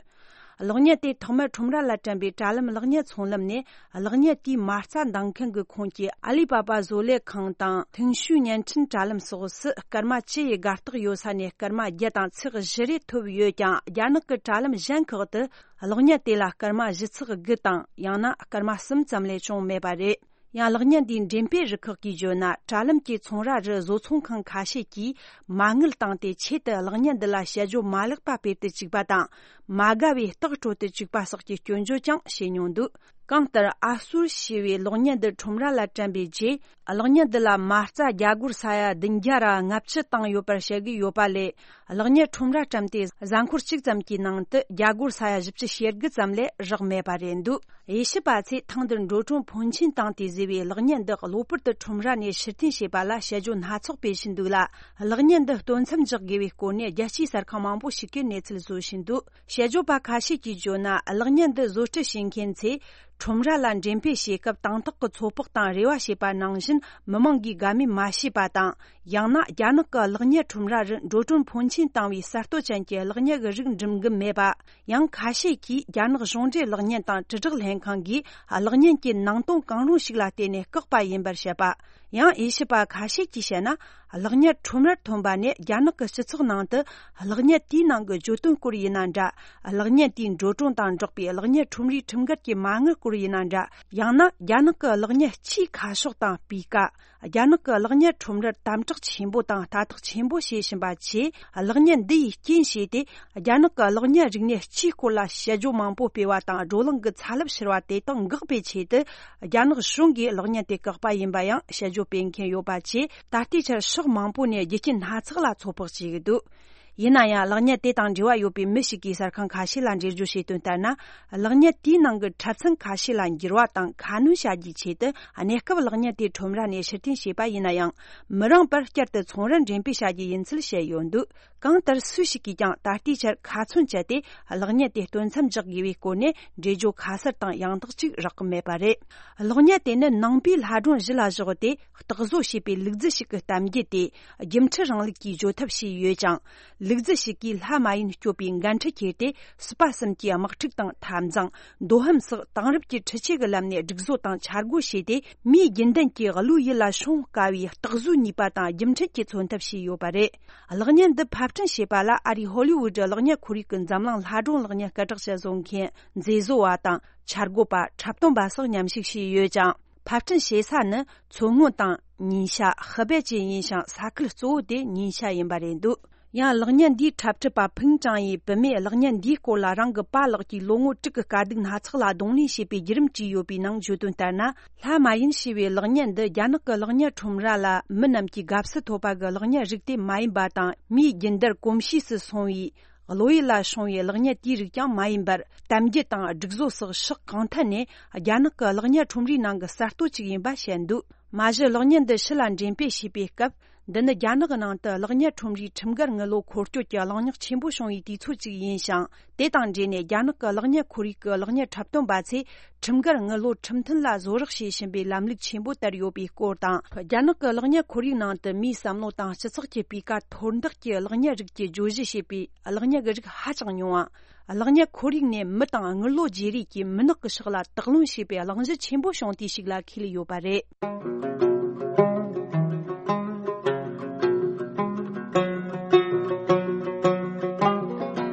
གློག་བརྙན་དེ་ཐོག་མར་ཁྲོམ་ར་ལ་བཀྲམ་པའི་དྲ་ལམ་གློག་བརྙན་ཚོང་ལམ་ནས། གློག་བརྙན་དེའི་མ་རྩ་འདང་མཁན་གྱི་ཁོངས་ཀྱི་ཨ་ལི་པ་པ་བཟོ་ལས་ཁང་དང་ཐིང་ཤུའི་བརྙན་འཕྲིན་དྲ་ལམ་སོགས་སུ་སྐར་མ་བཅུ་ཡི་དགའ་རྟགས་ཡོད་ས་ནས་སྐར་མ་བརྒྱ་དང་ཚེག་བཞི་རེ་ཐོབ་ཡོད་ཀྱང་། རྒྱ་ནག་གི་དྲ་ལམ་གཞན་ཁག་ཏུ་གློག་བརྙན་དེ་ལ་སྐར་མ་བཞི་ཚེག་དགུ་དང་། ཡང་ན་སྐར་མ་གསུམ་ཙམ་ལས་བྱུང་མེད་པ་རེད། ཡང་གློག་བརྙན་འདིའི་འགྲེམས་སྤེལ་རུ་ཁག་གིས་བརྗོད་ན། དྲ་ལམ་གྱི་ཚོང་ར་རུ་བཟོ་ཚོང་ཁང་ཁ་ཤས་ཀྱིས་མ་དངུལ་བཏང་སྟེ་ཆེད་དུ་གློག་བརྙན་འདི་ལ་དཔྱད་བརྗོད་མ་ལེགས་པ་སྤེལ་དུ་བཅུག་པ་དང་། མ་དགའ་བའི་རྟགས་སྤྲོད་དུ་བཅུག་པ་སོགས་ཀྱི་སྐྱོན་བརྗོད་ཀྱང་བྱས་མྱོང་འདུག་གང་ལྟར། ཨ་སུར་ཞེས་པའི་གློག་བརྙན་འདི་ཁྲོམ་ར་ལ་བཀྲམ་པའི་རྗེས། གློག་བརྙན་འདི་ལ་མ་རྩ་རྒྱ་སྒོར་ས་ཡ་བདུན་བརྒྱ་ར་ལྔ་བཅུ་བཏང་ཡོད་པར་བཤད་ཀྱི་ཡོད་པ་ལས། གློག་བརྙན་ཁྲོམ་ར་བཀྲམ་སྟེ་གཟའ་འཁོར་གཅིག་ཙམ་གྱི་ནང་དུ་རྒྱ་སྒོར་ས་ཡ་བཞི་བཅུ་ཞེ་དགུ་ཙམ་ལས་བཞག་མེད་པ་རེད་འདུག་དབྱེ་ཞིབ་པ་ཚོས་ཐེངས་འདིར་འགྲོ་གྲོན་ཕོན་ཆེན་བཏང་སྟེ་བཟོས་པའི་གློག་བརྙན་འདི་གློ་བུར་དུ་ཁྲོམ་ར་ནས་ཕྱིར་འཐེན་བྱས་པ་ལ་དཔྱད་བརྗོད་སྣ་ཚོགས་སྤེལ་བཞིན་འདུག་ལ། གློག་བརྙན་འདི་སྟོན་མཚམས་འཇོག་དགོས་པའི་སྐོར་ནས་རྒྱལ་སྤྱིའི་གསར་ཁང་མང་པོ་ཞིག་གིས་གནས་ཚུལ་བཟོ་བཞིན་འདུག་དཔྱད་བརྗོད་པ་ཁ་ཤས་ཀྱིས་བརྗོད་ན། གློག་བརྙན་འདི་བཟོ་སྐྲུན་བྱེད་མཁན་ཚོས་ཁྲོམ་ར་ལ་འགྲེམས་སྤེལ་བྱེད་སྐབས་དང་ཐོག་གི་ཚོད་དཔག་དང་རེ་བ་བྱས་པ་ནང་བཞིན་མི་མང་གིས་དགའ་མོས་མ་བྱས་པ་དང་། ཡང་ན་རྒྱ་ནག་གི་གློག་བརྙན་ཁྲོམ་ར་རུ་འགྲོ་གྲོན་ཕོན་ཆེན་བཏང་བའི་གསར་གཏོད་ཅན་གྱི་གློག་བརྙན་གྱི་རིགས་འགྲིམ་གི་མེད་པ། ཡང་ཁ་ཤས་ཀྱིས་རྒྱ་ནག་གཞུང་འབྲེལ་གློག་བརྙན་དང་དྲིལ་བསྒྲགས་ལྷན་ཁང་གིས་གློག་བརྙན་གྱི་ནང་དོན་གང་རུང་ཞིག་ལ་བརྟེན་ནས་བཀག་པ་ཡིན་པར་བཤད་པ། ཡང་དབྱེ་ཞིབ་པ་ཁ་ཤས་ཀྱིས་བཤད་ན། གློག་བརྙན་ཁྲོམ་རར་ཐོན་པ་ནས་རྒྱ་ནག་གི་སྤྱི་ཚོགས་ནང་དུ་གློག་བརྙན་དེའི་ནང་གི་བརྗོད་དོན་སྐོར་ཡིན་ན་འདྲ། གློག་བརྙན་དེའི་འགྲོ་གྲོན་དང་འབྲེལ་བའི་གློག་བརྙན་ཁྲོམ་རའི་ཁྲིམས་འགལ་གྱི་མ་དངུལ་སྐོར་ཡིན་ན་འདྲ། ཡང་ན་རྒྱ་ནག་གི་གློག་བརྙན་སྤྱིའི་ཁ་ཕྱོགས་དང་སྤུས་ཀ། རྒྱ་ནག་གི་གློག་བརྙན་ཁྲོམ་རར་དམ་དྲག་ཆེན་པོ་དང་ལྟ་རྟོག་ཆེན་པོ་བྱེད་བཞིན་པ་བཅས། གློག་བརྙན་འདི་ཡིས་རྐྱེན་བྱས་ཏེ། རྒྱ་ནག་གི་གློག་བརྙན་རིག་གནས་སྤྱིའི་སྐོར་ལ་དཔྱད་བརྗོད་མང་པོ་སྤེལ་བ་དང་བགྲོ་གླེང་གི་ཚ་རླབས་འཕྱུར་བ་དེ་དག་འགག་པའི་ཆེད་དུ། རྒྱ་ནག་གཞུང་གིས་གློག་བརྙན་དེ་བཀག་པ་ཡིན་པ་ཡང་དཔྱད་བརྗོད་སྤེལ་མཁན་ཡོད་པ་བཅས། ད་ལྟའི་ཆར་ཕྱོགས་མང་པོ་ནས་རྒྱུ་རྐྱེན་སྣ་ཚོགས་ལ་ཚོད་དཔག་བྱེད་ཀྱི་འདུག་ཡིན་ན་ཡང་། གློག་བརྙན་དེ་དང་འབྲེལ་བ་ཡོད་པའི་མི་ཞིག་གིས་གསར་ཁང་ཁ་ཤས་ལ་འགྲེལ་བརྗོད་བྱས་དོན་ལྟར་ན། གློག་བརྙན་དེའི་ནང་གི་འཁྲབ་ཚན་ཁ་ཤས་ལ་འགྱུར་བ་དང་ཁ་སྣོན་བྱ་རྒྱུའི་ཆེད་དུ། གནས་སྐབས་གློག་བརྙན་དེ་ཁྲོམ་ར་ནས་ཕྱིར་འཐེན་བྱས་པ་ཡིན་ན་ཡང་། མི་རིང་བར་བསྐྱར་དུ་ཚོང་རར་འགྲེམས་སྤེལ་བྱ་རྒྱུ་ཡིན་ཚུལ་བཤད་ཡོད་འདུག་གང་ལྟར། སུ་ཞིག་གིས་ཀྱང་ད་ལྟའི་ཆར་ཁ་ཚོན་བཅད་དེ། གློག་བརྙན་དེ་སྟོན་མཚམས་འཇོག་དགོས་པའི་སྐོར་ནས་འགྲེལ་བརྗོད་ཁ་གསལ་དང་ཡང་དག་ཅིག་རག་གི་མེད་པ་རེད། གློག་བརྙན་དེ་ནི་ནང་པའི་ལྷ་སྒྲུང་གཞི་ལ་བཞག་སྟེ། རྟག་བཟོ་བྱས་པའི་ལུག་རྫི་ཞིག་གི་གཏམ་རྒྱུད་དེ། སྒྱུ་འཕྲུལ་རིང་ལུགས་ཀྱིས་བརྗོད་ཐབས་བྱས་ཡོད་ཅིང་། ལུག་རྫི་ཞིག་གིས་ལྷ་མ་ཡིན་སྐྱོབ་པའི་འགན་འཁྲི་འཁྱེར་ཏེ། སྲིད་པ་གསུམ་གྱི་དམག་འཁྲུག་དང་འཐབ་འཛིང་། མདོ་ཧམ་སོགས་དེང་རབས་ཀྱི་འཕྲུལ་ཆས་ཀྱི་ལམ་ནས་སྒྲིག་བཟོ་དང་འཆར་སྒོ་བྱས་ཏེ། མིའི་རྒྱུན་ལྡན་གྱི་བློའི་ཡུལ་ལ་སྲུང་དཀའ་བའི་རྟག་བཟོའི་ནུས་པ་དང་རྒྱུ་འཕྲུལ་གྱི་མཚོན་ཐབས་བྱས་ཡོད་པ་རེད། གློག་བརྙན་འདི་ཕབ་སྐྲུན་བྱས་པ་ལ། ཨ་རིའི་ཧོ་ལི་ཝུད་གློག་བརྙན་ཁོར་ཡུག་གི་འཛམ་གླིང་ལྷ་སྒྲུང་གློག་བརྙན་སྐད་གྲགས་ཅན་བཟོ་མཁན་མཛེས་བཟོ་བ་དང་། འཆར་འགོད་པ། འཁྲབ་སྟོན་པ་སོགས་མཉམ་ཞུགས་བྱས་ཡོད་ཅིང་། ཕབ་སྐྲུན་བྱེད་ས་ནི་མཚོ་སྔོན་དང་ཉིན་ཤ། ཧི་བེ་ཅན་ཡིན་ཞིང་། ས་ཁུལ་གཙོ་བོ་དེ་ཉིན་ཤ་ཡིན་པ་རེད་འདུག་ཡང་། གློག་བརྙན་འདིའི་འཁྲབ་ཁྲིད་པ་ཕིང་ཀྲང་ཡིས། བུད་མེད་གློག་བརྙན་འདིའི་སྐོར་ལ་རང་གི་པཱ་ལགས་ཀྱིས་ལོ་ངོ་དྲུག་གི་དཀའ་སྡུག་སྣ་ཚོགས་ལ་གདོང་ལེན་བྱས་པའི་བརྒྱུད་རིམ་བྲིས་ཡོད་པའི་ནང་བརྗོད་དོན་ལྟར་ན། ལྷ་མ་ཡིན་ཞེས་པའི་གློག་བརྙན་འདི། རྒྱ་ནག་གི་གློག་བརྙན་ཁྲོམ་ར་ལ་མི་རྣམས་ཀྱིས་དགའ་བསུ་ཐོབ་པ་གི་གློག་བརྙན་རིགས་དེ་མ་ཡིན་པ་དང་། མིའི་རྒྱུན་ལྡན་གོམས་གཤིས་སུ་སོང་བའི། བློ་ཡུལ་ལ་སྲུང་བའི་གློག་བརྙན་དེའི་རིགས་ཀྱང་མ་ཡིན་པར། གཏམ་རྒྱུད་དང་སྒྲིག་བཟོ་སོགས་ཕྱོགས་གང་ཐད་ནས་རྒྱ་ནག་གི་གློག་བརྙན་ཁྲོམ་རའི་ནང་གི་གསར་གཏོད་ཅིག་ཡིན་པ་བཤད་འདུག་མ་གཞི་གློག་བརྙན་འདི་ཕྱི་ལ་འགྲེམས་སྤེལ་བྱས་པའི་སྐབས། འདི་ནི་རྒྱ་ནག་གི་ནང་དུ་གློག་བརྙན་ཁྲོམ་རའི་ཁྲིམས་འགལ་དངུལ་ལོར་འཁོར་སྐྱོད་ཀྱི་གླེང་རྙོག་ཆེན་པོ་བྱུང་བའི་དུས་ཚོད་ཅིག་ཡིན་ཞིང་། དེ་དང་འབྲེལ་ནས་རྒྱ་ནག་གི་གློག་བརྙན་ཁོར་ཡུག་གི་གློག་བརྙན་འཁྲབ་སྟོན་པ་ཚོས་ཁྲིམས་འགལ་དངུལ་ལོར་ཁྲིམས་མཐུན་ལ་བཟོ་རོགས་བྱེད་བཞིན་པའི་ལམ་ལུགས་ཆེན་པོ་དར་ཡོད་པའི་སྐོར་དང་། རྒྱ་ནག་གི་གློག་བརྙན་ཁོར་ཡུག་ནང་དུ་མིའི་བསམ་བློ་དང་སྤྱི་ཚོགས་ཀྱི་སྤུས་ཀ་མཐོར་འདེགས་ཀྱི་གློག་བརྙན་རིགས་ཀྱི་བརྗོད་གཞི་བྱས་པའི་གློག་བརྙན་གྱི་རིགས་ཧ་ཅང་ཉུང་བ། གློག་བརྙན་ཁོར་ཡུག་ནས་མི་དང་དངུལ་ལོར་བརྗེ་རེས་ཀྱིས་མི་ནག་གི་ཕྱོགས་ལ་དོགས་སློང་བྱས་པའི་གླེང་གཞི་ཆེན་པོ་བྱུང་དུས་ཤིག་ལ་འཁེལ་ཡོད་པ་རེད།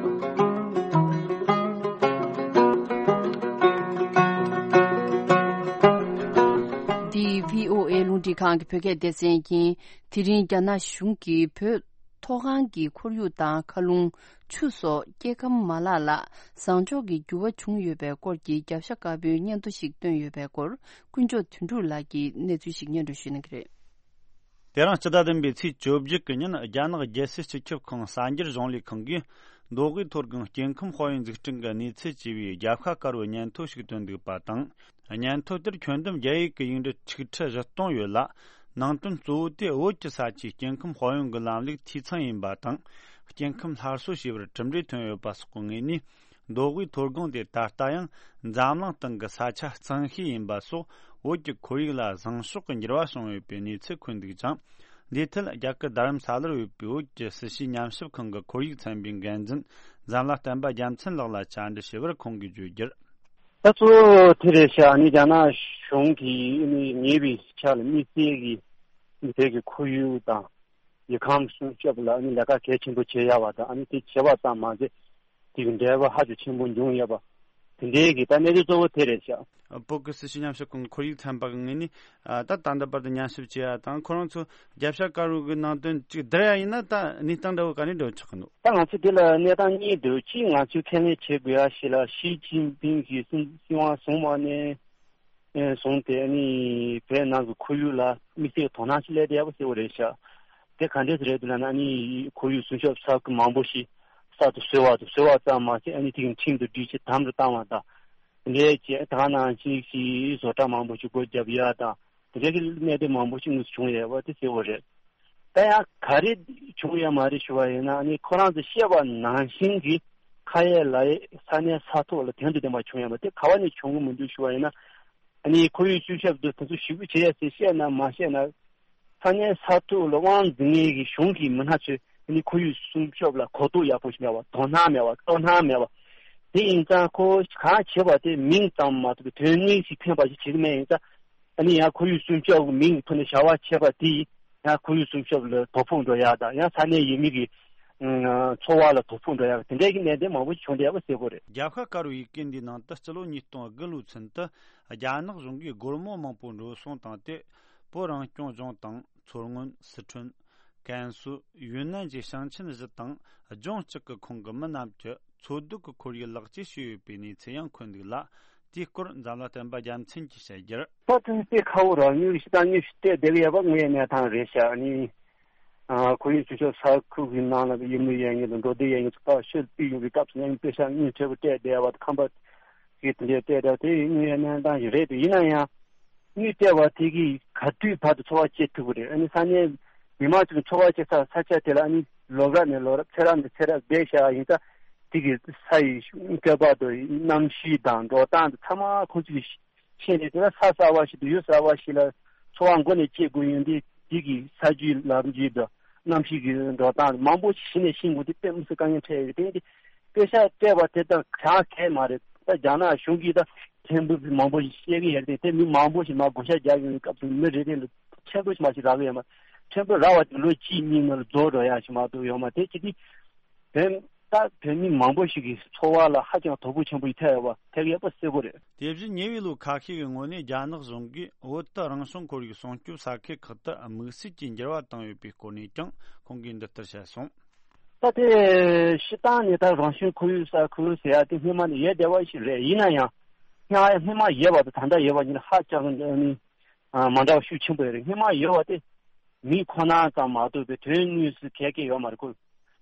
འདི་བྷི་ཨོ་ཨེ་རླུང་འཕྲིན་ཁང་གི་བོད་སྐད་སྡེ་ཚན་ཡིན། དེ་རིང་རྒྱ་ནག་གཞུང་གིས་བོད་མཐོ་སྒང་གི་ཁོར་ཡུག་དང་མཁའ་རླུང་། ཆུ་སོགས་སྐྱེ་ཁམས་མ་ལག་ལ་བཟང་ཕྱོགས་ཀྱི་འགྱུར་བ་བྱུང་ཡོད་པའི་སྐོར་གྱི་རྒྱབ་ཤ་དཀར་པོའི་སྙན་ཐོ་ཞིག་བཏོན་ཡོད་པའི་སྐོར། དཀོན་མཆོག་དོན་གྲུབ་ལགས་ཀྱིས་གནས་ཚུལ་ཞིག་སྙན་སྒྲོན་ཞུ་གནང་གི་རེད། དེ་རིང་སྤྱི་ཟླ་བདུན་པའི་ཚེས་བཅོ་བརྒྱད་ཀྱི་ཉིན། རྒྱ་ནག་རྒྱལ་སྲིད་སྤྱི་ཁྱབ་ཁང་གསར་འགྱུར་གཞུང་ལས་ཁང་གིས། མདོ་དབུས་མཐོ་སྒང་སྐྱེ་ཁམས་དཔལ་ཡོན་འཛུགས་སྐྲུན་གྱི་གནས་ཚུལ་ཅེས་པའི་རྒྱབ་ཤ་དཀར་བོའི་སྙན་ཐོ་ཞིག་བཏོན་འདུག་པ་དང་། སྙན་ཐོ་དེར་ཁྱོན་བསྡོམས་རྒྱ་ཡིག་གི་ཡིག་འབྲུ་ཆིག་ཁྲི་བཞི་སྟོང་ཡོད་ལ། ནང་དོན་གཙོ་བོ་དེ་བོད་ཀྱི་ས་ཆའི་སྐྱེ་ཁམས་དཔལ་ཡོན་གྱི་ལམ་ལུགས་འཐུས་ཚང་ཡིན་པ་དང་། སྐྱེ་ཁམས་སླར་གསོ་བྱས་པར་གྲུབ་འབྲས་ཐོན་ཡོད་པ་སོགས་ཀྱི་ངོས་ནས། མདོ་དབུས་མཐོ་སྒང་དེ་ད་ལྟ་ཡང་འཛམ་གླིང་སྟེང་གི་ས་ཆ་གཙང་ཤོས་ཡིན་པ་སོགས། བོད་ཀྱི་ཁོར་ཡུག་ལ་བཟང་ཕྱོགས་ཀྱི་འགྱུར་བ་བྱུང་ཡོད་པའི་གནས་ཚུལ་འཁོད་འདུག་ཅིང་། འདིའི་ཐད་རྒྱ་གར་རྡ་རམ་ས་ལར་ཡོད་པའི་བོད་ཀྱི་སྲིད་བྱུས་ཉམས་ཞིབ་ཁང་གི་ཁོར་ཡུག་ཚན་པའི་འགན་འཛིན་འཛམ་ལྷ་བསྟན་པ་རྒྱལ་མཚན་ལགས་ལ་བཅར་འདྲི་ཞུས་པར་ཁོང་གིས་བརྗོད་རྒྱུར། ད་གཙོ་བོ་དེ་རེད་ཤག་ཨ་ནི་རྒྱ་ནག་གཞུང་གིས་ཨ་ནི་ཉེ་བའི་ཆར་ལ་དམིགས་བསལ་གྱི་ཨ་ནི་བོད་ཀྱི་ཁོར་ཡུག་དང་། ཡུལ་ཁམས་སྲུང་སྐྱོབ་ལ་ཨ་ནི་ལས་ཀ་གལ་ཆེན་པོ་བྱེད་ཡག་པ་དང་། ཨ་ནི་དེ་བྱེད་པ་ཙམ་མ་ཟད། དེ་གི་འབྲས་བུ་ཧ་ཅང་ཆེན་པོ་འབྱུང་ཡོད་པ། དེ་འདྲའི་གི་ད་གནས་ཚུལ་གཙོ་བོ་དེ་རེད་ཤག་བོད་ཀྱི་སྲིད་བྱུས་ཉམས་ཞིབ་ཁང་ཁོར་ཡུག་ཚན་པ་གི་ངོས་ནས། ཨ། ད་ད་ལྟ་བར་དུ་ཉམས་ཞིབ་བྱས་ཡ་དང་། ཁོ་རང་ཚོ་རྒྱབ་ཤ་དཀར་པོ་གི་ནང་དོན་ཅིག་བསྡུར་ཡ་ཡིན་ན། ད་གནས་སྟངས་འདྲ་བོ་ག་ནས་འགྲོ་ཆོག་གི་འདུག་ད་ང་ཚོ་འདི་ལ་གནས་སྟངས་གཉིས་འདུག་གཅིག་ང་ཚོས་ཁས་ལེན་བྱེད་དགོས་ཡ་ཞིག་ལ། ཞི་ཅིན་ཕིང་གིས་སྲིད་སྲིད་དབང་བཟུང་བ་ནས་བཟུང་སྟེ། ཨ་ནི་བོད་ནང་གི་ཁོར་ཡུག་ལ་དམིགས་བསལ་དོ་སྣང་ཞིག་སླེབས་བསྡད་ཡ་པོ་གསལ་པོ་རེད་ཤག་དེ་ག་འདྲས་རེད་འདུག་ལབ་ན། ཨ་ནི་ཁོར་ཡུག་སྲུང་སྐྱོབ་ས་ཁུལ་མང་པོ་ཞིག་གསར་དུ་བཟོས་པ་དང་། བཟོས་པ་ཙམ་མ་ཟད། ཨ་ནི་དེ་གི་ཁྲིམས་དང་སྒྲིག་གཞི་དམ་དུ་བཏང་བ་དང་། དེ་འདྲའི་ཅིག་ད་ག་ནང་བཞིན་ཞིག་བཟོ་གྲྭ་མང་པོ་ཞིག་སྒོ་བརྒྱབ་ཡ་དང་། དེ་འདྲའི་གི་གནད་དོན་མང་པོ་ཞིག་དངོས་སུ་བྱུང་ཡོད་པ་དེ་གསལ་པོ་རེད། ད་ཡང་ག་རེ་བྱུང་ཡོད་མ་རེད་ཞུ་བ་ཡིན་ན། ཨ་ནི་ཁོ་རང་ཚོས་བཤད་པ་ནང་བཞིན་གྱི་ཁ་ཡོད་ལག་ཡོད་ས་གནས་ས་ཐོག་ལ་དོན་དང་ལྡན་པ་བྱུང་ཡོད་པ་དེ་ག་བ་ནས་བྱུང་གི་མི་འདུག་ཞུ་བ་ཡིན་ན། ཨ་ནི་ཁོར་ཡུག་སྲུང་སྐྱོབ་དེ་ཚོ་ཞེ་པོ་བྱེད་ཡ་ཟེར་བཤད་ན་མ་བཤད་ན། ས་གནས་ས་ཐོག་ལ་དབང་འཛིན་མཁན་གྱི་གཞུང་གི་མི་སྣ་ཚོས་ཨ་ནི་ཁོར་ཡུག་སྲུང་སྐྱོབ་ལ་གོ་རྟོགས་ཡག་པོ་ཞིག་མེད་པ། དོ་སྣང་མེད་པ། དོ་སྣང་མེད་པ། དེ་ཡིན་ཙང་ཁོ་གང་བྱེད་པ་དེ་མིང་ཙམ་མ་གཏོགས་པའི་དོན་སྙིང་ཞིག་ཕན་པ་ཞིག་བྱེད་ཀྱི་མེད། ཡིན་ཙང་ ཨ་ནི་ཡང་ཁོར་ཡུག་སྲུང་སྐྱོབ་ཀྱི་མིང་ཐོག་ནས་བྱ་བ་བྱས་པ་དེ་ཡང་ཁོར་ཡུག་སྲུང་སྐྱོབ་ལ་དོ་ཕོག་འགྲོ་ཡག་དང་། ཡང་ས་གནས་ཡུལ་མི་གི་ཨ་འཚོ་བ་ལ་དོ་ཕོག་འགྲོ་ཡག་དེ་འདྲའི་གི་གནད་དོན་མང་པོ་ཞིག་བྱུང་བསྡད་ཡག་པ་གསལ་པོ་རེད། རྒྱལ་ཁབ་དཀར་པོའི་ཡི་གེ་འདིའི་ནང་དུ་སྤྱི་ལོ་ཉིས་སྟོང་དགུ་ལོའི་ཚུན་དུ་རྒྱ་ནག་གཞུང་གིས་སྒོར་མོ་མང་པོ་འགྲོ་སོང་བཏང་སྟེ། བོད་རང་སྐྱོང་ལྗོངས་དང་མཚོ་སྔོན། སི་ཁྲོན། ཀན་སུའུ། ཡུན་ནན་བཅས་ཞིང་ཆེན་བཞི་དང་ལྗོངས་གཅིག་གི་ཁོངས་ཀྱི་མི་རྣམས་ཀྱི་འཚོ་སྡོད་ཀྱི་ཁོར་ཡུག་ལེགས་བཅོས་བྱས་ཡོད་པའི་གནས་ཚུལ་ཡང་འཁོད་འདུག་ལ། དེའི་སྐོར་འཛམ་གླིང་བསྟན་པ་རྒྱལ་མཚན་གྱིས་བཤད་རྒྱུར། ད་དེ་དཔེ་ཁག་པོ་རང་ཉིད་ཀྱི་ཤི་སྟངས་ཉིད་ཞིག་སྤྲད་བསྡད་ཀྱི་ཡོད་པ་དངོས་ཡོད་གནས་སྟངས་རེད་ཤག་ཨ་ནི། ཨ་ཁོར་ཡུག་སྲུང་སྐྱོབ་ས་ཁུལ་གྱི་ནང་ལ་ཡུལ་མི་ཡོད་མཁན་དང་འགྲོ་སྡོད་ཡོད་མཁན་ཚོ་ཕར་ཤོད་པའི་ཡོང་བའི་སྐབས་སུ་ཡང་དཔེ་ཤག་དངུལ་ཁྲོལ་པོ་སྤྲད་བསྡད་པ་དང་། ཁང་པ་གི་དེ་འདྲའི་སྤྲད་བསྡད་པ་དེ་དངོས་ཡོད་གནས་སྟངས་ཤིག་རེད་དེ། ཡིན་ན་ཡང་དངུལ་སྤྲད་པ་དེ་གིས་ག་དུས་བར་དུ་འཚོ་བ་སྐྱེལ་ཐུབ་ཀྱི་རེད། ཨ་ནི་ས་གནས་མི་མང་ཚོས་འཚོ་བ་སྐྱེལ་ས་ས་ཆ་དེ་ལ་ཨ་ནི་ལོ་རབས་ནས་ལོ་རབས་ཚེ་རབས་ནས་ཚེ་རབས་བསྡད་བཞག་ཡིན་ཙང་། དེ་གི་ས་ཡི་བཀོད་པ་དང་གནམ་གཤིས་དང་འགྲོ་སྟངས་དེ་ཚང་མ་ཁོང་ཚོས་ཤེས་ནས། དེ་ལ་ས་གསར་པ་ཞིག་དང་ཡུལ་གསར་པ་ཞིག་ལ་འཚོ་བ་མགོ་ནས་སྐྱེལ་དགོས་ཡོང་དུས། དེ་གི་ས་རྒྱུས་ལམ་རྒྱུས་དང་གནམ་གཤིས་ཀྱི་འགྲོ་སྟངས་མང་པོ་ཞིག་གཞི་ནས་ཤེས་དགོས་དེ་དཔེ་མི་སྲིད་དཀའ་ངལ་འཕྲད་ཡོད། དེ་ཡིན་དུས་དཔེ་ཤག་སྤྲད་པ་དེ་དང་གང་གས་མ་རེད། ད་རྒྱ་ནག་གཞུང་གིས་ད་ཕྲན་བུ་མང་པོ་ཞིག་བཤད་ཀྱི་ཡོད་རེད་དེ། མི་མང་པོ་ཞིག་མར་བགོ་བཤའ་རྒྱག་ཡོང་བའི་སྐབས་སུ་མི་རེ་རེ་ལ་ཕྲན་བུ་ཞིག་མ་ཞིག་རག་གི་ཡོད་མ། ཕྲན་བུ་རག་པ་དེ་ལོ་གཅིག་གཉིས་ནང་ལ་རྫོགས་འགྲོ་ཡག་ཞིག་མ་གཏོགས་ཡོད་མ་རེད། དེ་བྱེད་དུས་བོད། ད་བོད་མི་མང་པོ་ཞིག་གི་འཚོ་བ་ལ་ཧ་ཅང་དོ་ཕོག་ཆེན་པོ་ཞིག་ཐེབས་ཡོད་པ། ཐེབས་ཡོད་པ་གསལ་པོ་རེད། དེ་བཞིན་ཉེ་བའི་ལོ་ཁ་ཤས་ཀྱི་སྔོན་ནས་རྒྱ་ནག་གཞུང་གིས་བོད་དུ་རང་བྱུང་ཁོར་ཡུག་སྲུང་སྐྱོབ་ས་ཁུལ་ཁག་ཏུ་དམིགས་བསལ་གྱི་འགྱུར་བ་བཏང་ཡོད་པའི་སྐོར་ནས་ཀྱང་ཁོང་གིས་འདི་ལྟར་བཤད་སོང་། ད་དེ་སྤྱིར་བཏང་ནས་ད་རང་བྱུང་ཁོར་ཡུག་ས་ཁུལ་ཟེར་ཡག་དེ་སྔོན་མ་ནས་ཡོད་བསྡད་པ་ཞིག་རེད། ཡིན་ན་ཡང་སྔ་སྔོན་མ་ཡོད་པ་དང་ད་ལྟ་ཡོད་པ་གཉིས་ལ་ཧ་ཅང་ནི་མ་འདྲ་བ་ཤུགས་ཆེན་པོ་ཡོད་རེད། སྔོན་མ་ཡོད་པ་དེ་མི་ཁོ་ན་ཙམ་མ་གཏོགས་པའི་དོན་དངོས་སུ་གལ་གལ་ཡོད་མ་རེད་ཁོ།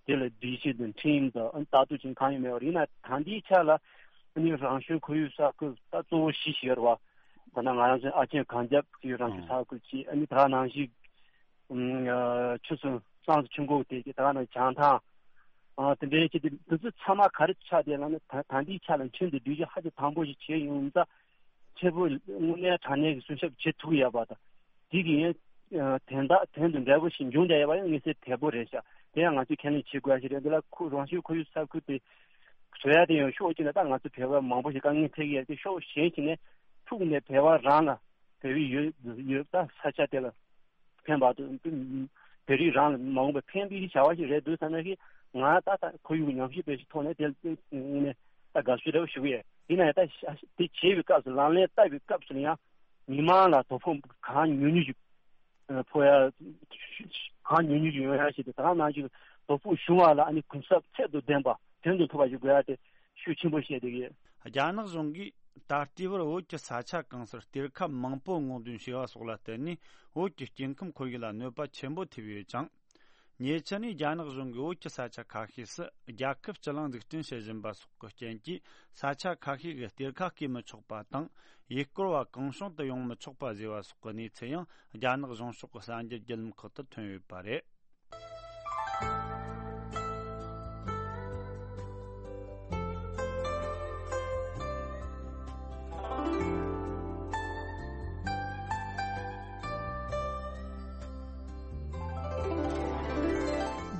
དེ་ལ་སྒྲིག་གཞི་དང་ཁྲིམས་དང་ལྟ་རྟོག་བྱེད་མཁན་གང་ཡང་མེད་པ་རེད། ཡིན་ན་ད་ལྟའི་ཆ་ལ་ཨ་ནི་རང་བྱུང་ཁོར་ཡུག་ས་ཁུལ་ད་གཙོ་བོ་བཞི་ཞིག་ཡོད་རེད་བ། ད་ནང་ང་རང་ཚོའི་ཨ་ཆེན་གངས་རྒྱབ་ཀྱི་རང་བྱུང་ས་ཁུལ་གཅིག་ཨ་ནི་ད་ག་ནང་བཞིན་ཨ་ཆུ་སྲུང་སྲང་ཆུ་འགོ་དེ་གཅིག་ད་ག་ནང་བྱང་ཐང་ཨ་དེ་འདྲའི་གཅིག་དེ་འདི་ཚོ་ཚང་མ་ག་རེ་ཆགས་བསྡད་ལབ་ན། ད་ད་ལྟའི་ཆ་ལ་ཁྲིམས་དང་སྒྲིག་གཞི་ཧ་ཅང་དམ་པོ་ཞིག་བྱས་ཡོང་ཙང་། ཆེ་བོ་དངོས་གནས་དྲང་གནས་ཀྱི་སྲུང་སྐྱོབ་བྱེད་ཐུབ་ཡོད་པ་དང་། དེ་གི་ཡང་དོན་དག་དོན་དང་འབྲས་བུ་ཞིག་འབྱུང་བསྡད་ཡོད་པ་ཡང་མངོན་གསལ་དོད་པོ་རེད་ཤག་དེ་ཡང་ང་ཚོས་ཁས་ལེན་བྱེད་དགོས་ཡ་ཞིག་རེད། འདི་ལ་ཁོ་རང་བྱུང་ཁོར་ཡུག་ས་ཁུལ་དེ་བཟོ་ཡ་དེ་ཡང་ཕྱོགས་གཅིག་ནས་ད་ང་ཚོ་བོད་པ་མང་པོ་ཞིག་དཀའ་ངལ་འཕྲད་ཀྱི་ཡོད་དེ། ཕྱོགས་གཞན་ཞིག་ནས་ཐུག་ནས་བོད་པ་རང་ལ་བོད་པའི་ཡོད་ཡོད་ད་ས་ཆ་དེ་ལ་ཕན་པ་དང་། བོད་རིགས་རང་ལ་མ་འོངས་པའི་ཕན་པའི་བྱ་བ་ཞིག་རེད་འདུག་བསམ་ན། ཞིག་ང་ད་ལྟ་ཁོར་ཡུག་ཉམས་ཞིབ་པའི་ཞིག་ཐོག་ནས་དེ་ནས་ད་དགའ་བསུ་རེ་བ་ཞུ་གི་ཡོད། ཡིན་ན་ཡང་ད་དེ་བྱེད་པའི་སྐབས་སུ་ལག་ལེན་བསྟར་བའི་སྐབས་སུ་ཡང་མི་མང་ལ་དོ་ཕོག་གང་ཉུང་ཉུང་ཞིག་ཕོག་ཡ། གང་ཉུང་ཉུང་ཞིག་ཡོང་ཡ་ཞིག་དང་། ད་ག་ནང་བཞིན་དོ་ཕོག་བྱུང་བ་ལ་ཨ་ནི་གུན་གསབ་ཚད་དང་ལྡན་པ་དོན་དུ་ཐུབ་པ་ཞིག་དགོས་ཡ་དེ་ཤུགས་ཆེན་པོ་བཤད་བསྡད་ཀྱི་ཡོད། རྒྱ་ནག་གཞུང་གིས་ད་ལྟའི་བར་བོད་ཀྱི་ས་ཆ་གང་སར་གཏེར་ཁ་མང་པོ་སྔོག་འདོན་བྱས་པ་སོགས་ལ་བརྟེན་ནས་བོད་ཀྱི་སྐྱེ་ཁམས་ཁོར་ཡུག་ལ་གནོད་པ་ཆེན་པོ་ཐེབས་ཡོད་ཅིང་། ཉེ་ཆར་ནས་རྒྱ་ནག་གཞུང་གིས་བོད་ཀྱི་ས་ཆ་ཁ་ཤས་སུ་རྒྱལ་ཁབ་སྤྱི་གླིང་འཛུགས་སྐྲུན་བྱེད་བཞིན་པ་སོགས་ཀྱི་རྐྱེན་གྱིས་ས་ཆ་ཁ་ཤས་ཀྱི་གཏེར་ཁ་བརྐོས་མི་ཆོག་པ་དང་། ཡུལ་སྐོར་བ་གང་བྱུང་དུ་ཡོང་མི་ཆོག་པ་བཟོས་པ་སོགས་ཀྱི་གནས་ཚུལ་ཡང་རྒྱ་ནག་གཞུང་ཕྱོགས་ཀྱི་གསར་འགྱུར་བརྒྱུད་ལམ་ཁག་ཏུ་ཐོན་ཡོད་པ་རེད།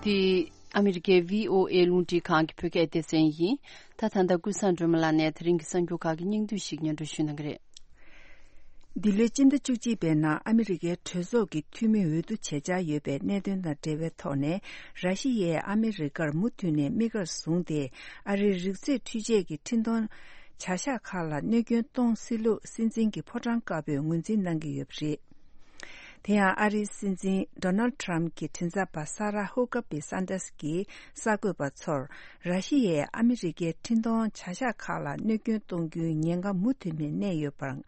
འདི་ཨ་མི་རི་ཀའི་བྷི་ཨོ་ཨེ་རླུང་འཕྲིན་ཁང་གི་བོད་སྐད་སྡེ་ཚན་ཡིན། ད་ད་ལྟ་ཀུན་བཟང་སྒྲོལ་མ་ལགས་ནས་དེ་རིང་གི་གསར་འགྱུར་ཁག་གི་སྙིང་བསྡུས་ཤིག་སྙན་སྒྲོན་ཞུ་གནང་གི་རེད། འདི་ལོའི་སྤྱི་ཟླ་བཅུ་གཅིག་པའི་ནང་ཨ་མི་རི་ཀའི་གྲོས་ཚོགས་ཀྱི་འཐུས་མི་འོས་བསྡུ་བྱེད་འཆར་ཡོད་པའི་གནད་དོན་དང་འབྲེལ་བའི་ཐོག་ནས། ར་ཤི་ཡས་ཨ་མི་རི་ཀར་མུ་མཐུད་ནས་དམིགས་ཀར་བཟུང་སྟེ། ཨ་རིའི་རིག་རྩེད་འཕྲུལ་ཆས་ཀྱི་འཕྲིན་གཏོང་བྱ་གཞག་ཁག་ལ་གནོད་སྐྱོན་གཏོང་སྲིད་ལུགས་སྲིད་འཛིན་གྱི་ཕོ་བྲང་དཀར་པོས་ངོས་འཛིན་གནང་གི་ཡོད་པ་རེད། དེ་ཡང་ཨ་རིའི་སྲིད་འཛིན་ཌོ་ནལ་ཊམ་གྱི་མགྲིན་ཚབ་པ་ས་ར་ཧུ་ཀ་པི་སན་ཏྲས་ཀྱིས་གསར་འགོད་པ་ཚོར། ར་ཤི་ཡས་ཨ་མི་རི་ཀའི་འཕྲིན་གཏོང་བྱ་གཞག་ཁག་ལ་གནོད་སྐྱོན་གཏོང་རྒྱུའི་ཉེན་ཁ་མུ་མཐུད་ནས་གནས་ཡོད་པར་ང་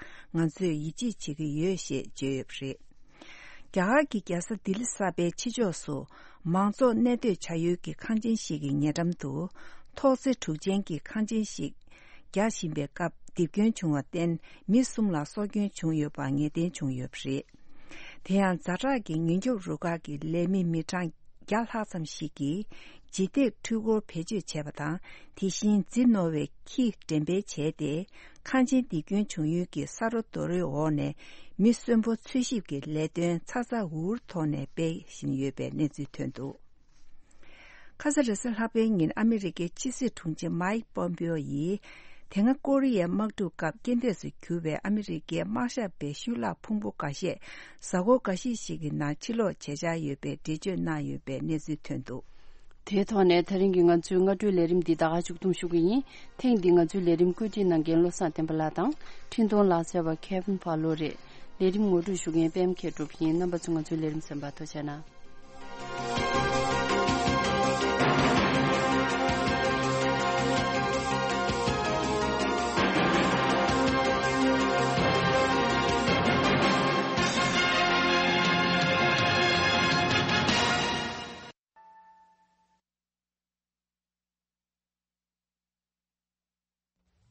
ཚོས་ཡིད་ཆེས་བྱེད་ཀྱི་ཡོད་ཞེས་བརྗོད་ཡོད་པ་རེད། རྒྱ་གར་གྱི་རྒྱལ་ས་ལྡི་ལི་གསར་པའི་ཕྱི་ཕྱོགས་སུ་མང་ཚོགས་གནས་སྡོད་བྱ་ཡུལ་གྱི་ཁང་ཆེན་ཞིག་གི་ཉེ་འགྲམ་དུ་ཐོག་བརྩེགས་དྲུག་ཅན་གྱི་ཁང་ཆེན་ཞིག་རྒྱག་བཞིན་པའི་སྐབས་རྡིབ་སྐྱོན་བྱུང་བར་བརྟེན་མི་གསུམ་ལ་སྲོག་སྐྱོན་བྱུང་ཡོད་པ་ངེས་གཏན་བྱུང་ཡོད་པ་རེད། དེ་ཡང་ཛ་དྲག་གི་ཉེན་སྐྱོབ་རུ་ཁག་གི་ལས་མི་མི་གྲངས་བརྒྱ་ལྷག་ཙམ་ཞིག་གིས་ལྗིད་ཐེབས་འཕྲུལ་འཁོར་བེད་སྤྱོད་བྱས་པ་དང་། དེ་བཞིན་རྫི་རྣོ་བའི་ཁྱི་འགྲེམས་སྤེལ་བྱས་ཏེ། ཁང་ཆེན་རྡིབ་སྐྱོན་བྱུང་ཡུལ་གྱི་ས་རོ་རྡོ་རོའི་འོག་ནས་མི་གསོན་པོ་འཚོལ་ཞིབ་ཀྱི་ལས་དོན་ཚ་ཚ་འུར་འུར་ཐོག་ནས་སྤེལ་བཞིན་ཡོད་པའི་གནས་ཚུལ་ཐོན་འདུག་ཁ་ས་རེས་གཟའ་ལྷག་པའི་ཉིན་ཨ་མི་རི་ཀའི་ཕྱི་སྲིད་དྲུང་ཆེ་མཱིག་པོམ་པེའོ་ཡིས་ དེ་སྔ་ཀོ་རི་ཡའི་དམག་འཁྲུག་སྐབས་རྐྱེན་འདས་སུ་གྱུར་བའི་ཨ་མི་རི་ཀའི་དམག་ཞབས་པའི་ཤུལ་ལྷག་ཕུང་པོ་འགའ་ཤས་གཟའ་འཁོར་འགའ་ཤས་ཤིག་གི་ནང་ཕྱིར་ལོག་བྱེད་འཆར་ཡོད་པའི་འགྲེལ་བརྗོད་གནང་ཡོད་པའི་གནས་ཚུལ་ཐོན་འདུག། དེའི་ཐོག་ནས་ད་རིང་གི་ང་ཚོའི་སྔ་དྲོའི་ལས་རིམ་འདི་ད་ག་མཇུག་བསྡོམས་ཞུ་གི་ཡིན། ཐེངས་འདི་ང་ཚོའི་ལས་རིམ་བཀོད་སྒྲིག་གནང་མཁན་བློ་བཟང་བསྟན་པ་ལགས་དང་འཕྲིན་གཏོང་ལག་རྩལ་བ་Kevin Barlow རེད། ལས་རིམ་ངོ་སྤྲོད་ཞུ་མཁན་པད་མ་མཁས་གྲུབ་ཡིན། རྣམ་པ་ཚོ་ང་ཚོའི་ལས་རིམ་གསན་པར་ཐུགས་རྗེ་གནང་།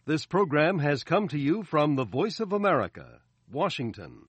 This program has come to you from the Voice of America, Washington.